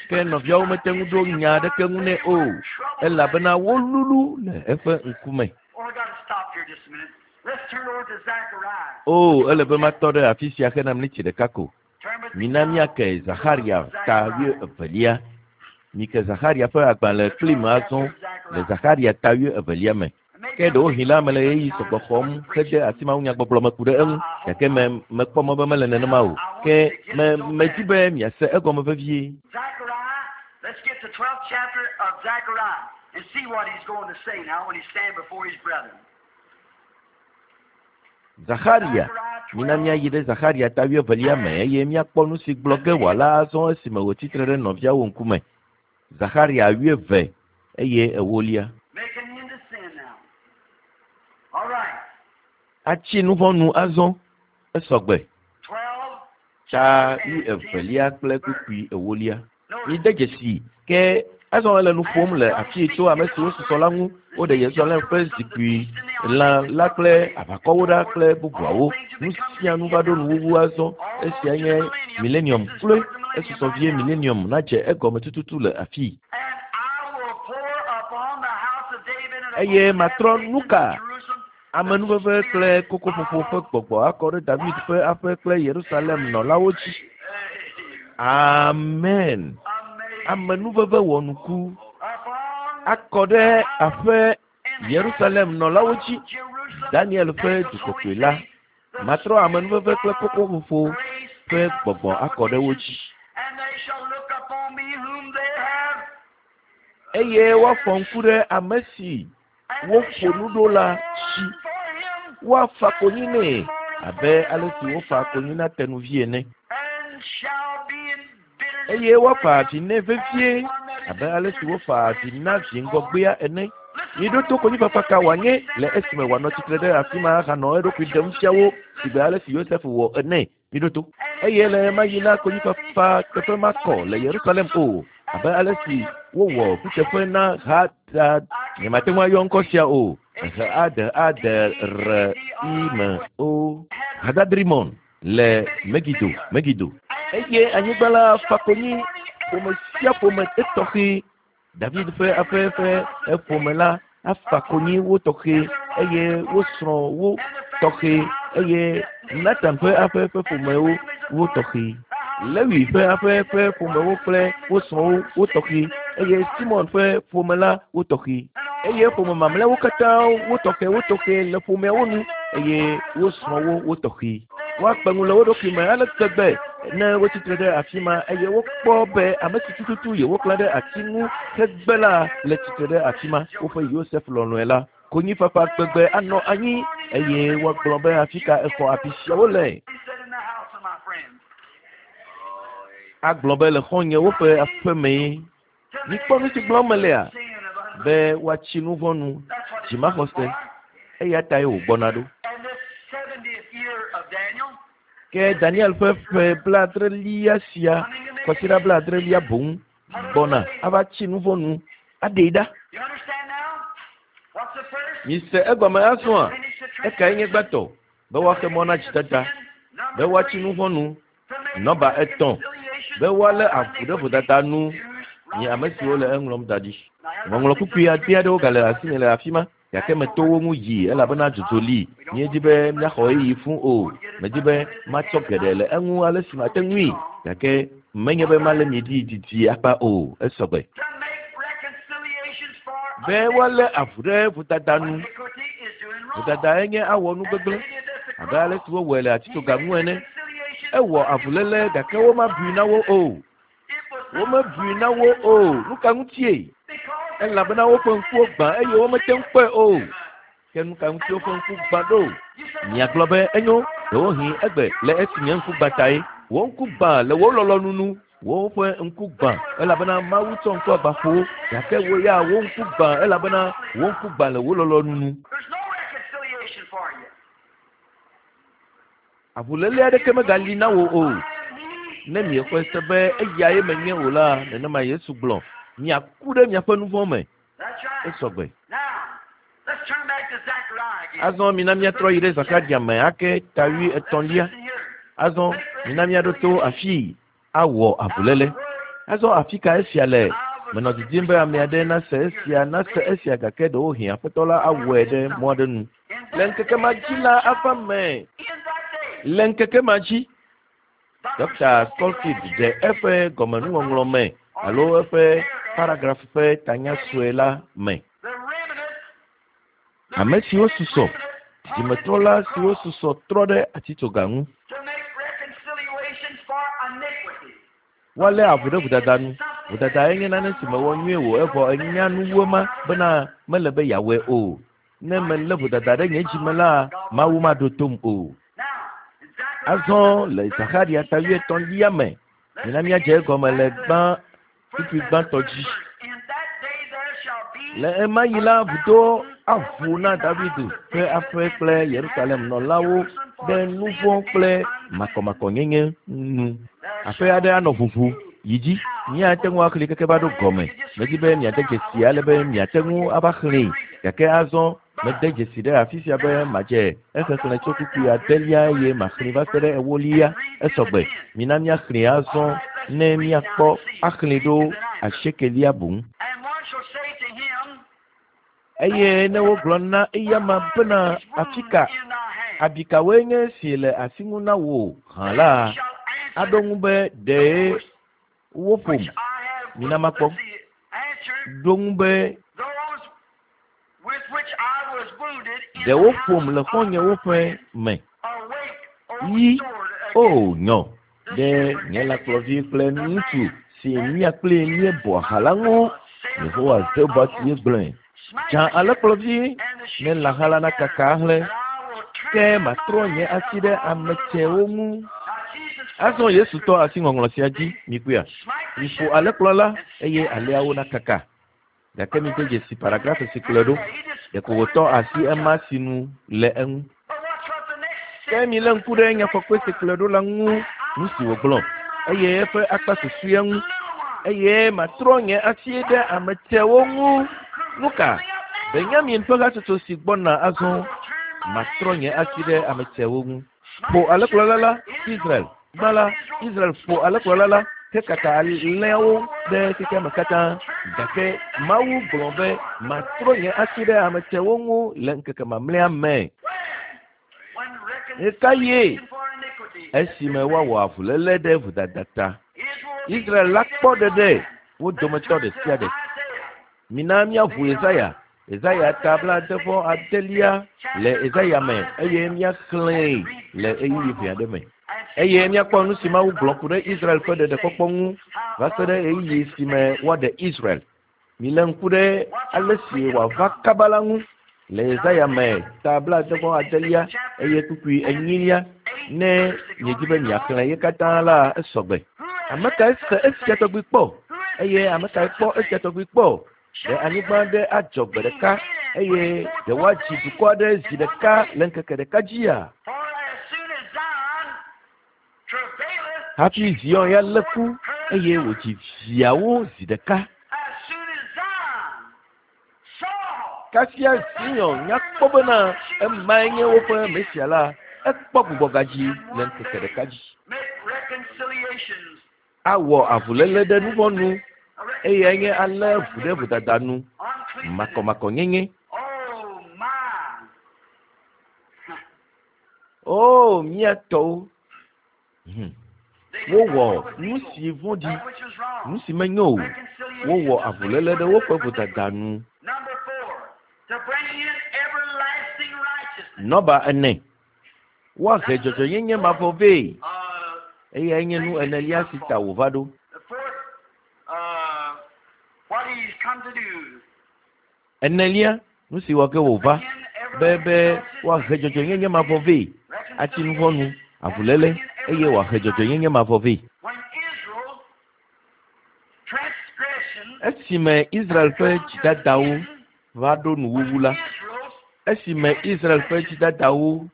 Ke nɔviawo mete ŋu ɖo nya aɖeke ŋu nɛ o, elabena wolulu le eƒe ŋkume. O, ele be matɔ ɖe afi sia hena miniti ɖeka ko. Mina míake Zaxarya ta wuievelia. Mike Zaxarya ƒe agbalẽ kplim azɔ le Zaxarya ta wuievelia me. Ke ɖewohĩ la, mele ɣeyiɣi sɔgbɔ xɔm hede asi mawunyagbɔgblɔ me ku ɖe eŋu, gake me, mekpɔ mɔ be mele nenema o. Ke me, medi be miase egɔme vevie. Zaxarya, mina míayi ɖe Zaxarya ta wuievelia me eye míakpɔ nu si gblɔ ge wòala azɔ esime wòtsi tre ɖe nɔviawo ŋkume. Zaxarya wuieve eye ewolia. Atsi nuvɔ̃ nu azɔ, esɔgbe. Ta wuievelia kple kpukpui ewolia. Mide dzesii, ke azɔ ele nu ƒom le afii tso ame siwo susɔ la ŋu. Woɖe Yerusalem ƒe zikpui lã la kple aʋakɔwo ɖa kple bubuawo. Nu sia nu va ɖo nuwuwu azɔ. Esia nye milenium kloe. Esusɔ vie milenium nadze egɔme tututu le afii. Eye matrɔ nuka? Amenuveve kple kokoƒoƒo ƒe gbɔgbɔ akɔ ɖe David ƒe aƒe kple Yerusalem nɔlawo dzi. Amen. Amenuveve wɔnuku akɔ ɖe aƒe Yerusalem nɔlawo dzi. Daniel ƒe du kɔkɔe la. Matrɔ amenuveve kple kokoƒoƒo ƒe gbɔgbɔ akɔ ɖe wo dzi. Eye woafɔ ŋku ɖe ame si woƒo nu ɖo la dzi. Woafa konyi nɛ abe ale si wofa konyi na tenuvi ene. Eye woafa avi nɛ vevie abe ale si wofa avi na vi ŋgɔgbea ene. Miɖo to konyifafa ka wòanye le esime wòanɔ tsitre ɖe afi ma ahanɔ eɖokui ɖem fia wo sigbe ale si Yosef wɔ ene. Miɖo to. Eye le ɣemaɣi la, konyifafa teƒe makɔ le Yerusalem o, abe ale si wowɔ kuteƒe na Hadad. Nyemate ŋu ayɔ ŋkɔ sia o. H A D A D R I M O. Hadadrimon le Megido, Megido. Eye anyigba la fa konyi ƒome sia ƒome etɔxɛ. David ƒe aƒe ƒe eƒome la afa konyi wo tɔxɛ eye wo srɔ̃ wo tɔxɛ eye Natan ƒe aƒe ƒe ƒomewo wo tɔxɛ. Lewi ƒe aƒe ƒe ƒomewo kple wo srɔ̃wo wo tɔxɛ eye Simon ƒe ƒome la wo tɔxɛ. Eye ƒome mamlɛawo katã wo tɔxɛ wo tɔxɛ le ƒomeawo nu eye wo srɔ̃wo wo tɔxɛ. Woakpe ŋu le wo ɖokui me ale gbegbe ne wotsi tre ɖe afi ma eye wokpɔ be ame si tututu yewoklã ɖe ati ŋu hegbe la le tsitre ɖe afi ma, woƒe Yosef lɔlɔ̃e la. Konyifafa gbegbe anɔ anyi eye woagblɔ be afi ka exɔ abi siawo le. Agblɔ be le xɔ̃nyewo ƒe aƒe mee. Mikpɔ nu si gblɔm melea? Be woatsi nu vɔ̃ nu, dzimaxɔse. Eya tae wògbɔna ɖo. Ke Daniel ƒe ƒe blaadrelia sia, kwasiɖa blaadrelia boŋ, gbɔna ava tsi nu vɔ̃ nu, aɖee ɖa. Mise egɔme azɔa? Ekae nye gbãtɔ? Be woaxe mɔ na dzidada, be woatsi nu vɔ̃ nu, Nɔmba etɔ̃, be woalé avu ɖe vodada nu nye ame siwo le eŋlɔm da ɖi. Ŋɔŋlɔ kpukpui ade aɖewo gale asinye le afi ma, gake meto wo ŋu yi elabena dzodzo li. Míedi be míaxɔ ɣeyiɣi fũ o. Medi be matsɔ geɖe le eŋu ale si mate ŋui, gake menye be malé mi ɖi didi akpa o. Esɔgbe. Be woalé avu ɖe vodada nu. Vodadae nye awɔ nu gbegblẽ, abe ale si wowɔe le atitsoga ŋu ene. Ewɔ avuléle gake womabui na wo o. Womebui na wo o. Nu ka ŋutie? Elabena woƒe ŋkuwo gbã eye womete ŋu kpɔe o. Ke nu ka ŋuti woƒe ŋku gbã ɖo? Miagblɔ be, Enyo, ɖewohĩ egbe le esi nye ŋku gbã tae. Wò ŋku gbã le wò lɔlɔ̃nu nu. Woƒe ŋku gbã elabena Mawu tsɔ ŋku agba ƒo wo, gake wò ya wò ŋku gbã elabena wò ŋku gbã le wò lɔlɔ̃nu nu. Avuléle aɖeke megali na wò o. Ne miexɔe se be eyae menye o la, nenema Yesu gblɔ, miaku ɖe miaƒe nu vɔ̃ me. Esɔgbe. Azɔ mina míatrɔ yi ɖe Zakaria me ake ta 33. Azɔ mina míaɖo to afii awɔ avuléle. Azɔ afi ka esia le? Menɔ didim be ame aɖe nase esia, nase esia gake ɖewohĩ Aƒetɔ la awɔe ɖe mɔ aɖe nu. Le ŋkeke ma dzi la ava me. Le ŋkeke ma dzi, Dɔkta Scofield ɖe eƒe gɔmenuŋɔŋlɔ me alo eƒe paragraf ƒe tanya sue la me. Ame siwo susɔ, dzimetrɔla siwo susɔ trɔ ɖe atitsoga ŋu. Woalé avu ɖe vodada nu. Vodada enye nane si mewɔ nyuie o evɔ enya nu wu ema bena mele be yeawɔe o. Ne melé vodada ɖe nye dzi me la, Mawu maɖo tom o. Azɔ le Zaxarya ta 80lia me, mina míadze egɔme le gbã kpukpui gbãtɔ dzi. Le ɣemaɣi la, vudo aʋu na David ƒe aƒe kple Yerusalem nɔlawo ɖe nu vɔ̃ kple makɔmakɔnyenye nu. Aƒe aɖe anɔ ʋuʋu yi dzi. Míate ŋu axlẽe keke va ɖo gɔme. Medi be miade dzesi ale be miate ŋu ava xlẽe. Gake azɔ mede dzesi ɖe afi sia be madze exexlẽ tso kpukpui adelia eye maxlẽe va se ɖe ewolia. Esɔgbe. Mina míaxlẽe azɔ ne míakpɔ axlẽe ɖo asiekelia boŋ. Eye ne wogblɔ na eyama bena, Afika abi kawoe nye esi le asi ŋu na wò hã la, aɖo ŋu be, Ɖee woƒom. Mina makpɔ. Ɖo ŋu be, Ɖe woƒom le xɔ̃nyewo ƒe me. Yi, o nyɔ, ɖe nye lãkplɔvi kple ŋutsu si mía kplii míebɔa ha la ŋu. Yehowa Zebaot ye gblɔe. Dza alẽkplɔvi ne lãha la nakaka ahlẽ, ke matrɔ nye asi ɖe ame tsɛwo ŋu. Azɔ Yesu tɔ asi ŋɔŋlɔ sia dzi, mikpɔea? Miƒo alẽkplɔla eye alẽawo nakaka. Gake mide dzesi paragraf si kplɔe ɖo. Ɖeko wòtɔ asi ema sinu le eŋu. Ke milé ŋku ɖe nyafɔkpe si kplɔe ɖo la ŋu, nu si wògblɔ, eye eƒe akpa susɔea ŋu. Eye matrɔ nye asi ɖe ame tsɛwo ŋu. Nu ka? Benyamin ƒe hatsotso si gbɔna azɔ. Matrɔ nye asi ɖe ame tsɛwo ŋu. Ƒo alẽkplɔla la, Israel. Gbã la, Israel ƒo alẽkplɔla la hekaka alẽawo ɖe xexeame katã. Gake Mawu gblɔ be, Matrɔ nye asi ɖe ame tsɛwo ŋu le ŋkeke mamlɛa me. Ɣekaɣie? Esime woawɔ avuléle ɖe vodada ta. Israel la kpɔ ɖeɖe wo dometɔ ɖe sia ɖe. Mina míaʋu Yesaya, Yesaya ta 78 le Yesaya me eye míaxlẽe le ɣeyiɣi ʋɛ aɖe me. Eye míakpɔ nu si Mawu gblɔ ku ɖe Israel ƒe ɖeɖekpɔkpɔ ŋu va se ɖe ɣeyiɣi si me woaɖe Israel. Milé ŋku ɖe ale si wòava kaba la ŋu le Yesaya me ta 78 eye kpukpui enyilia. Ne miedi be miaxlẽ ye katã la, esɔgbe. Ame kae se esia tɔgbi kpɔ? Eye ame kae kpɔ esia tɔgbi kpɔ? Ɖe anyigba aɖe adzɔ gbe ɖeka eye ɖe woadzi dukɔ aɖe zi ɖeka le ŋkeke ɖeka dzia? Hafi Zion ya lé ku eye wòdzi viawo zi ɖeka. Kasia Zion nya kpɔ bena emae nye woƒe Mesia la, ekpɔ gbugbɔgadzi le ŋkeke ɖeka dzi. Awɔ avuléle ɖe nuvɔ̃ nu, eyae nye alé vu ɖe vodada nu, makɔmakɔnyenye. O, mía tɔwo! Hm. Wowɔ nu si vɔ̃ɖi, nu si menyo o. Wowɔ avuléle ɖe woƒe vodada nu. Nɔba ene. Woahe dzɔdzɔenyenye mavɔ vɛ. Eyae nye nu enelia si ta wòva ɖo. Enelia, nu si wɔ ge wòva be be woahe dzɔdzɔenyenye mavɔ vɛ, atsi nu vɔ̃ nu, avuléle, eye wòahe dzɔdzɔenyenye mavɔ vɛ. Esime Israel ƒe dzidadawo va ɖo nuwuwu la, esime Israel ƒe dzidadawo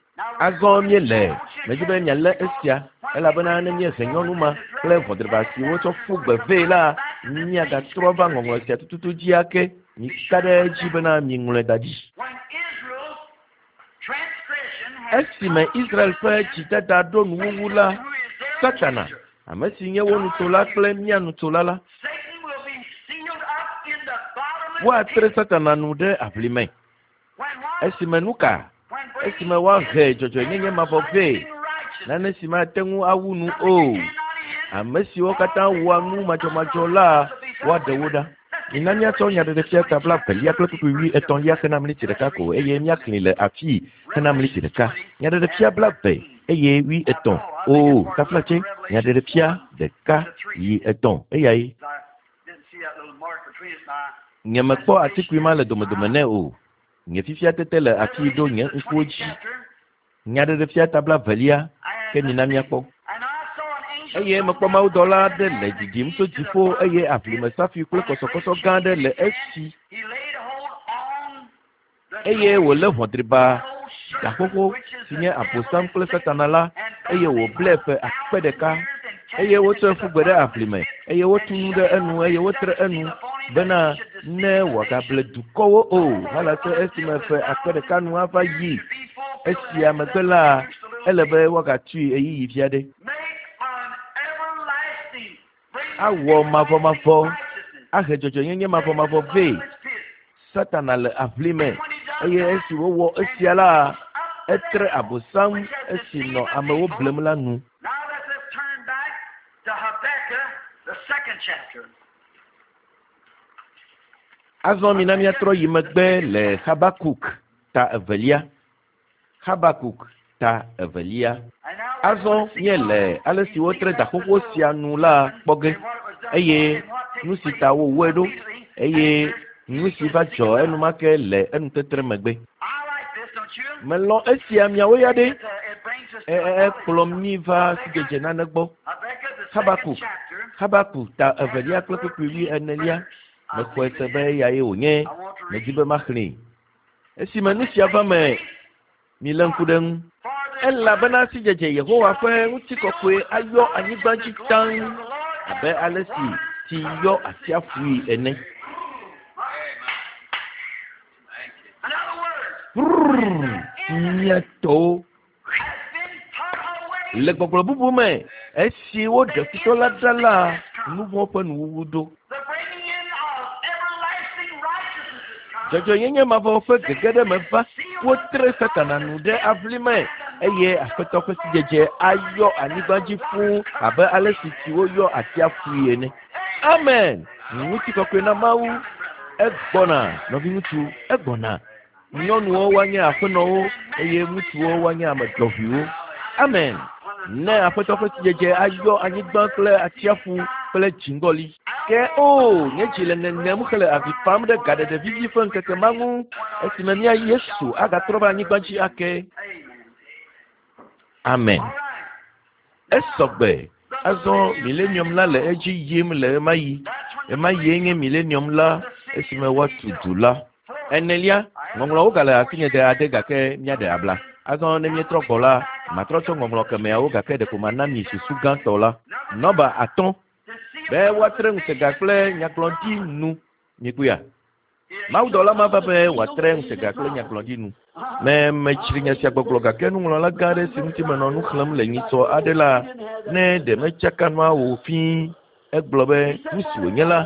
Azɔ míele medi be mialé esia, elabena ne míehe nyɔnu ma kple ʋɔdriba si wotsɔ ƒu gbe vɛ la, míagatrɔ va ŋɔŋlɔ sia tututu dzi ake. Mika ɖe edzi bena miŋlɔe da ɖi. Esime Israel ƒe dzidada ɖo nuwuwu la, Satana, ame si nye wo nutsola kple mía nutsola la, woatre Satana nu ɖe aʋli me. Esime nu ka? Esime woahe dzɔdzɔenyenye mavɔ vɛ, nane si mate ŋu awu nu o. Ame siwo katã wɔa nu madzɔmadzɔ la, woaɖe wo ɖa. Mina míatsɔ Nyaɖeɖefia ta blaevelia kple kpukpui wuietɔ̃lia hena mliti ɖeka ko eye míaxlẽe le afii hena mliti ɖeka. Nyaɖeɖefia blaeve eye wuietɔ̃. Oo, taflatse, Nyaɖeɖefia ɖeka yi etɔ̃, eyae. Nyemekpɔ atikui ma le domedome nɛ o. Nye fifia tete le afii ɖo nye ŋkuwo dzi. Nyaɖeɖefia ta blaevelia, ke mina míakpɔ. Eye mekpɔ mawudɔla aɖe le ɖiɖim tso dziƒo eye aʋlime safui kple kɔsɔkɔsɔ gã aɖe le esi. Eye wòlé ʋɔdriba da xoxo si nye Abosam kple Satana la, eye wòblae ƒe akpe ɖeka. Eye wotsɔe ƒu gbe ɖe aʋlime, eye wotu nu ɖe enu, eye wotre enu, bena ne wòagable dukɔwo o, halase esime ƒe akpe ɖeka nu ava yi. Esia megbe la, ele be woagatui ɣeyiɣi vi aɖe. Awɔ mavɔmavɔ, ahe dzɔdzɔenyenye mavɔmavɔ vɛ. Satana le aʋli me, eye esi wòwɔ esia la, etre Abosam esi nɔ amewo blem la nu. Azɔ mina míatrɔ yi megbe le Xabakuk ta evelia. Xabakuk ta evelia. Azɔ míele ale si wotre da xoxo sia nu la kpɔ ge, eye nu si ta wowɔe ɖo, eye nu si va dzɔ enumake le enutetre megbe. Melɔ̃ esia miawo ya ɖe? Ekplɔ mí va sidzedze nane gbɔ. Xabakuk, Xabakuk ta evelia kple kpukpui wuienelia. Mexɔe se be eyae wònye. Medi be maxlẽe. Esime nu sia va me, milé ŋku ɖe eŋu. Elabena sidzedze Yehowa ƒe ŋutikɔkɔe ayɔ anyigba dzi taŋ abe ale si tsi yɔ atsiaƒui ene. Brrr, mía tɔwo. Le gbɔgblɔ bubu me, esi woɖe futɔ la ɖa la, nu vɔ̃ ƒe nuwuwu ɖo. Dzɔdzɔenyenye mavɔ ƒe gege ɖe me va, wotre Satana nu ɖe aʋli me, eye Aƒetɔ ƒe sidzedze ayɔ anyigba dzi fũu abe ale si tsiwo yɔ atsiaƒui ene. Amen! Ŋutikɔkɔe na Mawu! Egbɔna, nɔviŋutsu, egbɔna. Nyɔnuwo woanye aƒenɔwo eye ŋutsuwo woanye ame dɔʋuiwo. Amen. Ne Aƒetɔ ƒe sidzedze ayɔ anyigba kple atsiaƒu kple dziŋgɔli. Ke o, nye dzi le ŋeŋem hele avi fam ɖe gaɖeɖe vivi ƒe ŋkeke ma ŋu, esime mía Yesu agatrɔ va anyigba dzi ake. Amen. Esɔ gbe. Azɔ milenium la le edzi yim le ɣemaɣi. Ɣemaɣie nye milenium la esime woatu du la. Enelia, ŋɔŋlɔawo gale asinye de ade gake míaɖe abla. Azɔ ne míetrɔ gbɔ la, matrɔ tsɔ ŋɔŋlɔ kemɛawo gake ɖeko mana mi susu gãtɔ la. Nɔmba atɔ̃, be woatre ŋutega kple nyagblɔɖi nu. Mikpɔea? Mawudɔla ma va be wòatre ŋutega kple nyagblɔɖi nu. Ne metsri nya sia gbɔgblɔ gake nuŋlɔla gã aɖe si ŋuti menɔ nu xlẽm le nyitsɔ aɖe la, ne ɖe metsaka nua o fĩi. Egblɔ be, Nu si wònye la,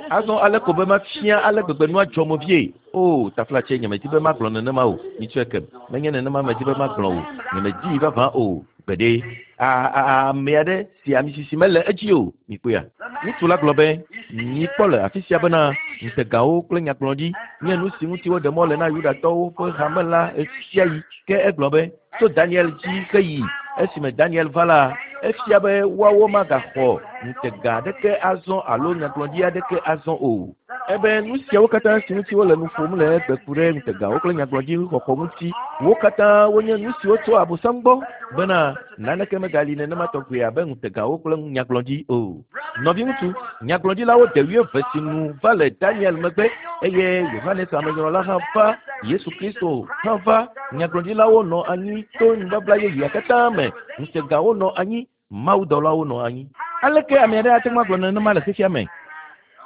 azɔ ale ko be mafia ale gbegbe nua dzɔ mo vie. Oo, taflatse, nyemedi be magblɔ nenema o. Mitsɔe kem. Menye nenema medi be magblɔ o. Nyemedii vavã o. Gbeɖe. A, a, ame aɖe si ami sisi mele edzi o. Mikpɔea? Ŋutsu la gblɔ be, Mikpɔ le afi sia bena ŋutegawo kple nyagblɔɖi nye nu si ŋuti woɖe mɔ le na Yudatɔwo ƒe hame la ɣesiaɣi. Ke egblɔ be, Tso Daniel dzi heyi esime Daniel va la, efia be woawo magaxɔ ŋutega aɖeke azɔ alo nyagblɔɖi aɖeke azɔ o. Ebe nu siawo katã si ŋuti wole nu ƒom le egbe ku ɖe ŋutegawo kple nyagblɔɖi xɔxɔ ŋuti, wo katã wonye nu siwo tso Abosam gbɔ bena naneke megali nenema tɔgbi abe ŋutegawo kple nyagblɔɖi o. Nɔviŋutsu, nyagblɔɖilawo de wuieve si nu va le Daniel megbe eye Yohanes Amenyrɔla hã va, Yesu Kristo hã va. Nyagblɔɖilawo nɔ anyi to nubabla yeyea katã me, ŋutegawo nɔ anyi, mawudɔlawo nɔ anyi. Aleke ame aɖe ate ŋu agblɔ nenema le xexea me?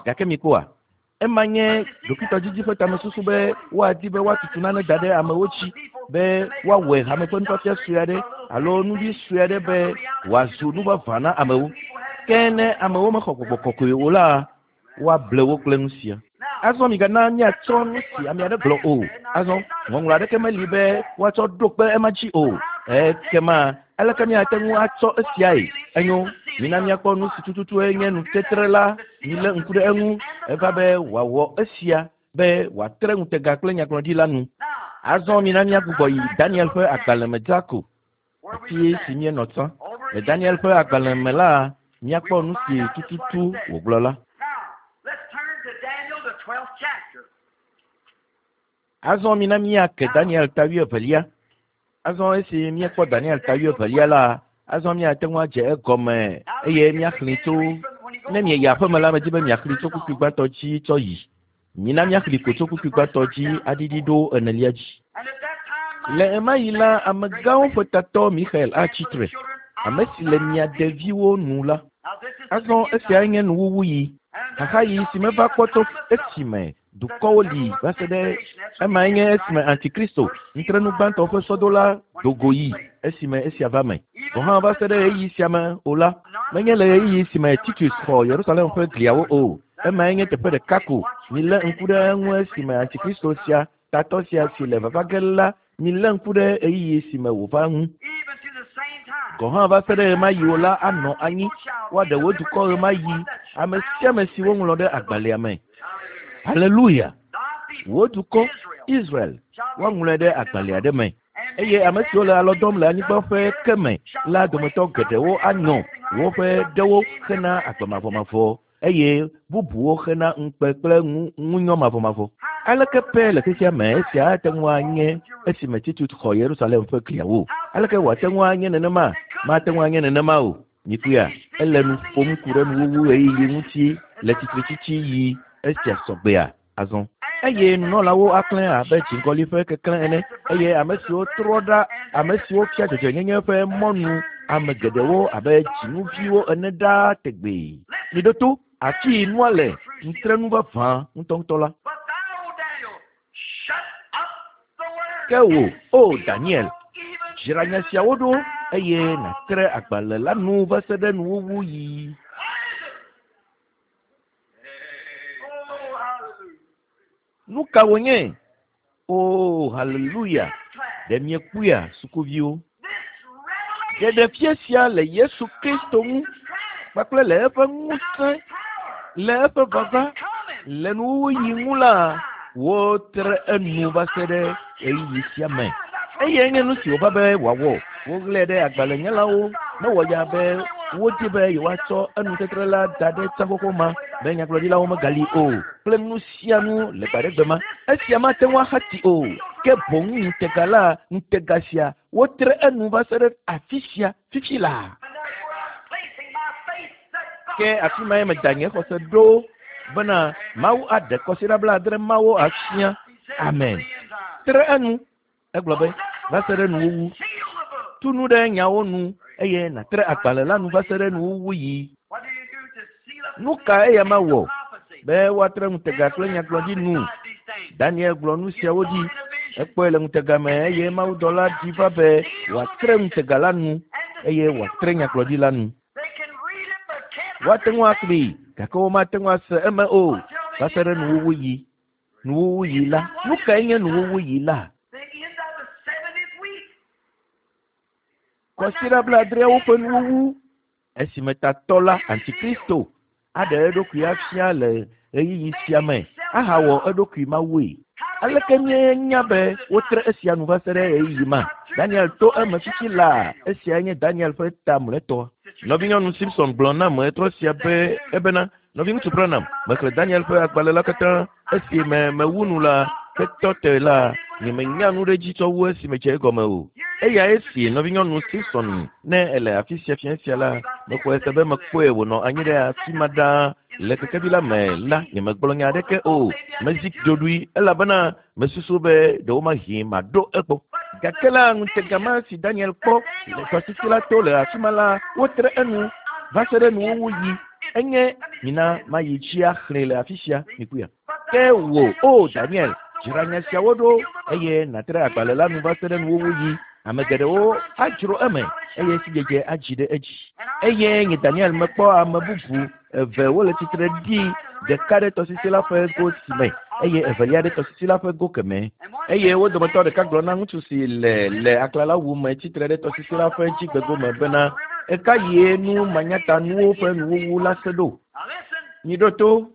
Gake mikpɔa? Ema nye ɖokuitɔdidi ƒe tamesusu be woadi be woatutu nane da ɖe amewo dzi be woawɔe hame ƒe nufiafia sue aɖe alo nuɖi sue aɖe be wòazu nu vavã na amewo. Ke ne amewo mexɔ gbɔgbɔ kɔkɔe o la, woable wo kple nu sia. Azɔ migana míatsɔ nu si ame aɖe gblɔ o. Azɔ ŋɔŋlɔ aɖeke meli be woatsɔ ɖo kpe ema dzi o. Ekema aleke míate ŋu atsɔ esiae? Enyo, mina míakpɔ nu si tututue nye nutetre la. Milé ŋku ɖe eŋu. Eva be wòawɔ esia be wòatre ŋutega kple nyagblɔɖi la nu. Azɔ mina míagbugbɔ yi Daniel ƒe agbalẽ me dzaa ko, afi si míenɔ tsã. Le Daniel ƒe agbalẽ me la, míakpɔ nu si tututu wògblɔ la. Azɔ mina míake Daniel ta wuievelia. Azɔ esi míekpɔ Daniel ta wuievelia la, azɔ míate ŋu adze egɔme eye míaxlẽe tso. Ne mieyi aƒeme la, medi be miaxlẽe tso kpukpui gbãtɔ dzi tsɔ yi. Mina míaxlẽe ko tso kpukpui gbãtɔ dzi aɖiɖi ɖo enelia dzi. Le ɣemaɣi la, amegãwo ƒe tatɔ Mixael atsi tre, ame si le mia deviwo nu la. Azɔ esiae nye nuwuwuɣi, xaxaɣi si meva kpɔ tso esime dukɔwo li va se ɖe emae nye esime Antikristo, nutrenu gbãtɔ ƒe sɔdola do go yi esime esia va me. Gɔ̃ hã va se ɖe ɣeyiɣi sia me o la, menye le ɣeyiɣi si me Titus xɔ Yerusalem ƒe gliawo o. Emae nye teƒe ɖeka ko. Milé ŋku ɖe eŋu esime Antikristo sia, tatɔ sia si le vava ge la, milé ŋku ɖe ɣeyiɣi si me wòva ŋu. Gɔ̃ hã va se ɖe ɣemaɣi o la anɔ anyi. Woaɖe wò dukɔ ɣemaɣi, ame sia ame si woŋlɔ ɖe agbalẽa me. Haleluya! Wò dukɔ, Israel, woaŋlɔe ɖe agbalẽ aɖe me. Eye ame siwo le alɔ dɔm le anyigba ƒe ke me la dometɔ geɖewo anyɔ woƒe ɖewo hena agbe mavɔmavɔ, eye bubuwo hena ŋukpe kple ŋunyɔ mavɔmavɔ. Aleke pɛ le xexea me esia ate ŋu anye esime Titus xɔ Yerusalem ƒe gliawo? Aleke wòate ŋu anye nenema? Mate ŋu anye nenema o. Mikpɔea, ele nu ƒom ku ɖe nuwuwu ɣeyiɣi ŋuti le tsitretsitsi yi esia sɔgbea azɔ. Eye nunɔlawo aklẽ abe dziŋgɔli ƒe keklẽ ene, eye ame siwo trɔ ɖa, ame siwo fia dzɔdzɔenyenye ƒe mɔnu ame geɖewo abe dzinuviwo ene ɖaa tegbee. Miɖo to, afii nua le nutrenu vavã ŋutɔŋutɔ la. Ke wò, O Daniel, dzra nya siawo ɖo eye nàtre agbalẽ la nu va se ɖe nuwuwu yi. Nu ka wònye? O, haleluya! Ɖe miekpɔea, sukuviwo? Ɖeɖefia sia le Yesu Kristo ŋu kpakple le eƒe ŋusẽ, le eƒe vava, le nuwuɣi ŋu la, wotre enu va se ɖe ɣeyiɣi sia me. Eyae nye nu si wòva be wòawɔ. Woɣlae ɖe agbalẽnyalawo mewɔ ya be wodi be yewoatsɔ enutetre la da ɖe tsã xoxo ma be nyagblɔɖilawo megali o kple nu sia nu le gbaɖegbe ma. Esia mate ŋu axati o, ke boŋ ŋutega la, ŋutega sia, wotre enu va se ɖe afi sia fifi laa. Ke afi mae meda nye xɔse ɖo bena Mawu aɖe kɔsiɖa blaadre mawo afia. Amen. Tre enu. Egblɔ be, va se ɖe nuwuwu. Tu nu ɖe nyawo nu eye nàtre agbalẽ la nu va se ɖe nuwuwu yi. Nu ka eya ma wɔ? Be woatre ŋutega kple nyagblɔɖi nu. Daniel gblɔ nu siawo ɖi. Ekpɔe le ŋutega me eye mawudɔla ɖi va be wòatre ŋutega la nu eye wòatre nyagblɔɖi la nu. Woate ŋu axlẽe gake womate ŋu ase eme o va se ɖe nuwuwu yi. Nuwuwu yi la. Nu kae nye nuwuwu yi la? Kɔsiɖa blaadreawo ƒe nuwuwu esime tatɔ la, Antikristo, aɖe eɖokui afia le ɣeyiɣi sia me ahawɔ eɖokui mawue. Aleke míenya be wotre esia nu va se ɖe ɣeyiɣi ma? Daniel to eme fifi laa. Esiae nye Daniel ƒe ta mlɔetɔ. Nɔvinyɔnu Simpson gblɔ nam ɣetrɔ sia be ebena, Nɔviŋutsu Branham, mexlẽ Daniel ƒe agbalẽ la katã. Esi me mewu nu la, hetɔ te la, nyemenya nu ɖe edzi tsɔ wu esi medze egɔme o. Eyae si nɔvinyɔnu Simpson, ne ele afi sia fiẽ sia la, mexɔe se be mekpɔe wònɔ anyi ɖe afi ma ɖaa le kekevi la me la, nyemegblɔ nya aɖeke o. Mezi ɖoɖoe elabena mesusu be ɖewomahi maɖo egbɔ. Gake la, ŋutega ma si Daniel kpɔ le tɔsisi la to le afi ma la, wotre enu va se ɖe nuwuwu yi. Enye mina mayi dzi axlẽe le afi sia, mikpɔea. Ke wò, O Daniel, dzra nya siawo ɖo, eye nàtre agbalẽ la nu va se ɖe nuwuwu ɣi. Ame geɖewo adzro eme, eye sidzedze adzi ɖe edzi. Eye nye Daniel mekpɔ ame bubu eve wole tsitre ɖi, ɖeka ɖe tɔsisi la ƒe go si me, eye evelia ɖe tɔsisi la ƒe go kemɛ. Eye wo dometɔ ɖeka gblɔ na ŋutsu si le le aklalawu me tsitre ɖe tɔsisi la ƒe dzigbegome bena, Ɣekaɣie nu manyatanuwo ƒe nuwuwu la se ɖo? Miɖo to.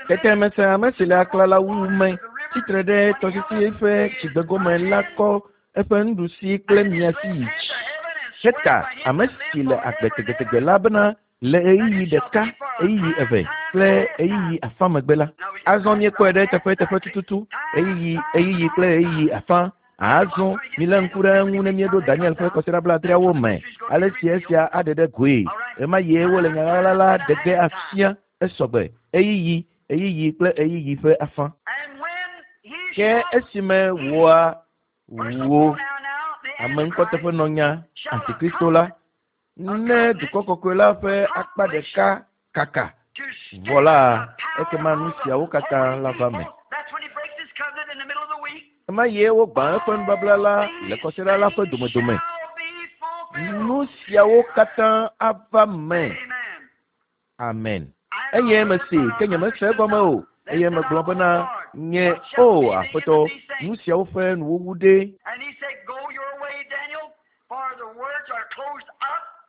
Tete mese ame si le aklalawu me tsitre ɖe tɔsisi ƒe dzigbegome la kɔ eƒe nuɖusi kple miasi yi dzi heta ame si le agbe tegbetegbe la bena le ɣeyiɣi ɖeka, ɣeyiɣi eve kple ɣeyiɣi afã megbe la, azɔ míekpɔe ɖe eteƒe tututu, ɣeyiɣi, ɣeyiɣi kple ɣeyiɣi afã. Azɔ milé ŋku ɖe eŋu ne míeɖo Daniel ƒe kɔsiɖa blaadreawo me, ale si esia aɖe ɖe goe. Ɣemaɣie wole nya ɣaɣla la ɖe ge afia esɔgbe, ɣeyiɣi, ɣeyiɣi kple ɣeyiɣi ƒe afã. Ke esime wòa, wò, ame ŋkɔteƒenɔnya, Antikristo la, ne dukɔ kɔkɔe la ƒe akpa ɖeka kaka vɔ la, ekema nu siawo katã la va me. Ema ye wogbã eƒe nubabla la le kɔsiɖa la ƒe domedome. Nu siawo katã ava me. Amen. Eye mesee, ke nyemese egɔme o. Eye megblɔ bena, Nye, o Aƒetɔ, nu siawo ƒe nuwuwu ɖe?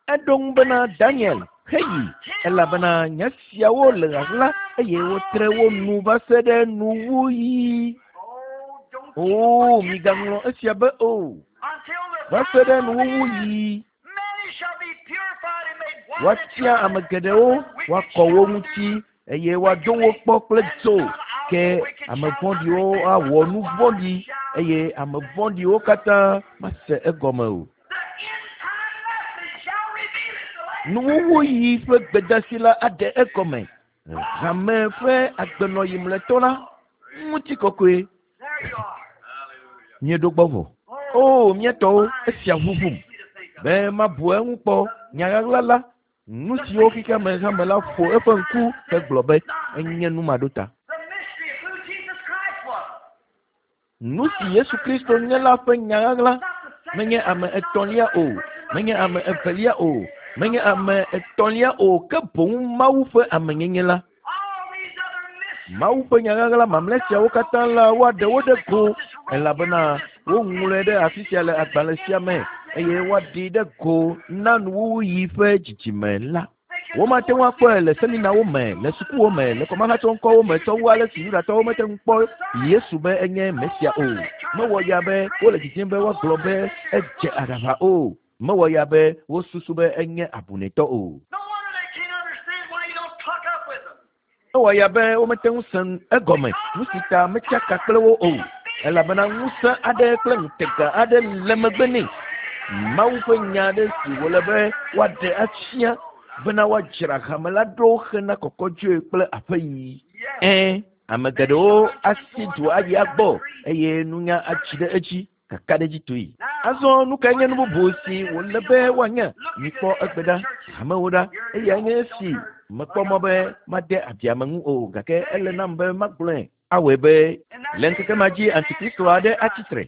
Eɖo ŋu bena, Daniel, heyi, elabena nya siawo le ɣaɣla, eye wotre wo nu va se ɖe nuwuɣi. O, migaŋlɔ esia be o. Va se ɖe nuwuwuɣi. Woatia ame geɖewo, woakɔ wo ŋuti, eye woado wo kpɔ kple dzo. Ke ame vɔ̃ɖiwo awɔ nu vɔ̃ɖi, eye ame vɔ̃ɖiwo katã mase egɔme o. Nuwuwuɣi ƒe gbedasi la aɖe egɔme. Hame ƒe agbenɔɣi mlɔetɔ la, ŋutikɔkɔe. Míeɖo gbɔ vɔ. O, mía tɔwo, esia ʋuʋum be mabu eŋu kpɔ. Nya ɣaɣla la, nu siwo xexea me hame la ƒo eƒe ŋku hegblɔ be enye nu maɖota. Nu si Yesu Kristo nye la ƒe nya ɣaɣla menye ame etɔ̃lia o, menye ame evelia o, menye ame etɔ̃lia o, ke boŋ Mawu ƒe amenyenye la. Mawu ƒe nya ɣaɣla mamlɛ siawo katã la, woaɖe wo ɖe go, elabena woŋlɔe ɖe afi sia le agbalẽ sia me, eye woaɖee ɖe go na nuwuwuɣi ƒe dzidzime la. Womate ŋu akpɔe le seminawo me, le sukuwo me, le kɔmahatsɔŋkɔwo me tsɔ wu ale si Yudatɔwo mete ŋu kpɔ Yesu be enye Mesia o. Mewɔ ya be wole didim be woagblɔ be edze aɖaʋa o. Mewɔ ya be wosusu be enye abunɛtɔ o. Ewɔ ya be womete ŋu se egɔme nu si ta metsaka kple wo o, elabena ŋusẽ aɖe kple ŋutega aɖe le megbe nɛ. Mawu ƒe nya aɖe si wòle be woaɖe afia bena woadzra hame la ɖo hena kɔkɔdzoe kple aƒeyiyi. Ẽ, ame geɖewo asi du ayi agbɔ eye nunya atsi ɖe edzi. kakaɖedzitɔe. Azɔ nu kae nye nu bubu si wòle be woanya? Mikpɔ egbe ɖa, hamewo ɖa. Eyae nye esi mekpɔ mɔ be made abi ame ŋu o, gake ele nam be magblɔe. Awɔe be le ŋkeke ma dzi Antikristo aɖe atsi tre.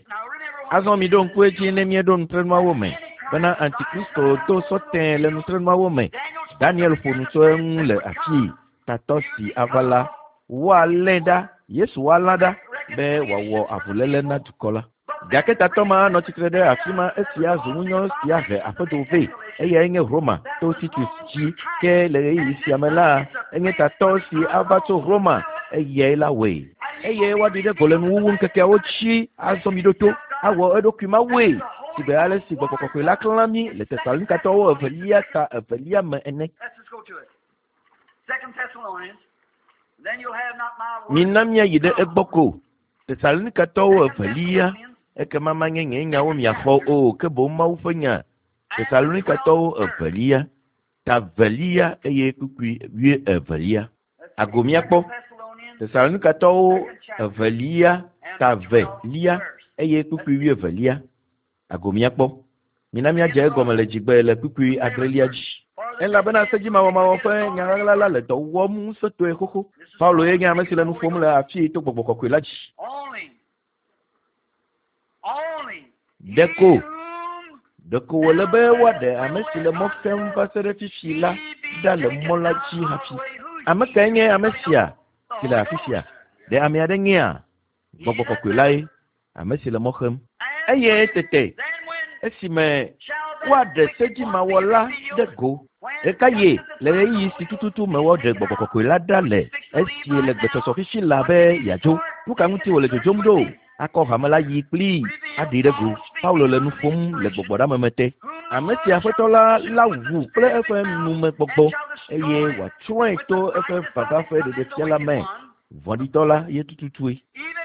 Azɔ miɖo ŋku edzi ne míeɖo nutrenuawo me bena Antikristo do sɔ tẽe le nutrenuawo me. Daniel ƒo nu tso eŋu le afii. Tatɔ si ava la, woalée ɖa, Yesu woalã ɖa be wòawɔ avuléle na dukɔ la. Gake tatɔ ma anɔ tsitre ɖe afi ma esi azu ŋunyɔ si ahe aƒedo vɛ. Eyae nye Roma to Titus dzi. Ke le ɣeyiɣi sia me la, enye tatɔ si ava tso Roma, eyae la wɔe. Eye woaɖi ɖe go le nuwuwu ŋkekeawo dzi azɔ mi ɖo to, awɔ eɖokui mawue, sigbe ale si Gbɔgbɔ Kɔkɔe la klã mí le Tesalonikatɔwo evelia ta evelia me ene. Mina míayi ɖe egbɔ ko. Tesalonikatɔwo evelia, ekema manye nye nyawo miaxɔ o, ke boŋ Mawu ƒe nya. Tesalonikatɔwo evelia, ta velia eye kpukpui wuievelia. Ago míakpɔ. Tesalonikatɔwo evelia, ta velia eye kpukpui wuievelia. Ago míakpɔ. Mina míadze egɔme le dzigbe le kpukpui adrelia dzi. Elabena sedzimawɔmawɔ ƒe nya ɣaɣla la le dɔ wɔm ŋusẽtɔe xoxo. Paulo ye nye ame si le nu ƒom le afii to Gbɔgbɔ Kɔkɔe la dzi. Ɖeko, ɖeko wòle be woaɖe ame si le mɔ xem va se ɖe fifi la ɖa le mɔ la dzi hafi. Ame kae nye ame sia si le afi sia? Ɖe ame aɖe nyea? Gbɔgbɔ Kɔkɔe lae, ame si le mɔ xem. Eye tete, esime woaɖe sedzimawɔla ɖe go, ɣekaɣie le ɣeyiɣi si tututu me woaɖe Gbɔgbɔ Kɔkɔe la ɖa le, esi le gbesɔsɔ fifi laa be yeadzo? Nu ka ŋuti wòle dzodzom ɖo? Akɔ hame la yi kplii aɖee ɖe go. Paulo le nu ƒom le gbɔgbɔɖeameme te. Ame si Aƒetɔ la lawu kple eƒe numegbɔgbɔ, eye wòatsrɔ̃e to eƒe vava ƒe ɖeɖefia la me. Vɔ̃ɖitɔ la ye tututue.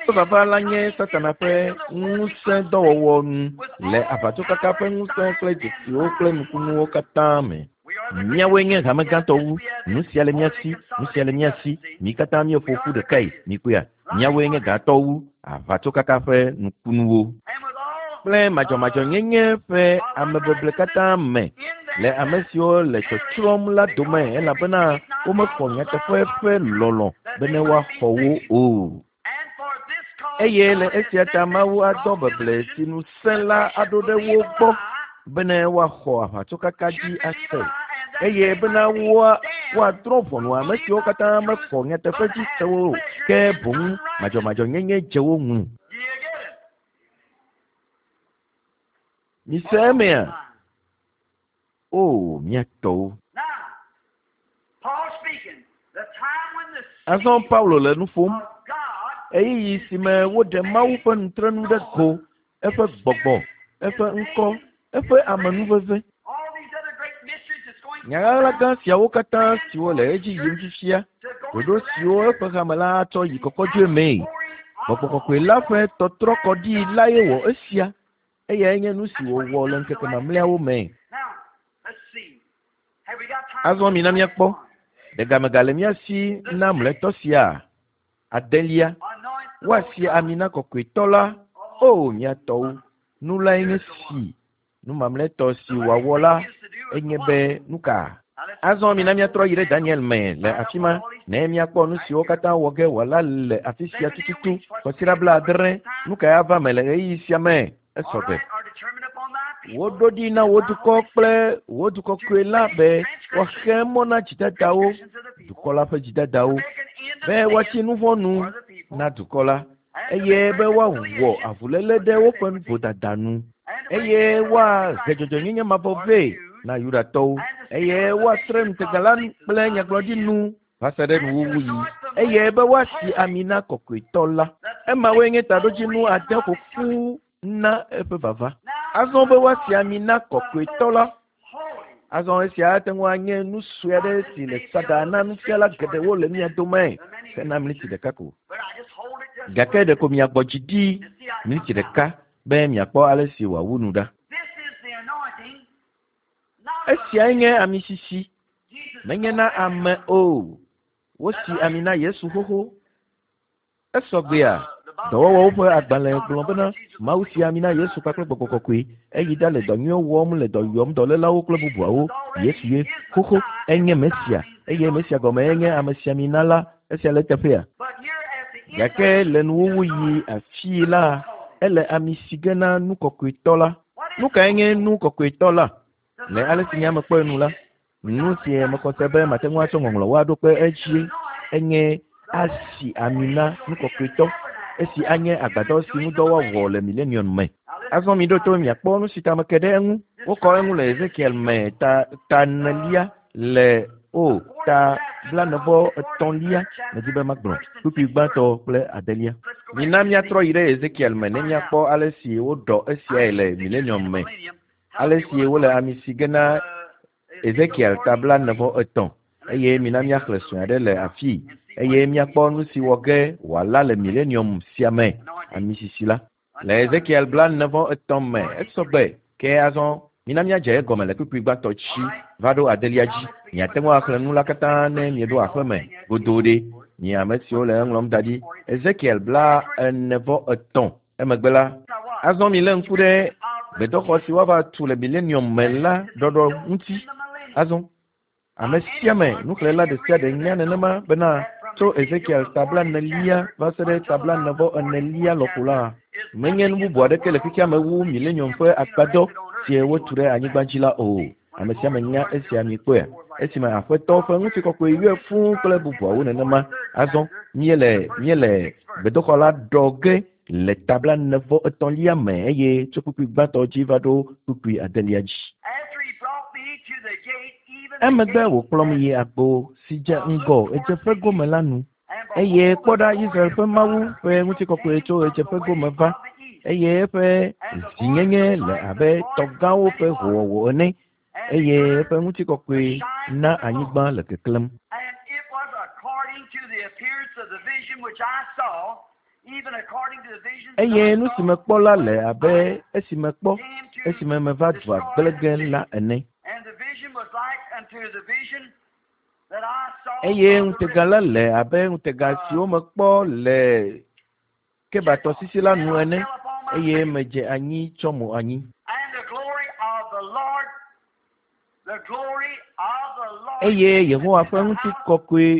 Eƒe vava la nye Satana ƒe ŋusẽdɔwɔwɔ nu le aʋatsokaka ƒe ŋusẽ kple dzesiwo kple nukunuwo katã me. Míawoe nye hame gãtɔ wu. Nu sia le mía si, nu sia le mía si. Mí katã míeƒo ƒu ɖekae, mikpɔea? Míawoe nye gãtɔ wu aʋatsokaka ƒe nukunuwo kple madzɔmadzɔnyenye ƒe amebeble katã me le ame siwo le tsɔtsrɔ̃m la dome, elabena womexɔ nyateƒe ƒe lɔlɔ̃ bene woaxɔ wo o. Eye le esia ta Mawu adɔ beble si nu sẽ la aɖo ɖe wo gbɔ bene woaxɔ aʋatsokaka dzi ase, eye bena woadrɔ̃ ʋɔnu ame siwo katã mexɔ nyateƒe dzi se o, ke boŋ madzɔmadzɔnyenye dze wo ŋu. Mise emea? O, mía tɔwo! Azɔ Paulo le nu ƒom. Ɣeyiɣi si me woɖe Mawu ƒe nutrenu ɖe go, eƒe gbɔgbɔ, eƒe ŋkɔ, eƒe amenuveve. Nya ɣaɣla gã siawo katã siwo le edzi yim fifia, ɖoɖo siwo eƒe hame la atsɔ yi kɔkɔdzoe mee. Gbɔgbɔ Kɔkɔe la ƒe tɔtrɔkɔɖi lae wɔ esia. Eyae nye nu si wòwɔ le ŋkeke mamlɛawo me. Azɔ mina míakpɔ, ɖe game gale mía si na mlɔetɔ sia? Adelia, woasi ami na kɔkɔetɔ la. O, mía tɔwo, nu lae nye si. Nu mamlɛtɔ si wòawɔ la enye be nuka? Azɔ mina míatrɔ yi ɖe Daniel me le afi ma ne míakpɔ nu siwo katã wɔ ge wòala le afi sia tututu. Kɔsiɖa blaadre, nu kae ava me le ɣeyiɣi sia me? Esɔ gbe. Woɖo ɖi na wò dukɔ kple wò du kɔkɔe la be woaxe mɔ na dzidadawo, dukɔ la ƒe dzidadawo, be woatsi nu vɔ̃ nu na dukɔ la, eye be woawɔ avuléle ɖe woƒe vodada nu, eye woahe dzɔdzɔenyenye mavɔ vɛ na Yudatɔwo, eye woatre ŋutega la kple nyagblɔɖi nu va se ɖe nuwuwuɣi, eye be woasi ami na kɔkɔetɔ la. Emawoe nye taɖodzinu ade ƒo ƒu na eƒe vava. Azɔ be woasi ami na kɔkɔetɔ la. Azɔ esia ate ŋu anye nu sue aɖe si le saɖa na nufiala geɖewo le mia dome hena miniti ɖeka ko. Gake ɖeko miagbɔ dzi ɖi miniti ɖeka be miakpɔ ale si wòawu nu ɖa. Esiae nye amisisi, menye na ame o. Wosi ami na Yesu xoxo. Esɔ gbea? Dɔwɔwɔwo ƒe agbalẽ gblɔ bena Mawu si ami na Yesu kpakple Gbɔgbɔ Kɔkɔe. Eyi ɖa le dɔ nyuiwo wɔm le dɔ yɔm dɔlélawo kple bubuawo. Yesu ye. Xoxo, enye Mesia. Eye Mesia gɔme enye amesiamina la. Esia le eteƒea? Gake le nuwuwuɣi afii la, ele ami si ge na nu kɔkɔetɔ la. Nu kae nye nu kɔkɔetɔ la? Le ale si nye ame kpɔe nu la, nu si mexɔ se be mate ŋu atsɔ ŋɔŋlɔwo aɖo kpe edzie enye asi ami na nu kɔkɔetɔ, esi anye agbadɔ si ŋudɔ woawɔ le milenium me. Azɔ miɖo to miakpɔ nu si ta meke ɖe eŋu. Wokɔ eŋu le Ezekiel me ta ta enelia le o ta blaene-vɔ etɔ̃lia medi be magblɔ kpukpui gbãtɔ kple adelia. Mina míatrɔ yi ɖe Ezekiel me ne míakpɔ ale si woɖɔ esiae le milenium me. Ale si wole ami si ge na Ezekiel ta 43, eye mina míaxlẽ sue aɖe le afii, eye míakpɔ nu si wɔ ge wòala le milenium sia me, ami sisi la. Le Ezekiel 43 me, esɔ gbe. Ke azɔ, mina míadze egɔme le kpukpui gbãtɔ dzi va ɖo adelia dzi. Miate ŋu axlẽ nu la katã ne mieɖo aƒeme godoo ɖe, mi ame siwo le eŋlɔm da ɖi. Ezekiel 43. Emegbe la, azɔ milé ŋku ɖe gbedoxɔ si woava tu le milenium me la ɖɔɖɔ ŋuti. Azɔ, Ame sia ame nuxlẽla ɖe sia ɖe nya nenema bena tso Ezekiel ta blaenelia va se ɖe ta blaene-vɔ-enelia lɔƒo la, menye nu bubu aɖeke le xexea me wu milenium ƒe agbadɔ si wotu ɖe anyigba dzi la o. Ame sia ame nya esia mikpɔea? Esime Aƒetɔ ƒe ŋutikɔkɔe yɔe fũu kple bubuawo nenema. Azɔ míele míele gbedoxɔ la ɖɔ ge le ta blaene-vɔ-etɔ̃lia me eye tso kpukpui gbãtɔ dzi va ɖo kpukpui adelia dzi. Emegbe wòkplɔm yi agbo si dze ŋgɔ ɣedzeƒe gome la nu. Eye kpɔ ɖa, Israel ƒe Mawu ƒe ŋutikɔkɔe tso ɣedzeƒe gome va, eye eƒe zinyenye le abe tɔ gãwo ƒe howɔwɔ ene, eye eƒe ŋutikɔkɔe na anyigba le keklẽm. Eye nu si mekpɔ la le abe esi mekpɔ esime meva dua gblẽ ge la ene. Eye ŋutega la le abe ŋutega siwo mekpɔ le Keba tɔsisi la nu ene, eye medze anyi tsɔ mo anyi. Eye Yehowa ƒe ŋutikɔkɔe,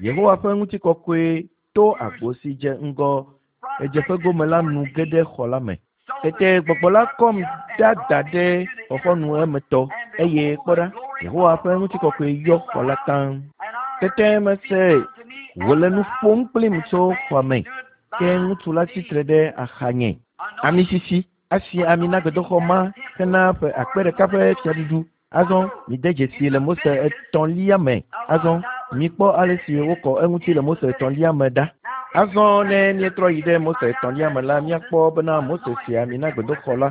Yehowa ƒe ŋutikɔkɔe to agbo si dze ŋgɔ ɣedzeƒe gome la nu ge ɖe xɔ la me. Tete gbɔgbɔ la kɔm ɖada ɖe xɔxɔnu emetɔ, eye kpɔ ɖa, Yehowa ƒe ŋutikɔkɔe yɔ xɔ la taŋ. Tete mese wòle nu ƒom kplim tso xɔa me, ke ŋutsu la tsitre ɖe axanye. Ami sisi asi ami na gbedoxɔ ma hena ƒe akpe ɖeka ƒe fiaɖuɖu. Azɔ mide dzesii le Mose etɔ̃lia me. Azɔ mikpɔ ale si wokɔ eŋuti le Mose etɔ̃lia me ɖa. Azɔ ne míetrɔ yi ɖe Mose etɔ̃lia me la, míakpɔ bena Mose si ami na gbedoxɔ la.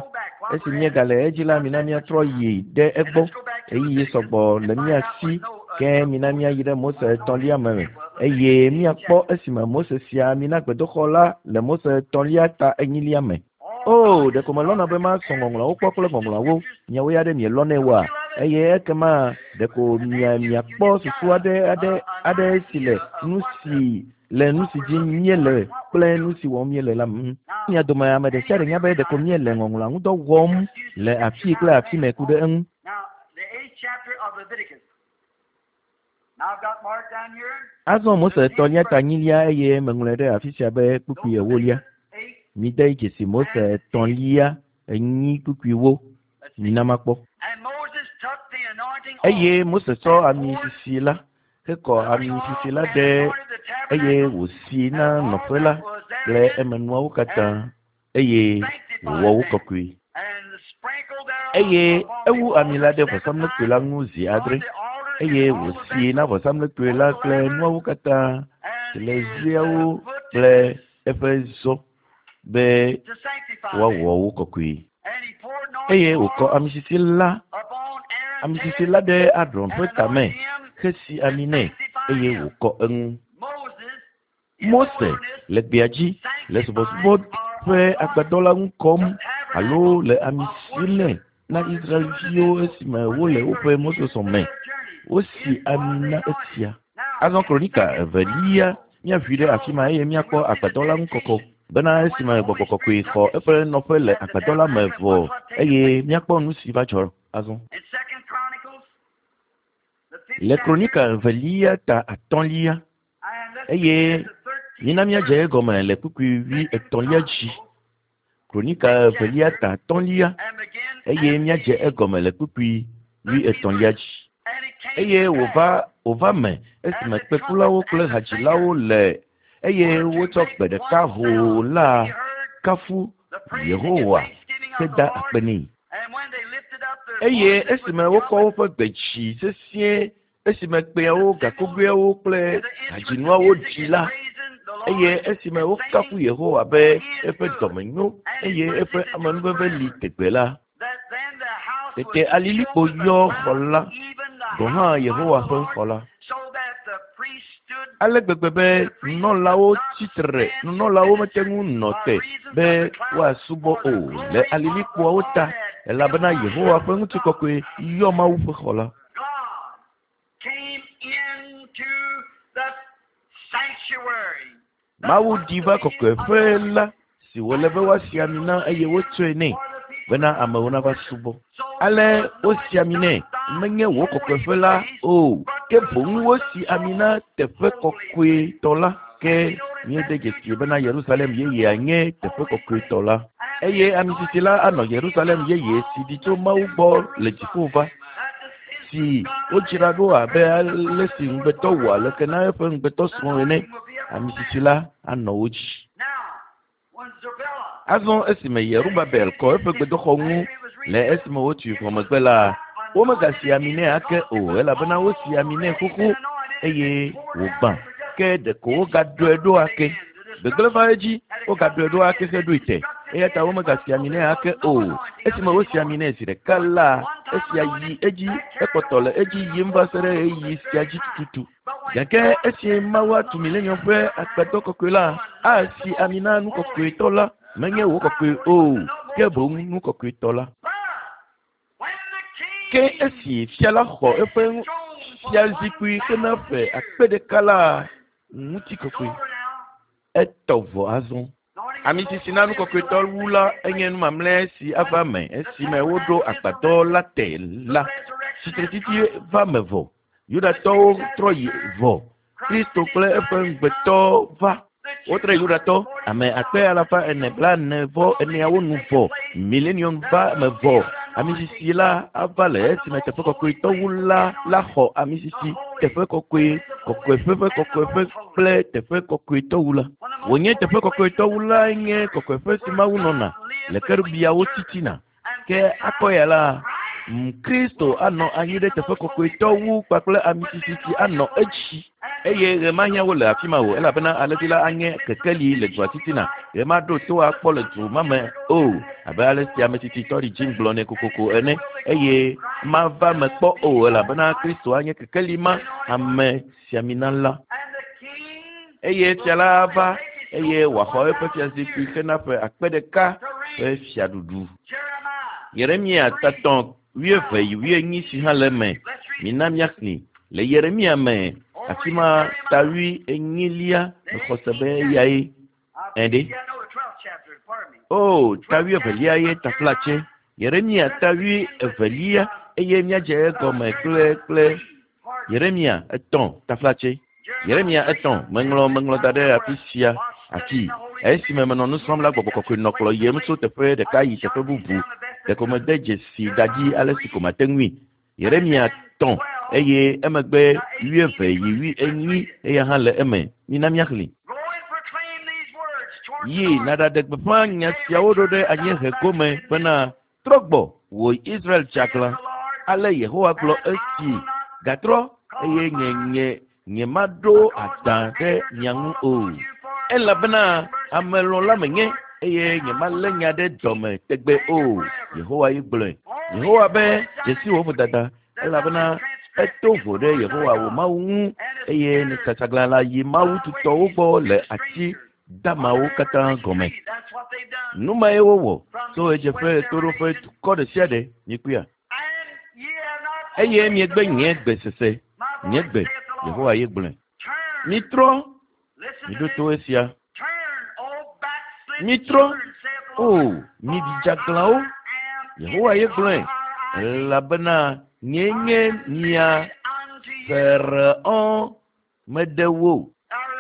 Esi míegale edzi la, mina míatrɔ yi ɖe egbɔ. Ɣeyiɣi sɔgbɔ le mía si, ke mina míayi ɖe Mose etɔ̃lia me eye míakpɔ esime Mose si ami na gbedoxɔ la le Mose etɔ̃lia ta enyilia me. O, ɖeko melɔ̃na be masɔ ŋɔŋlɔawo kpɔ kple ŋɔŋlɔawo. Miawo ya ɖe mielɔ̃nɛ oa? Eye ekema ɖeko mia, miakpɔ susu aɖe, aɖe, aɖe si le nu si le nu si dzi míele kple nu si wɔm míele la me. Mia dome ame ɖe sia ɖe nya be ɖeko míele ŋɔŋlɔa ŋudɔ wɔm le afii kple afi mɛ ku ɖe eŋu. Azɔ Mose etɔ̃lia ta enyilia eye meŋlɔe ɖe afi sia be kpukpui ewolia. Mide dzesi Mose etɔ̃lia enyi kpukpuiwo. Mina makpɔ. Eye Mose tsɔ ami sisi la hekɔ ami sisi la ɖe eye wòsi na nɔƒe la kple emenuawo katã eye wòwɔ wo kɔkɔe. Eye ewu ami la ɖe vɔsamlekpui la ŋu zi adre, eye wòsii na vɔsamlekpui la kple nuawo katã, teleziawo kple eƒe zɔ, be woawɔ wo kɔkɔe. Eye wòkɔ ami sisi la, ami sisi la ɖe Aron ƒe tame hesi ami nɛ, eye wòkɔ eŋu. Mose le gbea dzi le subɔsubɔ ƒe agbadɔ la ŋu kɔm alo le ami sim nɛ na Israel-viwo esime wole woƒe mɔzɔzɔ me. Wosi ami na esia. Azɔ Kronika evelia, míaʋui ɖe afi ma eye míakpɔ agbadɔ la ŋu kɔkɔ bena esime gbɔgbɔ kɔkɔe xɔ eƒe nɔƒe le agbadɔ la me vɔ eye míakpɔ nu si va dzɔ azɔ. Le Kronika evelia ta atɔ̃lia, eye mina míadze egɔme le kpukpui wui etɔ̃lia dzi. Kronika evelia ta atɔ̃lia, eye míadze egɔme le kpukpui wui etɔ̃lia dzi. Eye wòva wòva me esime kpekulawo kple hadzilawo le eye wotsɔ gbe ɖeka hoo la kafu Yehowa heda akpe nɛ. Eye esime wokɔ woƒe gbe dzi sesĩe esime kpẽawo, gakogoeawo kple hadzinuawo ɖi la, eye esime wokafu Yehowa be eƒe dɔme nyo eye eƒe amenuveve li tegbe la, tete alilikpo yɔ xɔ la, gɔ̃ hã Yehowa ƒe xɔ la. Ale gbegbe be nunɔlawo tsi tre, nunɔlawo mete ŋu nɔ te be woasubɔ o le alilikpoawo ta, elabena Yehowa ƒe ŋutikɔkɔe yɔ Mawu ƒe xɔ la. Mawu ɖi va kɔkɔeƒe la si wòle be woasi ami na eye wotsɔe nɛ bena amewo nava subɔ. Ale wosi ami nɛ, menye wò kɔkɔeƒe la o, ke boŋ wosi ami na teƒe kɔkɔetɔ la. Ke míede dzesi bena Yerusalem yeyea nye teƒe kɔkɔetɔ la. Eye ami sisi la anɔ Yerusalem yeye si ɖi tso Mawu gbɔ le dziƒo va, si wodzra ɖo abe ale si ŋugbetɔ wɔa leke na eƒe ŋugbetɔ srɔ̃ ene. Ami sisi la anɔ wo dzi. Azɔ esime Yerubabel kɔ eƒe gbedoxɔ ŋu le esime wotui vɔ megbe la, womegasi ami nɛ ake o, elabena wosi ami nɛ xoxo eye wògbã. Ke ɖeko wogaɖɔe ɖo ake. Gbegblẽ va edzi, wogaɖɔe ɖo ake heɖoe te. Eya ta womegasi ami nɛ ake o. Esime wosi ami nɛ zi ɖeka la, esia yi edzi, ekpɔtɔ le edzi yim va se ɖe ɣeyiɣi sia dzi tututu. Gake esi Mawu atu milenium ƒe agbadɔ kɔkɔe la, asi ami na nu kɔkɔetɔ la, menye wò kɔkɔe o, ke boŋ nu kɔkɔetɔ la. Ke esi fia la xɔ eƒe fiazikpui hena ƒe 1000 la, ŋutikɔkɔe etɔ vɔ azɔ. Ami sisi na nu kɔkɔetɔ wu la enye nu mamlɛ si ava me esime woɖo agbadɔ la te la. Tsitretsitsi va me vɔ. Yudatɔwo trɔ yi vɔ. Kristo kple eƒe ŋugbetɔ va. Wotre Yudatɔ ame 444,000 nu vɔ. Milenium va me vɔ. Ami sisi la ava le esime teƒe kɔkɔetɔ wu la la xɔ ami sisi teƒe kɔkɔe, kɔkɔeƒe ƒe kɔkɔeƒe kple teƒe kɔkɔetɔ wu la. Wònye teƒe kɔkɔetɔ wu la nye kɔkɔeƒe si Mawu nɔna le kerubiawo titina. Ke akɔ ya la, Kristo anɔ anyi ɖe teƒe kɔkɔetɔ wu kpakple ami sisi si anɔ edzi. Eye ɣe mahiã wo le afi ma o, elabena alẽvi la anye kekeli le dua titina. Ɣe maɖo to akpɔ le du ma me o, abe ale si ame tsitsi Tɔɖi Jim gblɔnɛ kokoko ene. Eye mava me kpɔ o, elabena Kristo anye kekeli ma, ame siamina la. Eye fia la ava, eye wòaxɔ eƒe fiazikpui hena ƒe 1000 ƒe fiaɖuɖu. Yeremia tatɔ wuieve yi wuienyi si hã le eme. Mina míaxlẽ le Yeremia me, afi ma ta wuienyilia, mexɔ se be eyae. Ɛɖe. O, ta wuievelia ye taflatse. Yeremia ta wuievelia, eye míadze egɔme kple kple Yeremia 3, taflatse. Yeremia 3, meŋlɔ, meŋlɔ da ɖe afi sia, afi. Esime menɔ nu srɔ̃m la, gbɔgbɔ kɔkɔe nɔ kplɔ yiem tso teƒe ɖeka yi teƒe bubu. Ɖeko mede dzesi da dzi ale si ko mate ŋui. Yeremia 3, eye emegbe wuieve yi wuienyi, eya hã le eme. Mina míaxlẽ. Yi nàɖaɖe gbeƒã nya siawo ɖo ɖe anyiehe gome bena, trɔ gbɔ, wò Israel tsaglã. Ale Yehowa gblɔ esi, gatrɔ, eye nye, nye, nye maɖo adã ɖe mia ŋu o. Elabena ame lɔ̃la menye, eye nye malé nya ɖe dɔme tegbe o. Yehowa ye gblɔe. Yehowa be, dzesi wò vodada, elabena eto vo ɖe Yehowa wò Mawu ŋu, eye nètsatsaglã la yi Mawu tutɔwo gbɔ le ati damawo katã gɔme. Nu mae wowɔ tso ɣedzeƒe, ɣetoɖoƒe, dukɔ ɖe sia ɖe, miekpɔea? Eye miegbe nye gbe sese, nye gbe, Yehowa ye gblɔe. Mitrɔ, miɖo to esia. Mitrɔ, o, mi didzaglãwo, Yehowa ye gblɔe, elabena nyee nye mia Faraon meɖe wo.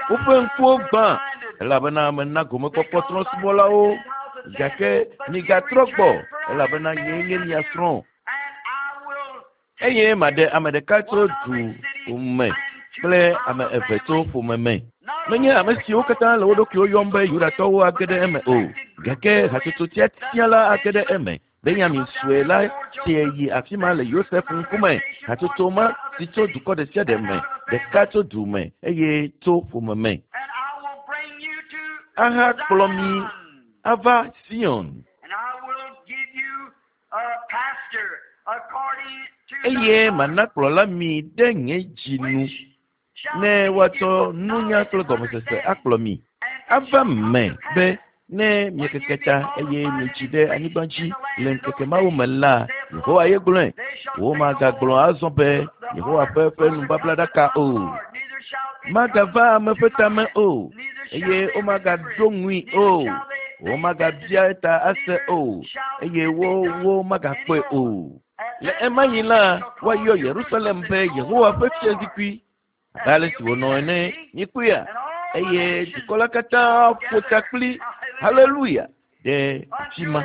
Woƒe ŋkuwo gbã, elabena mena gomekpɔkpɔ trɔ̃subɔlawo, gake migatrɔ gbɔ, elabena nyee nye mia srɔ̃. Eye maɖe ame ɖeka tso du me kple ame eve tso ƒome me. Menye ame siwo katã le wo ɖokuiwo yɔm be Yudatɔwo age ɖe eme o, gake hatsotso tiatia la age ɖe eme. Benyamin sue la tsie yi afi ma le Yosef ŋkume. Hatsotso ma si tso dukɔ ɖe sia ɖe me, ɖeka tso du me eye tso ƒome me. Ahakplɔ mi ava Sion. Eye mana kplɔla mi ɖe nye dzi nu, ne woatsɔ nunya kple gɔmesese akplɔ mi. Ava me be ne miekeke ta eye mietsi ɖe anyigba dzi le ŋkeke mawo me la, Yehowa ye gblɔe. Womagagblɔ azɔ be Yehowa ƒe ƒe nubablaɖaka o. Magava ame ƒe tame o, eye womagaɖo ŋui o. Womagabia eta ase o, eye wo, wo magakpɔe o. Le ema ɣi la, woayɔ Yerusalem be Yehowa ƒe fiazikpui, abe ale si wònɔ ene. Mikpɔea? Eye dukɔ la katã ƒo ta kpli, Haleluya! ɖe afi ma.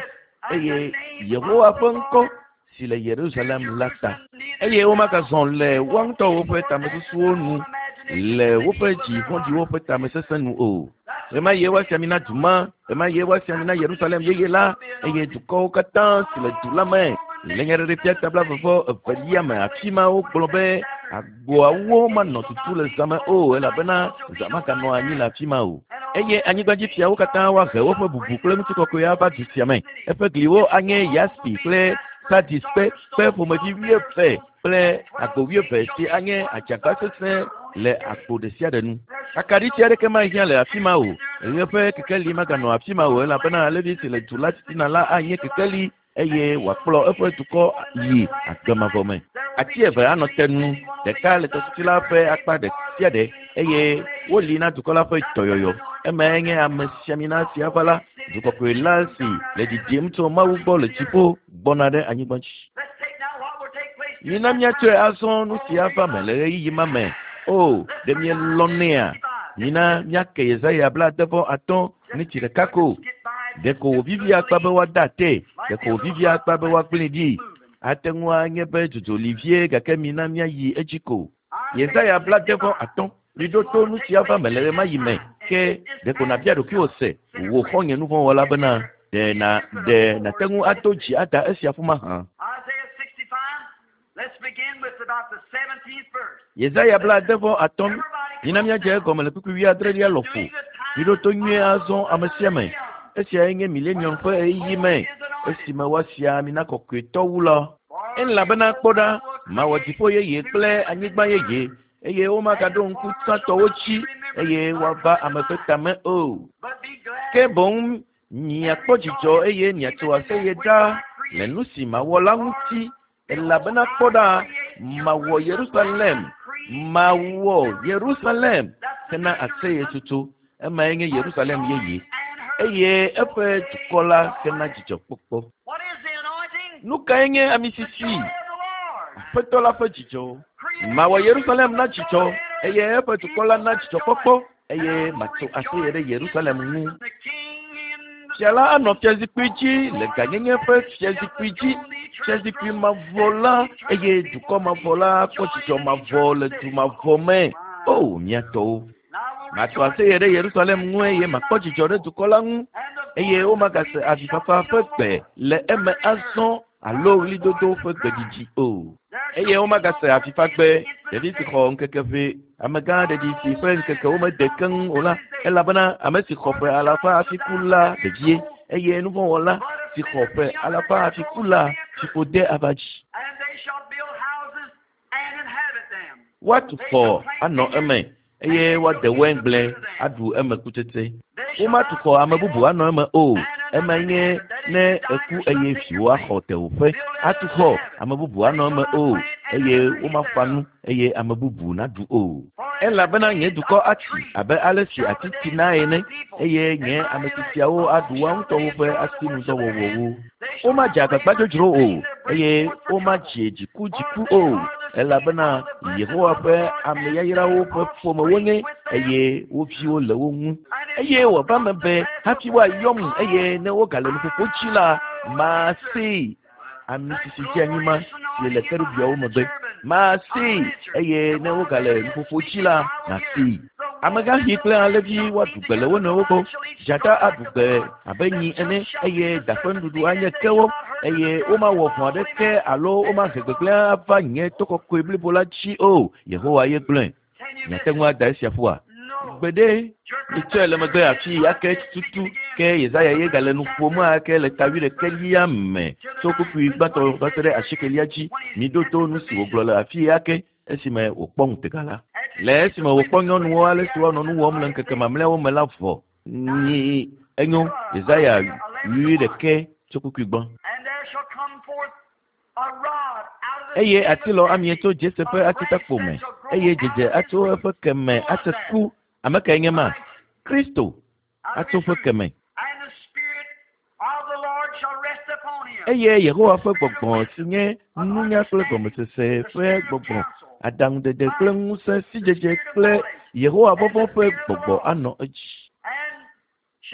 Eye Yehowa ƒe ŋkɔ si le Yerusalem la ta. Eye womagazɔ le woa ŋutɔwo ƒe tamesusuwo nu le woƒe dzi vɔ̃ɖiwo ƒe tamesesẽ nu o. Ɣemaɣie woasi ami na du ma, ɣemaɣie woasi ami na Yerusalem yeye la, eye dukɔwo katã si le du la me le Nyaɖeɖefia ta blaeve-vɔ-evelia me. Afi ma wogblɔ be agboawo manɔ tutu le zã me o, elabena zã maganɔ anyi le afi ma o. Eye anyigbadzifiawo katã woahe woƒe bubu kple ŋutikɔkɔe ava du sia me. Eƒe gliwo anye yaspi kple sardis kpe, kpe ƒomevi wuieve kple agbo wuieve si anye adzagba sesẽ le agbo ɖe sia ɖe nu. Akaɖiti aɖeke mahiã le afi ma o. Ɣe ƒe kekeli maganɔ afi ma o, elabena alẽvi si le du la titina la anye kekeli eye wòakplɔ eƒe dukɔ yi agbe mavɔ me. Ati eve anɔ te nu, ɖeka le tɔsisi la ƒe akpa ɖe sia ɖe, eye woli na dukɔ la ƒe dɔyɔyɔ. Emae nye amesiamina si ava la, du kɔkɔe la si le ɖiɖim tso Mawu gbɔ le dziƒo gbɔna ɖe anyigba dzi. Mina míatsɔe azɔ nu si ava me le ɣeyiɣi ma me. O, ɖe mielɔ̃nɛa? Mina míake Yesaya 65 ŋuti ɖeka ko. Ɖeko wòvivia akpa be woade atee, ɖeko wòvivia akpa be woagblẽe ɖi. Ate ŋu anye be dzodzo li vie, gake mina míayi edzi ko. Yesaya 65, Miɖo to nu si ava me le ɣemaɣi me. Ke ɖeko nàbia ɖokuiwò se, wò xɔ̃nye nuvɔ̃wɔla bena, ɖe na, ɖe nàte ŋu ado dzi ada esia ƒu mahã? Yesaya 65, Mina míadze egɔme le kpukpui wuiadrelia lɔƒo. Miɖo to nyuie azɔ, ame sia ame. Esiae nye milenium ƒe ɣeyiɣi me, esime woasi ami na kɔkɔetɔ wu la. Elabena kpɔ ɖa, mawɔ dziƒo yeye kple anyigba yeye, eye womagaɖo ŋku tsãtɔwo dzi, eye woava ame ƒe tame o. Ke boŋ miakpɔ dzidzɔ eye miatso aseye ɖaa le nu si mawɔ la ŋuti, elabena kpɔ ɖa, mawɔ Yerusalem, mawɔ Yerusalem hena aseyetsotso, emae nye Yerusalem yeye, eye eƒe dukɔ la hena dzidzɔkpɔkpɔ. Nu kae nye ami sisi? Aƒetɔ la ƒe dzidzɔ. Mawɔ Yerusalem na dzidzɔ, eye eƒe dukɔ la na dzidzɔkpɔkpɔ, eye matso aseye ɖe Yerusalem ŋu. Fia la anɔ fiazikpui dzi le gãnyenye ƒe fiazikpui dzi, fiazikpui mavɔ la, eye dukɔ mavɔ la akpɔ dzidzɔ mavɔ le du mavɔ me. O, mía tɔwo! Matso aseye ɖe Yerusalem ŋu eye makpɔ dzidzɔ ɖe dukɔ la ŋu, eye womagase avifafa ƒe gbe le eme azɔ alo ɣlidodo ƒe gbeɖiɖi o. Eye womagase avifagbe, ɖevi si xɔ ŋkeke ʋɛ, amegã ɖeɖi si ƒe ŋkekewo mede keŋ o la, elabena ame si xɔ ƒe alafa hafi ku la ɖevie, eye nuvɔ̃wɔla si xɔ ƒe alafa hafi ku la fiƒode ava dzi. Woatu xɔ anɔ eme, eye woade waingble aɖu eme kutsetse. Womatu xɔ ame bubu anɔ eme o, emae nye ne èku eye viwò axɔ tewòƒe. Atu xɔ ame bubu anɔ eme o, eye womafa nu eye ame bubu naɖu o. Elabena nye dukɔ atsi abe ale si ati tsinae ene, eye nye ame tsitsiawo aɖu woa ŋutɔwo ƒe asinudɔwɔwɔwo. Womadze agbagba dzodzro o, eye womadze dzikudziku o, elabena Yehowa ƒe ame yayrawo ƒe ƒome wonye, eye wo viwo le wo ŋu. Eye wòava eme be hafi woayɔm, eye ne wogale nuƒoƒo dzi la, masee. Ami sisi dzeanyi ma si le kerubiawo megbe. Masee, eye ne wogale nuƒoƒo dzi la, masee. Amegãxi kple alẽvi woaɖu gbe le wo nɔewo gbɔ. Dzata aɖu gbe abe nyi ene, eye da ƒe nuɖuɖu anye kewo, eye womawɔ vɔ̃ aɖeke alo womahe gbegblẽ ava nye to kɔkɔe blibo la dzi o. Yehowa ye gblɔe. Miate ŋu ada esia ƒua? Gbeɖe! Mitsɔe le megbe afii ake tututu ke Yesaya ye gale nu ƒom ake le ta wuiɖekɛlia me tso kpukpui gbãtɔ va se ɖe asiekelia dzi. Miɖo to nu si wògblɔ le afii ake esime wòkpɔ ŋutega la. Le esime wòkpɔ nyɔnuwo ale si woanɔ nu wɔm le ŋkeke mamlɛawo me la vɔ. Nyi enyo Yesaya wuiɖekɛ tso kpukpui gbɔ. Eye atilɔ amie tso Jese ƒe atitakpo me, eye dzedze atso eƒe ke me atse ku. Ame kae nye ma? Kristo atso ƒe ke me. Eye Yehowa ƒe gbɔgbɔ si nye nunya kple gɔmesese ƒe gbɔgbɔ, aɖaŋudede kple ŋusẽ, sidzedze kple Yehowa vɔvɔ̃ ƒe gbɔgbɔ anɔ edzi.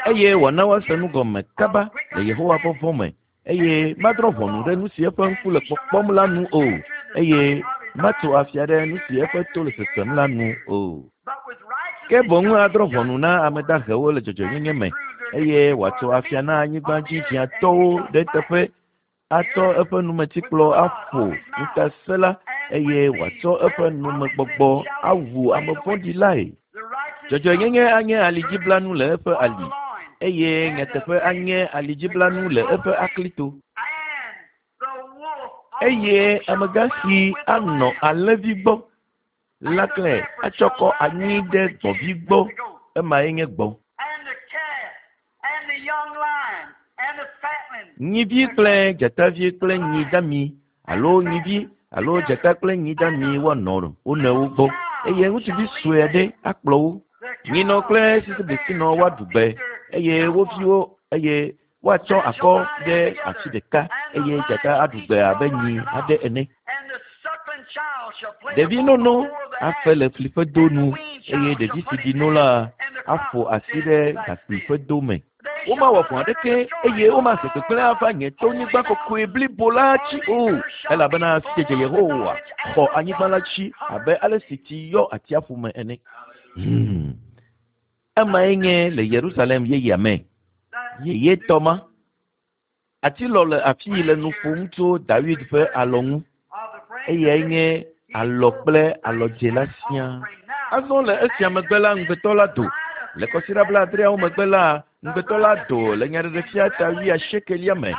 Eye wòana woase nu gɔme kaba le Yehowa vɔvɔ̃ me, eye madrɔ̃ ʋɔnu ɖe nu si eƒe ŋku le kpɔkpɔm la nu o, eye matso afia ɖe nu si eƒe to le sesem la nu o. Ke boŋ adrɔ̃ ʋɔnu na ame dahewo le dzɔdzɔenyenye me, eye wòatso afia na anyigbadzidziatɔwo ɖe eteƒe, atsɔ eƒe numetikplɔ aƒo ŋutasẽla, eye wòatsɔ eƒe numegbɔgbɔ awu ame vɔ̃ɖi lae. Dzɔdzɔenyenye anye alidziblanu le eƒe ali, eye nyateƒe anye alidziblanu le eƒe aklito. Eye amegã si anɔ alẽvi gbɔ la klẽ atsɔ kɔ anyi ɖe gbɔ̃vi gbɔ, emae nye gbɔ̃. Nyivi kple dzatavi kple nyi dami alo nyivi alo dzata kple nyi dami woanɔ wo nɔewo gbɔ, eye ŋutsuvi sue aɖe akplɔ wo. Nyinɔ kple sisiblisinɔ woaɖu gbe, eye wo viwo eye woatsɔ akɔ ɖe afi ɖeka, eye dzata aɖu gbe abe nyi aɖe ene. Ɖevi nono afe le fli ƒe do nu, eye ɖevi si ɖi no la aƒo asi ɖe gakpui ƒe do me. Womawɔ vɔ̃ aɖeke eye womahe gbegblẽ ava nye tonyigba kɔkɔe blibo la dzi o, elabena sidzedze Yehowa xɔ anyigba la dzi abe ale si tsi yɔ atsiaƒu me ene. Hmm. Emae nye le Yerusalem yeyea me. Yeyetɔ ma. Atilɔ le afii le nu ƒom tso Dawid ƒe alɔ ŋu. Eyae nye alɔ kple alɔdze la siaa. Azɔ le esia megbe la, ŋugbetɔ la do. Le kɔsiɖa blaadreawo megbe la, ŋugbetɔ la do le Nyaɖeɖefia ta wuiasiekelia me,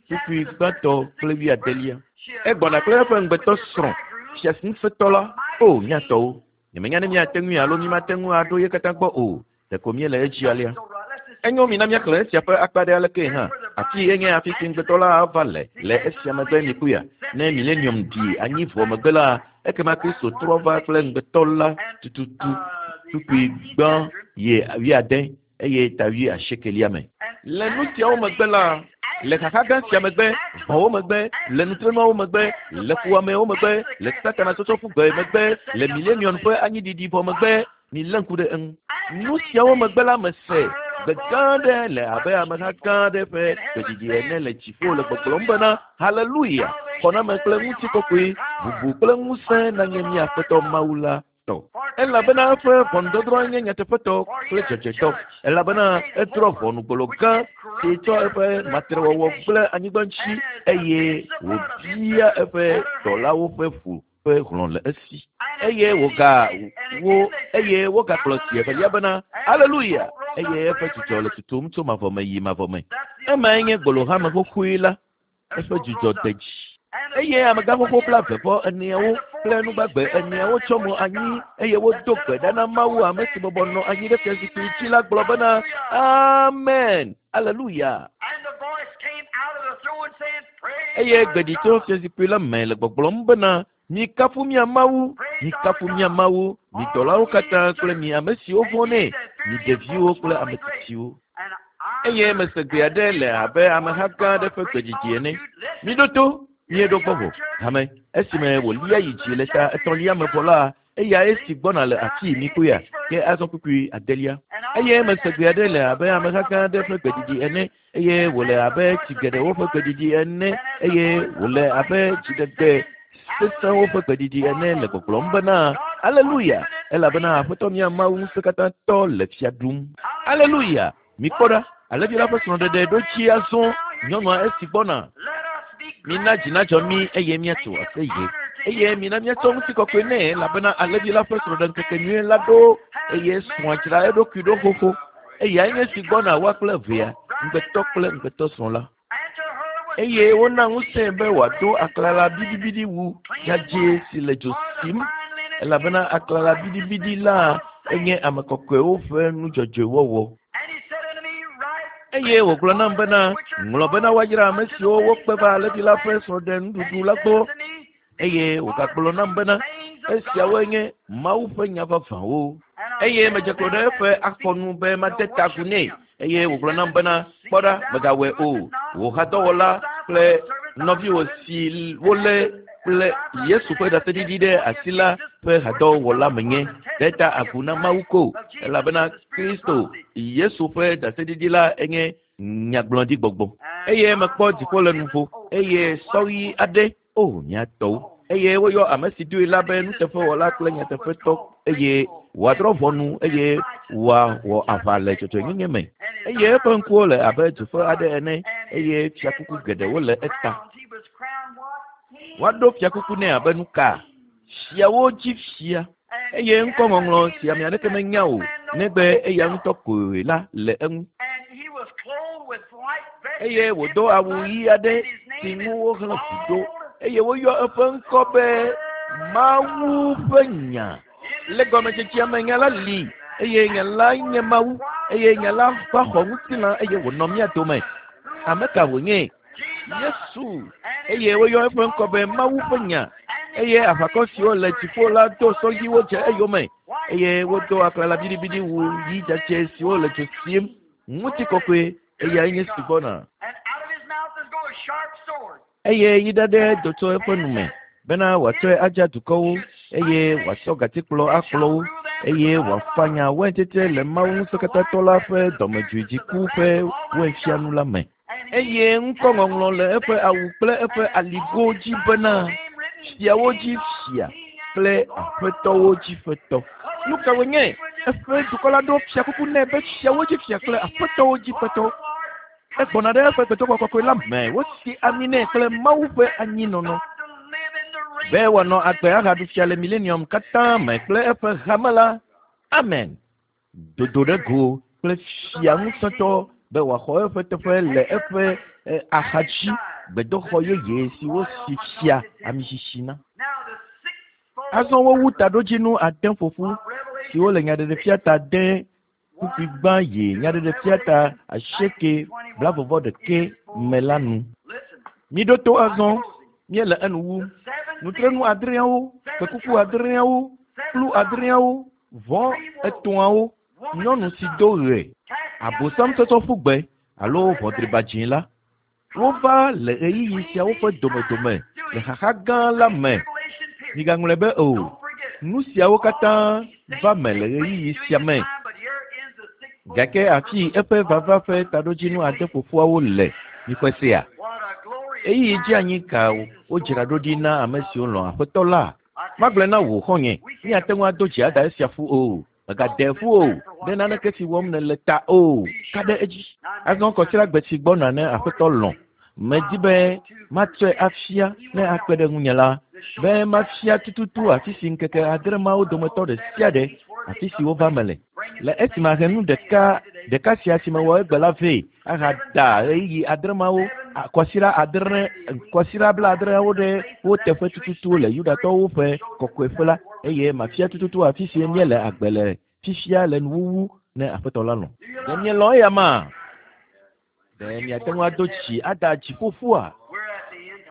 kpukpui gbãtɔ kple wuiadelia. Egbɔna kple eƒe ŋugbetɔ srɔ̃, fiaŋusẽtɔ la. O, mía tɔwo! Nyemenya ne míate ŋui alo mímate ŋu aɖo ye katã gbɔ o. Ɖeko míele edzi alea. Enyo, mina míaxlẽ esia ƒe akpa ɖe alekee hã. Afii enye afi si ŋugbetɔ la ava le, le esia megbe mikpɔea? Ne Milenium ɖi anyi vɔ megbe la, ekema Kristo trɔ va kple ŋugbetɔ la tututu, kpukpui gbã yi wuiade eye ta wuiasiekelia me. Le nu siawo megbe la, le xaxa gã sia megbe, vɔ̃wo megbe, le nutrenuawo megbe, le fuwɔamewo megbe, le Satana tsɔtsɔ ƒu gbe megbe, le Milenium ƒe anyiɖiɖi vɔ megbe, Milé ŋku ɖe eŋu. Nu siawo megbe la, mese gbe gã aɖe le abe ameha gã aɖe ƒe gbeɖiɖi ene le dziƒo le gbɔgblɔm bena, Haleluya! Xɔname kple ŋutikɔkɔe, bubu kple ŋusẽ nanye mía Aƒetɔ Mawu la tɔ. Elabena eƒe ʋɔnudɔdrɔ̃ nye nyateƒetɔ kple dzɔdzɔetɔ, elabena edrɔ̃ ʋɔnu gbolo gã si tsɔ eƒe matrewɔwɔ gblẽ anyigba ŋuti, eye wòbia eƒe dɔlawo ƒe ʋu ƒe hlɔ̃ le esi. Eye wòga wo, eye wogagblɔ zi evelia bena, Aleluya! Eye eƒe dzudzɔ le tutum tso mavɔ me yi mavɔ me. Emae nye gbolohame xoxoe la, eƒe dzudzɔ de dzi. Eye amegã xoxo blaeve vɔ eneawo kple nugbagbe eneawo tsɔ mo anyi, eye wodo gbe ɖa na Mawu ame si bɔbɔ nɔ anyi ɖe fiazikpui dzi la gblɔ bena, Amen! Aleluya! Eye gbe ɖi tso fiazikpui la me le gbɔgblɔm bena, Mikafu mia Mawu, mikafu mia Mawu, mi dɔlawo katã kple mi ame siwo vɔ̃nɛ, mi ɖeviwo kple ame tsitsiwo. Eye mese gbe aɖe le abe ameha gã aɖe ƒe gbeɖiɖi ene. Miɖo to, mieɖo gbɔ vɔ, hame. Esime wòlia yi dzi le ta etɔ̃lia me vɔ la, Eyae si gbɔna le afii mikpɔea? Ke azɔ kpukpui adelia. Eye mese gbe aɖe le abe ameha gã aɖe ƒe gbeɖiɖi ene, eye wòle abe tsi geɖewo ƒe gbeɖiɖi ene, eye wòle abe dziɖegbe sesẽwo ƒe gbeɖiɖi ene le gbɔgblɔm bena, Aleluya! Elabena Aƒetɔ mía Mawu Ŋusẽkatãtɔ le fia ɖum. Aleluya! Mikpɔ ɖa, alẽvi la ƒe srɔ̃ɖeɖe ɖo dzi azɔ, nyɔnua esi gbɔna. Mina dzi nadzɔ mí eye míatso aseye, eye mina míatsɔ ŋutikɔkɔe nɛ, elabena alẽvi la ƒe srɔ̃ɖeŋkekenyui la ɖo, eye srɔ̃a dzra eɖokui ɖo xoxo. Eyae nye esi gbɔna woa kple evea, ŋugbetɔ kple ŋugbetɔsrɔ̃ la. Eye wona ŋusẽe be wòado aklala biɖibiɖi wu dzadzɛ si le dzo sim, elabena aklala biɖibiɖi la enye ame kɔkɔewo ƒe nu dzɔdzɔe wɔwɔ. Eye wògblɔ nam bena, Ŋlɔ bena woayra ame siwo wokpe va alẽvi la ƒe srɔ̃ɖenuɖuɖu la gbɔ. Eye wògagblɔ nam bena, Esiawoe nye Mawu ƒe nya vavãwo. Eye medze klo ɖe eƒe afɔnu be made ta agu nɛ. Eye wògblɔ nam bena, Kpɔ ɖa, mègawɔe o. Wò hadɔwɔla kple nɔviwò si wolé kple Yesu ƒe ɖaseɖiɖi ɖe asi la ƒe hadɔwɔla menye. Ɖe ta agu na Mawu ko, elabena Kristo Yesu ƒe ɖaseɖiɖi la enye nyagblɔɖigbɔgbɔ. Eye mekpɔ dziƒo le nuvo, eye sɔ ɣi aɖe, o mía tɔwo, eye woyɔ ame si doe la be nuteƒewɔla kple nyateƒetɔ, eye wòadrɔ̃ ʋɔnu, eye wòawɔ aʋa le dzɔdzɔenyenye me. Eye eƒe ŋkuwo le abe dzoƒe aɖe ene, eye fiakuku geɖewo le eta. Woaɖo fiakuku nɛ abe nuka? Fiawo dzi fia. Eye ŋkɔŋɔŋlɔ si ame aɖeke menya o, negbe eya ŋutɔ koe la le eŋu. Eye wòdo awu ɣi aɖe si ŋu wohlẽ ʋu ɖo, eye woyɔ eƒe ŋkɔ be Mawu ƒe Nya. Le gɔmedzedzea me Nya la li, eye Nya la nye Mawu, eye Nya la va xɔ ŋutilã eye wònɔ mía dome. Ame ka wònye? Yesu, eye woyɔ eƒe ŋkɔ be Mawu ƒe Nya. Eye aʋakɔ siwo le dziƒo la do sɔ ɣiwo dze eyome, eye wodo aklala biɖibiɖi wu ɣi dzadzɛ siwo le dzo sim. Ŋutikɔkɔe, eyae nye si gbɔna. Eye yi ɖaɖɛ do tso eƒe nu me, bena wòatsɔe adza dukɔwo, eye wòatsɔ gatikplɔ akplɔ wo, eye wòafanya waintsetse le Mawu Ŋusẽkatãtɔ la ƒe dɔmedzoe dziku ƒe wainfianu la me. Eye ŋkɔŋɔŋlɔ le eƒe awu kple eƒe aligo dzi bena, Fiawo dzi Fia kple Aƒetɔwo dzi Ƒetɔ. Nu ka wònye? Eƒe dukɔ la ɖo fiakuku nɛ be Fiawo dzi Fia kple Aƒetɔwo dzi Ƒetɔ. Egbɔna ɖe eƒe gbedoxɔ kɔkɔe la me, wosi ami nɛ kple Mawu ƒe anyinɔnɔ be wòanɔ agbe ahaɖu fia le milenium katã me kple eƒe hame la. Amen. Dodo ɖe go kple fia ŋusẽtɔ be wòaxɔ eƒe teƒe le eƒe axadzi gbedoxɔ yeye si wosi fia ami sisi na. Azɔ wowu taɖodzinu ade ƒoƒu siwo le Nyaɖeɖefia ta de kpukpui gbã yi Nyaɖeɖefia ta 8 blaeve vɔ ɖekɛ me la nu. Miɖo to azɔ, míele enu wum. Nutrenu adreawo, kpekuku adreawo, kplu adreawo, vɔ etɔ̃awo, nyɔnu si do ɣe, abosam tsɔtsɔ ƒu gbe alo ʋɔdriba dzĩ la. Wova le ɣeyiɣi siawo ƒe domedome le xaxa gã la me. Migaŋlɔe be o, nu siawo katã va me le ɣeyiɣi sia me. Gake afi eƒe vava ƒe taɖodzinu ade ƒoƒuawo le, mixɔe sea? Ɣeyiɣi dzeanyi ka wodzra ɖo ɖi na ame siwo lɔ̃ Aƒetɔ la? Magblɔe na wò xɔ̃nye, míate ŋu ado dzi ada esia ƒu o. Mègade ƒu o, ɖe naneke si wɔm nèle ta o. Ka ɖe edzi. Azɔ kɔsiɖagbe si gbɔna ne Aƒetɔ lɔ̃, medi be matsɔe afia ne akpe ɖe ŋunye la, be mafia tututu afi si ŋkeke adre mawo dometɔ ɖe sia ɖe afi si wova me le. Le esi mahe nu ɖeka ɖeka sia si mewɔ egbe la vɛ ahada ɣeyiɣi adre mawo, kɔsiɖa adre, kɔsiɖa blaadreawo ɖe wo teƒe tututu le Yudatɔwo ƒe kɔkɔeƒe la, eye mafia tututu afi si míele agbe le fifia le nuwuwu ne Aƒetɔ la lɔ̃. Ɖe mielɔ̃ eya ma? Ɖe miate ŋu ado dzi ada dziƒoƒua?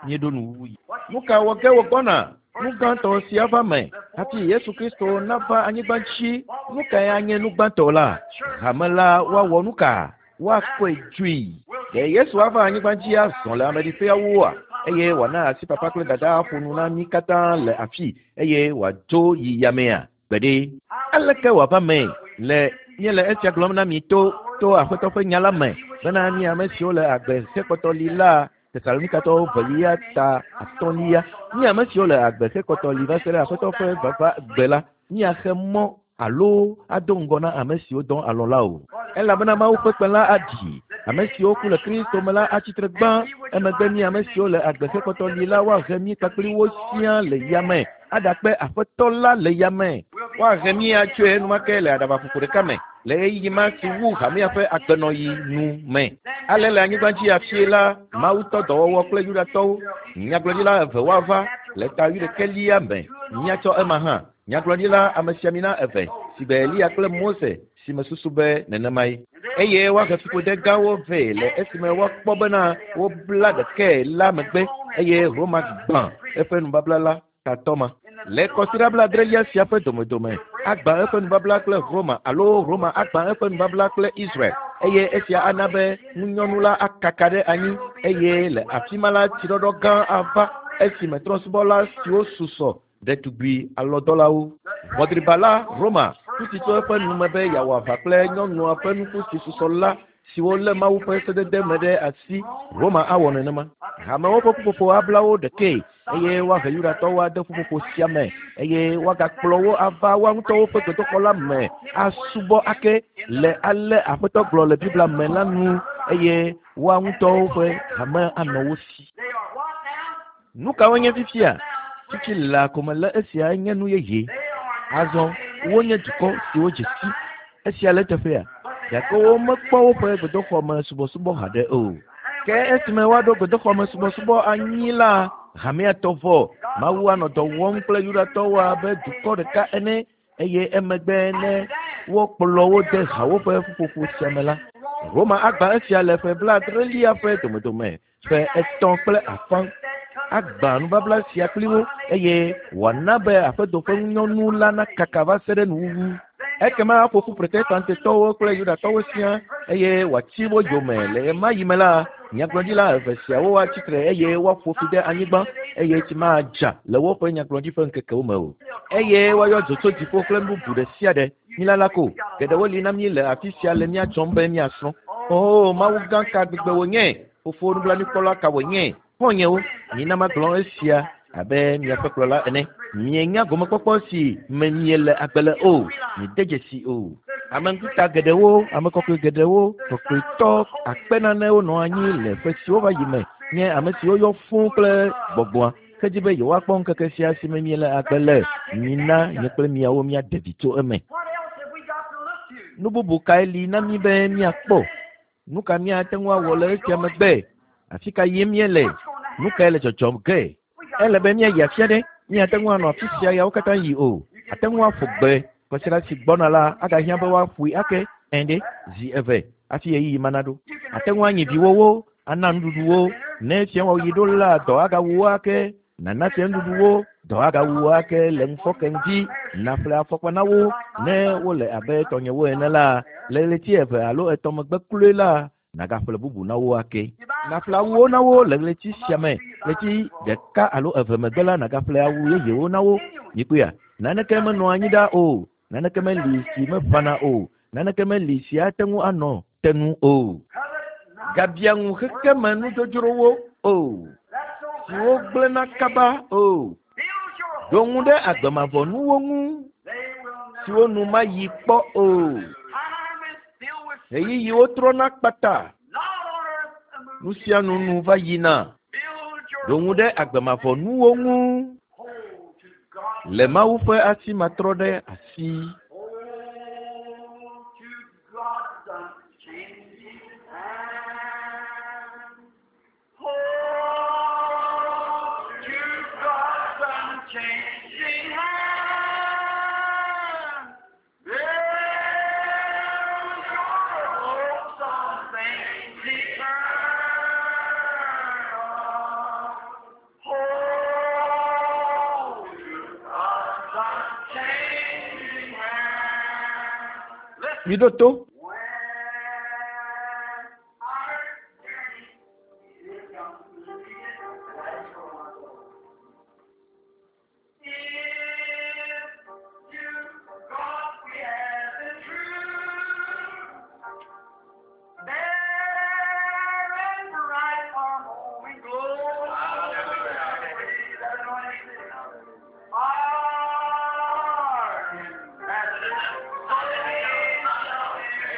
Míeɖo nuwuwu yi. Nu ka wɔ ge wògbɔna? Nu gãtɔ si ava me hafi Yesu Kristo nava anyigba dzi. Nu kae anye nu gbãtɔ la? Hame la woawɔ nu ka? Woakɔe dzoe. Ɖe Yesu ava anyigba dzi azɔ le ameɖiƒeawoa? Eye wòana asi papa kple dada aƒo nu na mí katã le afii eye wòadzo yi yamea? Gbeɖe. Aleke wòava mee le míele esia gblɔm na mi to to Aƒetɔ ƒe nya la me bena mi ame siwo le agbe hekpɔtɔ li la Tesalonikatɔwo velia ta atɔ̃lia mi ame siwo le agbe hekpɔtɔ li va se ɖe Aƒetɔ ƒe vava gbe la míaxe mɔ alo ado ŋgɔ na ame siwo dɔ alɔ la o. Elabena Mawu ƒe kpẽ la aɖi. Ame siwo ku le Kristo me la atsi tre gbã. Emegbe mi ame siwo le agbe hekpɔtɔ li la woahe mí kpakpli wo siaa le yame aɖakpe Aƒetɔ la le yame. Woahe mí atsoe enumake le aɖabaƒoƒo ɖeka me le ɣeyiɣi ma si wu hamea ƒe agbenɔɣi nu me. Ale le anyigba dzi afie la, Mawu tɔ dɔwɔwɔ kple Yudatɔwo. Nyagblɔɖila eve woava le ta wuiɖekɛlia me. Míatsɔ ema hã. Nyagblɔɖila amesiamina eve si gbe Eliya kple Mose si mesusu be nenemae. Eye woahe fiƒode gãwo vɛ le esime woakpɔ bena wobla ɖekae la megbe eye Roma gbã eƒe nubabla la tatɔ ma. Le kɔsiɖa blaadrelia sia ƒe domedome, agbã eƒe nubabla kple Roma alo Roma agbã eƒe nubabla kple Israel. Eye esia ana be ŋunyɔnu la akaka ɖe anyi eye le afi ma la tsiɖɔɖɔ gã ava esime trɔ̃subɔla siwo susɔ ɖetugbui alɔdɔlawo. Ʋɔdriba la Roma ƒu tso eƒe nume be yeawɔ aʋa kple nyɔnua ƒe nuku si susɔ la siwo lé Mawu ƒe sedede me ɖe asi. Roma awɔ nenema. Hamewo ƒe ƒuƒoƒo abla wo ɖekee eye woahe Yudatɔwo ade ƒuƒoƒo sia me eye woagakplɔ wo ava woa ŋutɔwo ƒe gbedoxɔ la me asubɔ ake le ale Aƒetɔ gblɔ le Biblia me la nu eye woa ŋutɔwo ƒe hame anɔ wo si. Nu kawoe nye fifia? Fifi laa ko mele esia nye nu yeye. Azɔ wonye dukɔ siwo dze si. Esia le eteƒea? Gake womekpɔ woƒe gbedoxɔ me subɔsubɔ haɖe o. Ke esime woaɖo gbedoxɔ me subɔsubɔ anyi la, hamea tɔ vɔ. Mawu anɔ dɔ wɔm kple Yudatɔwo abe dukɔ ɖeka ene eye emegbe ne wokplɔ wo de hawo ƒe ƒuƒoƒo sia me la, Roma agbã esia le ƒe 70lia ƒe domedome ƒe 3.5 agbã nubabla sia kpli wo eye wòana be aƒedo ƒe ŋunyɔnu la nakaka va se ɖe nuwuwu. Ekema aƒo ƒu Protestantetɔwo kple Yudatɔwo siaa eye wòatsi wo yome. Le ɣemaɣi me la, nyagblɔɖila eve siawo atsi tre eye woaƒo fi ɖe anyigba eye tsi madza le woƒe nyagblɔɖi ƒe ŋkekewo me o. Eye woayɔ dzo tso dziƒo kple nu bubu ɖe sia ɖe. Mílala ko, geɖewo li na mí le afi sia le mía dzɔm be míasrɔ̃. Oo, Mawu gã ka gbegbe wònye! Fofo nublanuikpɔla ka wònye! Xɔ̃nyewo, mina magblɔ esia abe miaƒe kplɔla ene. Mienya gomekpɔkpɔ si me miele agbe le o. Miede dzesi o. Ame ŋkuta geɖewo, ame kɔkɔe geɖewo, kɔkɔetɔ akpe nanewo nɔ anyi le ƒe siwo va yi me nye ame siwo yɔ fũu kple gbɔgbɔa hedzi be yewoakpɔ ŋkeke sia si me miele agbe le. Mina nye kple miawo míaɖe vi tso eme. Nu bubu kae li na mí be míakpɔ? Nu ka míate ŋu awɔ le esia megbe? Afi ka yim míele? Nu kae le dzɔdzɔm ge? Ele be míayi afi aɖe. Míate ŋu anɔ afi sia yawo katã yi o. Ate ŋu aƒo gbe. Kwasiɖa si gbɔna la agahiã be woaƒoe ake ene zi eve hafi ɣeyiɣi ma naɖo. Ate ŋu anyi viwòwo, ana nuɖuɖu wo. Ne fiawɔɣi ɖo la, dɔ agawu wo ake. Nana fia nuɖuɖu wo, dɔ agawu wo ake le ŋufɔke ŋdi. Naƒle afɔkpa na wo ne wole abe tɔnyewo ene la, le ɣleti eve alo etɔ̃ megbe kloe la, nagaƒle bubu na wo ake. Naƒle awuwo na wo le ɣleti sia me, ɣleti ɖeka alo eve megbe la, nagaƒle awu yeyewo na wo. Mikpɔea? Naneke menɔa anyi ɖa o. Naneke meli si meʋãna o. Naneke meli si ate ŋu anɔ tenu o. Gabia ŋu xexeme nudzodzrowo o, siwo gblẽna kaba o. Ɖo ŋu ɖe agbemavɔnuwo ŋu, siwo nu mayi kpɔ o. Ɣeyiɣiwo trɔna kpata. Nu sia nu nu va yina. Ɖo ŋu ɖe agbemavɔnuwo ŋu le Mawu ƒe asi matrɔ ɖe asi.
Hold to God's unchanging hand. Hold to God's unchanging hand. Build your hopes on things eternal. Hold to God's unchanging hand. Listen.
Miɖo to.
When our journey is completed, if to God we have been true, there in bright our morning glory, our ambassador shall be.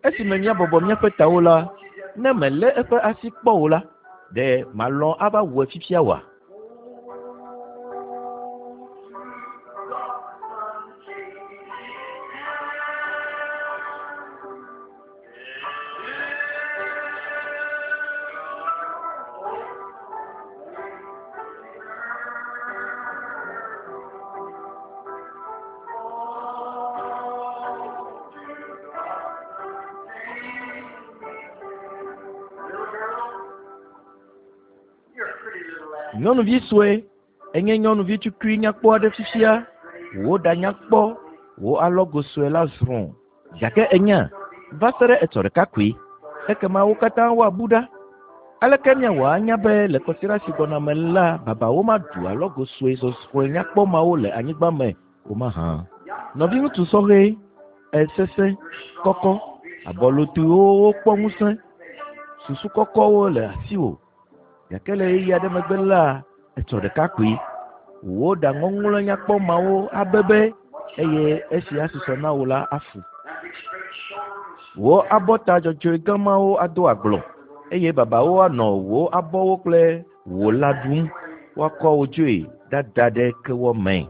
Esime míabɔbɔ míaƒe tawo la, ne mèlé eƒe asi kpɔ o la, ɖe màlɔ̃ ava wɔe fifia oa? Nyɔnuvi sue, enye nyɔnuvi tukui nyakpɔ aɖe fifia. Wò ɖa nyakpɔ, wò alɔgo sue la zrɔ̃. Gake ènya, va se ɖe etsɔ ɖeka koe, ekema wo katã woabu ɖa. Aleke míawɔ anya be le kɔsiɖa si gbɔna me la, babawo maɖu alɔgo sue zɔzrɔ̃e nyakpɔ mawo le anyigba me o mahã? Nɔviŋutsu sɔhɛ, esesẽ, kɔkɔ, abɔlotoewo wokpɔ ŋusẽ, susu kɔkɔwo le asiwò. Gake le ɣeyiɣi aɖe megbe la, etsɔ ɖeka koe. Wò ɖa ŋɔŋlɔ nyakpɔ mawo abebe eye esi asusɔ na wò la afu. Wò abɔta dzɔdzɔe gã mawo ado agblɔ eye babawo anɔ wò abɔwo kple wò lã ɖum. Woakɔ wò dzoe ɖada ɖe kewɔ me.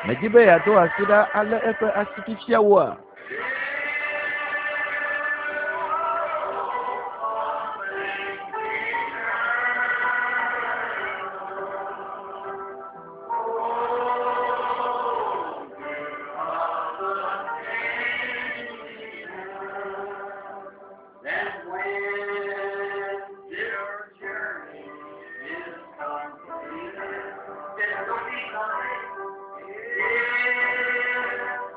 Medi be yeado asi ɖa alé eƒe asi fifia woa?
Then when your journey is complete, it will be complete.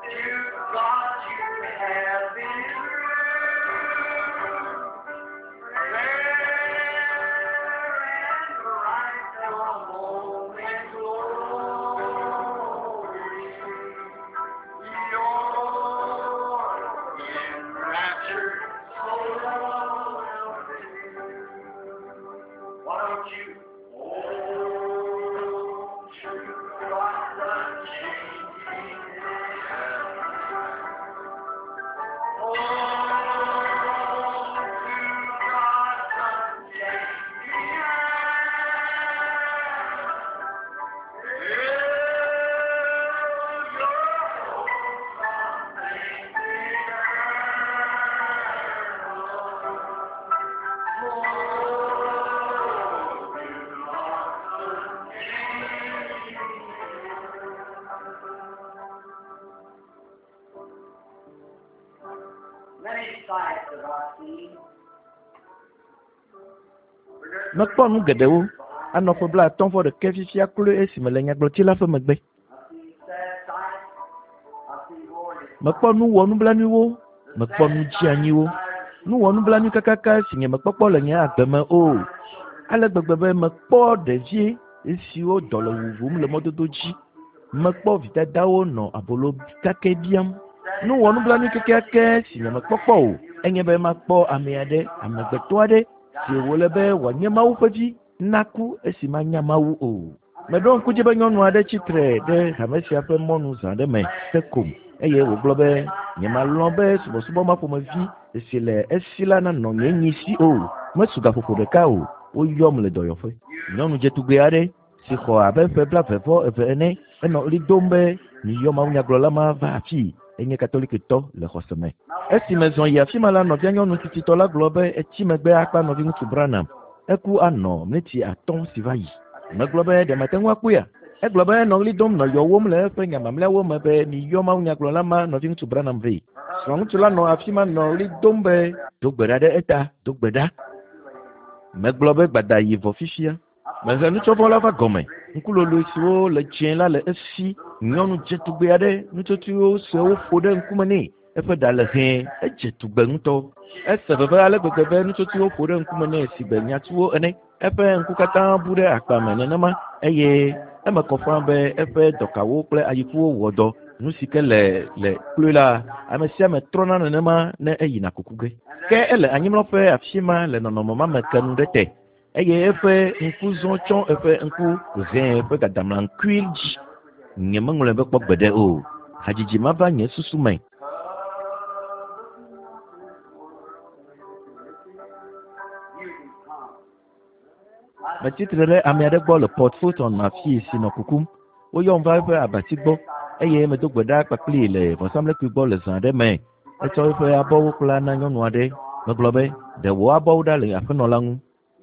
If to God you have been true, fair and bright the home in glory. Your enraptured soul will be. Why don't you hold true God's unchanging hand? Hold to God's unchanging hand. Build your hopes on things eternal. Hold to God's unchanging Many sights have I seen.
Mekpɔ nu geɖewo. Anɔ ƒe blaatɔ̃ vɔ ɖekɛ fifia kloe esime le nyagblɔtsi la ƒe megbe.
I've seen sad sights. I've seen glorious
Mekpɔ nu wɔnublanuiwo, mekpɔ nu dzeanyiwo. Nu wɔnublanui kakaka si nye mekpɔkpɔ le nye agbe me o. Ale gbegbe be mekpɔ ɖevi siwo dɔ le wuwum le mɔdodo dzi. Mekpɔ vidadawo nɔ abolo kakɛ biam. Nu wɔnublanui kekeake si nye mekpɔkpɔ o enye be makpɔ ame aɖe, amegbetɔ aɖe si wòle be wòanye Mawu ƒe vi naku esi manya Mawu o. Meɖo ŋku dzi be nyɔnu aɖe tsi tre ɖe hame sia ƒe mɔnu zã ɖe me hekom eye wògblɔ be nyemalɔ̃ be subɔsubɔ ma ƒomevi si le esi la nanɔ nye nyi si o. Mesu gaƒoƒo ɖeka o, woyɔm le dɔyɔƒe. Nyɔnu dzetugbe aɖe si xɔ abe ƒe blaeve-vɔ-eve ene enɔ ɣli dom be miyɔ mawunyagblɔla ma va afii. Enye Katolikitɔ le xɔse me. Esi mezɔ yi afi ma la, nɔvia nyɔnu tsitsitɔ la gblɔ be etsi megbe akpa nɔviŋutsu Branham. Eku anɔ ɣleti atɔ̃ si va yi. Megblɔ be ɖe mate ŋu akpɔea? Egblɔ be enɔ ɣli dom nɔ yɔwom le eƒe nya mamlɛawo me be miyɔ mawunyagblɔla ma nɔviŋutsu Branham vɛ. Srɔ̃ŋutsu la nɔ afi ma nɔ ɣli dom be do gbe ɖa ɖe eta, do gbe ɖa. Megblɔ be gbada yi vɔ fifia. Mehe nutsɔvɔ la va gɔme. Ŋkuloloe siwo le dzẽ la le esi. Nyɔnu dzetugbe aɖe, nutsotsoewo suewo ƒo ɖe ŋkume nɛ. Eƒe ɖa le hɛ̃, edze tugbe ŋutɔ. Ese veve ale gbegbe be nutsotsoewo ƒo ɖe ŋkume nɛ sigbe nyatuwo ene. Eƒe ŋku katã bu ɖe akpa me nenema eye eme kɔ ƒãa be eƒe dɔkawo kple ayikuwo wɔ dɔ. Nu si ke le le kloe la, ame sia ame trɔna nenema ne eyina kuku ge. Ke ele anyimlɔƒe afi ma le nɔnɔme ma me ke nu ɖe te eye eƒe ŋku zɔ tsɔ eƒe ŋku hɛ̃ ƒe gadamlaŋkui dzi. Nyemeŋlɔe be kpɔ gbeɖe o. Hadzidzi ma va nye susu me. Metsi tre ɖe ame aɖe gbɔ le Port Fulton afii si nɔ kukum. Woyɔm va eƒe abati gbɔ eye medo gbe ɖa kpakplii le vɔsamlekpui gbɔ le zã aɖe me. Etsɔ eƒe abɔwo kpla na nyɔnu aɖe. Megblɔ be, Ɖe wò abɔwo ɖa le aƒenɔ la ŋu.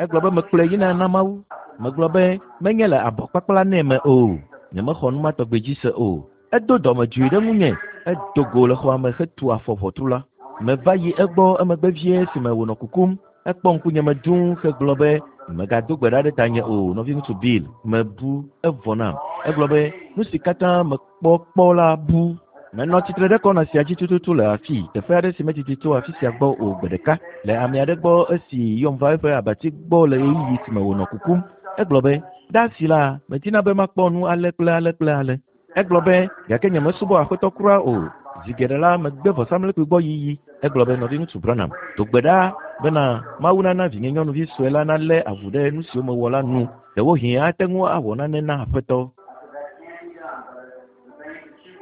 Egblɔ be, Mekplɔe yina na Mawu. Megblɔ be, Menye le abɔ kpakpla nɛ me o. Nyemexɔ nu ma tɔgbi dzi se o. Edo dɔmedzoe ɖe ŋunye. Edo go le xɔa me hetu afɔ ʋɔtru la. Meva yi egbɔ emegbe vie esime wònɔ kukum. Ekpɔ ŋkunyeme dũu hegblɔ be, Mègado gbe ɖa ɖe tanye o, nɔviŋutsu Bill. Mebu. Evɔ nam. Egblɔ be, Nu si katã mekpɔ kpɔ la bu. Menɔ tsitre ɖe kɔna sia dzi tututu le afii, teƒe aɖe si medidi tso afi sia gbɔ o gbe ɖeka, le ame aɖe gbɔ esi yɔm va eƒe abati gbɔ le ɣeyiɣi si me wònɔ kukum. Egblɔ be, Ɖe asi la, medina be makpɔ nu ale kple ale kple ale. Egblɔ be, Gake nyemesubɔ Aƒetɔ kura o. Zi geɖe la, megbe vɔsamlekpui gbɔ yiyi. Egblɔ be, Nɔviŋutsu Branham, do gbe ɖa bena Mawu nana vinyenyɔnuvi sue la nalé avu ɖe nu siwo mewɔ la nu. Ɖewohĩ ate ŋu awɔ nane na Aƒetɔ.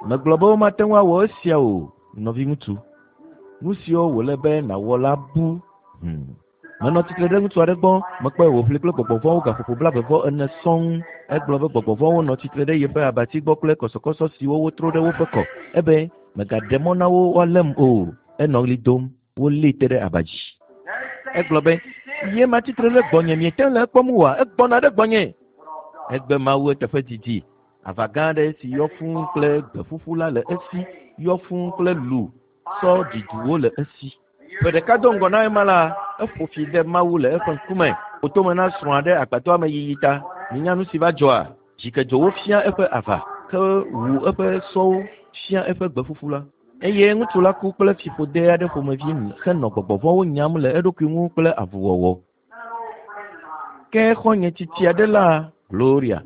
Megblɔ be womate ŋu awɔ esia o, nɔviŋutsu. Nu siwo wòle be nàwɔ la bu. Hmm. Menɔ tsitre ɖe ŋutsu aɖe gbɔ, mekpɔe wòʋli kple gbɔgbɔ vɔ̃wo gaƒoƒo blaeve-vɔ-ene sɔŋ. Egblɔ be gbɔgbɔ vɔ̃wo nɔ tsitre ɖe yeƒe abati gbɔ kple kɔsɔkɔsɔ siwo wotro ɖe woƒe kɔ. Ebe, Mègaɖe mɔ na wo woalém o. Enɔ ɣli dom. Wolée te ɖe aba dzi. Egblɔ be, Ye ma tsitre ɖe gbɔnye, miete ŋu le ekpɔm oa? Egbɔna ɖe gbɔnye! Egbe Mawu eteƒe didi. Ava gã aɖe si yɔ fũu kple gbe ƒuƒu la le esi, yɔ fũu kple lu, sɔ ɖiduwo le esi. Ƒe ɖeka do ŋgɔ na ema la, eƒo fi de Mawu le eƒe ŋkume, ƒo tome na srɔ̃a ɖe agbadɔa me yiyi ta. Minya nu si va dzɔa? Dzikedzowo fia eƒe ava, ke wu eƒe sɔwo fia eƒe gbe ƒuƒu la. Eye ŋutsu la ku kple fiƒode aɖe ƒomevi henɔ gbɔgbɔ vɔ̃wo nyam le eɖokui ŋu kple avuwɔwɔ. Ke xɔ̃nye tsitsi aɖe la, Gloria,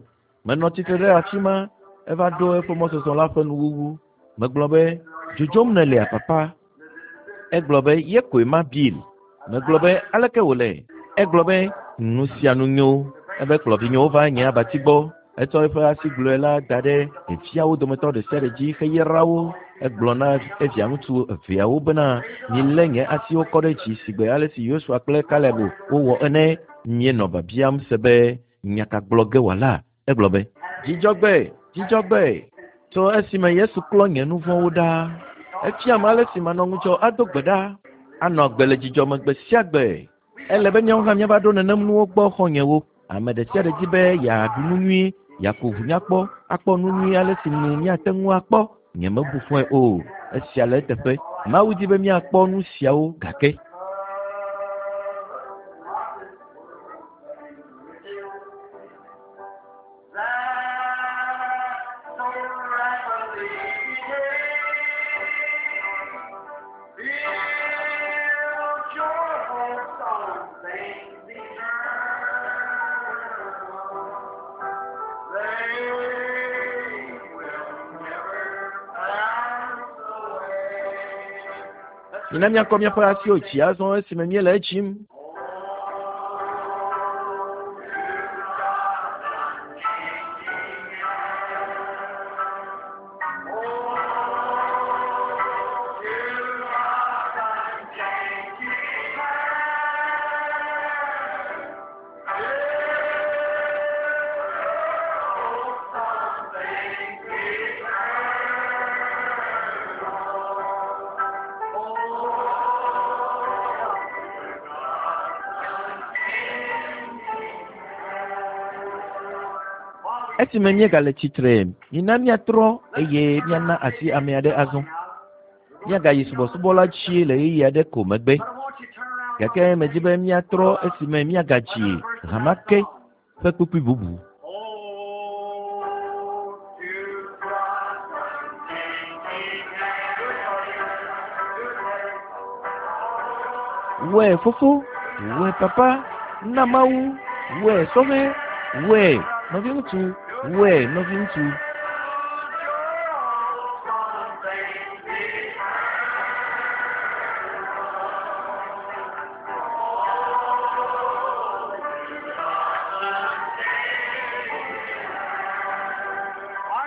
menɔ tsitre ɖe afi ma, eva ɖo eƒe mɔzɔzɔ la ƒe nuwuwu. Megblɔ be, Dzodzom nèlea, Papa? Egblɔ be, Ye koe ma, Bill. Megblɔ be, Aleke wòle? Egblɔ be, Nu sia nu nyo. Ebe kplɔ vinyewo va nye abati gbɔ. Etsɔ eƒe asi gblɔe la da ɖe ɖeviawo dometɔ ɖe sia ɖe dzi heyra wo. Egblɔ na evia ŋutsu eveawo bena, Milé nye asiwo kɔ ɖe dzi sigbe ale si Yosua kple Kaleb wowɔ ene. Míenɔ biabiam se be, Nya ka gblɔ ge wòala? Egblɔ be, Dzidzɔgbe! Dzidzɔgbe! Tso esime Yesu klɔ nye nu vɔ̃wo ɖa. Efiam ale si manɔ ŋudzɔ ado gbe ɖa, anɔ agbe le dzidzɔ me gbe sia gbe. Ele be míawo hã míava ɖo nenem nuwo gbɔ, xɔ̃nyewo. Ame ɖe sia ɖe di be yeaɖu nu nyui, yeaku ʋu nyakpɔ, akpɔ nu nyui ale si nu míate ŋu akpɔ. Nyemebu fɔe o. Esia le eteƒe. Mawu di be míakpɔ nu siawo gake. Mina míakɔ míaƒe asiwo dzi azɔ esime míele edzim. Esime míegale tsitre, mina míatrɔ eye míana asi ame aɖe azɔ. Míagayi subɔsubɔ la dzi le ɣeyiɣi aɖe ko megbe. Gake medi be míatrɔ esime míagadzi Hamake ƒe kpukpui bubu. Wɔe fofo, wɔe papa, na Mawu, wɔe sɔhɛ, wɔe nɔviŋutsu, wɔe nɔviŋutsu.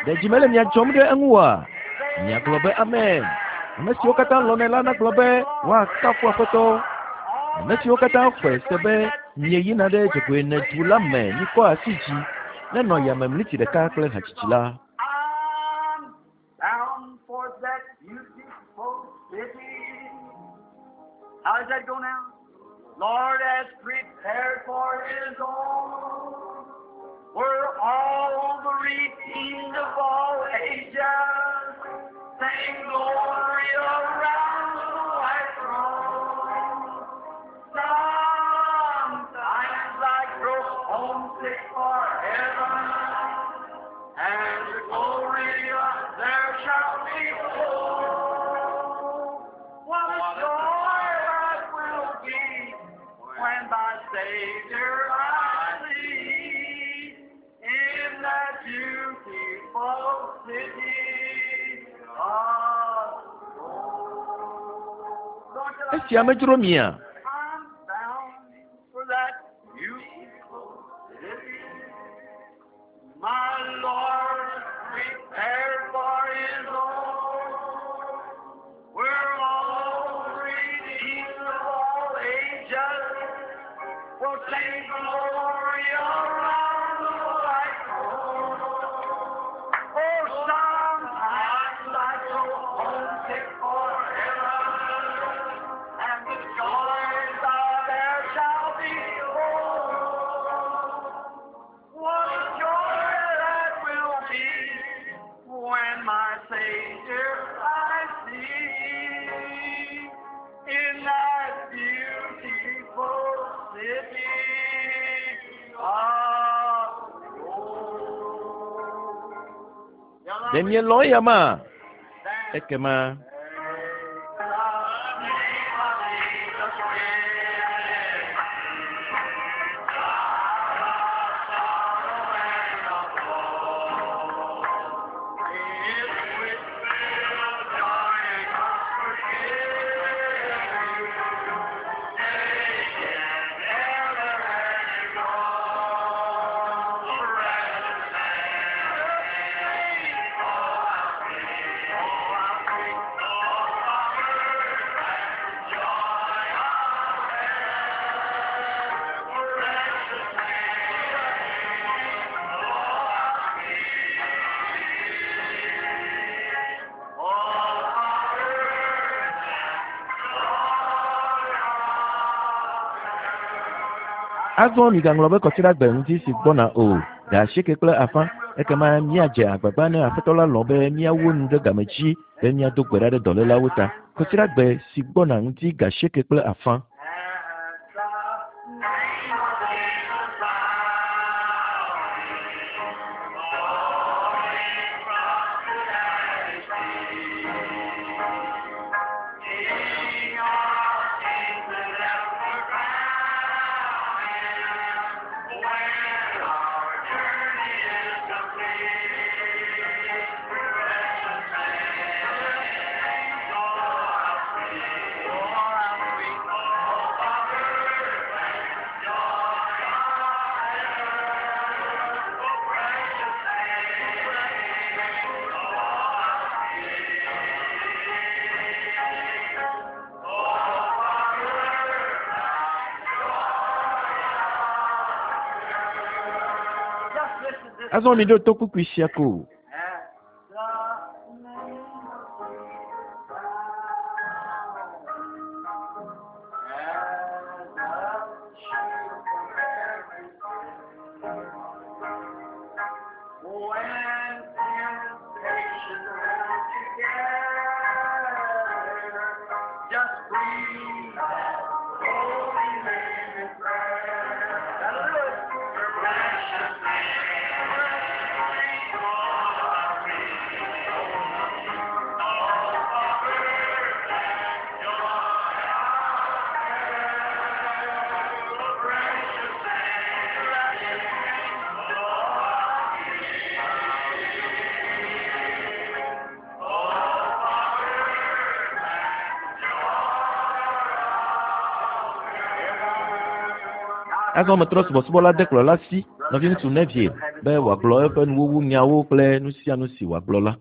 Ɖe dzi mele mia dzɔm ɖe eŋu oa? Miagblɔ be amen. Ame siwo katã lɔ̃nɛ la nagblɔ be woakafu Aƒetɔ. Ame siwo katã xɔe se be mieyina ɖe dzogoenedu la me mikɔ asi dzi nenɔ yame mliti ɖeka kple hadzidzi la.
I'm bound for that beautiful city. How does that go now? Lord has prepared for his own. Where all the redeemed of all ages sing glory around the white throne. Sometimes I grow homesick for heaven, and the glory there shall be full. What a joy that will be when my Savior I see in that beautiful city of gold. Don't you like
Esia medzro mia?
I'm bound for that beautiful city. My Lord prepared for his own. Where all redeemed of all ages will sing glory around the white throne. Oh, sometimes I grow homesick for heaven, and the joys of there shall be full. What a joy that will be when my Savior I see in that beautiful city of gold.
Ɖe mielɔ̃ eya ma? Ekema Azɔ migaŋlɔ be kɔsiɖagbe ŋuti si gbɔna o, ga asieke kple afã, ekema míadze agbagba ne Aƒetɔ la lɔ̃ be míawu nu ɖe game dzi be míado gbe ɖa ɖe dɔlélawo ta. Kɔsiɖagbe si gbɔna ŋuti ga asieke kple afã.
Just listen to this.
Azɔ miɖo to kpukpui sia ko.
At the name of Jesus, as a shield from every sin. When temptation round together, just breathe that holy name in prayer. That'll do it. Precious name, precious name, oh,
Azɔ metrɔ subɔsubɔ la de kplɔla si, nɔviŋutsu Neville, be wòagblɔ eƒe nuwuwu nyawo kple nu sia nu si wòagblɔ la.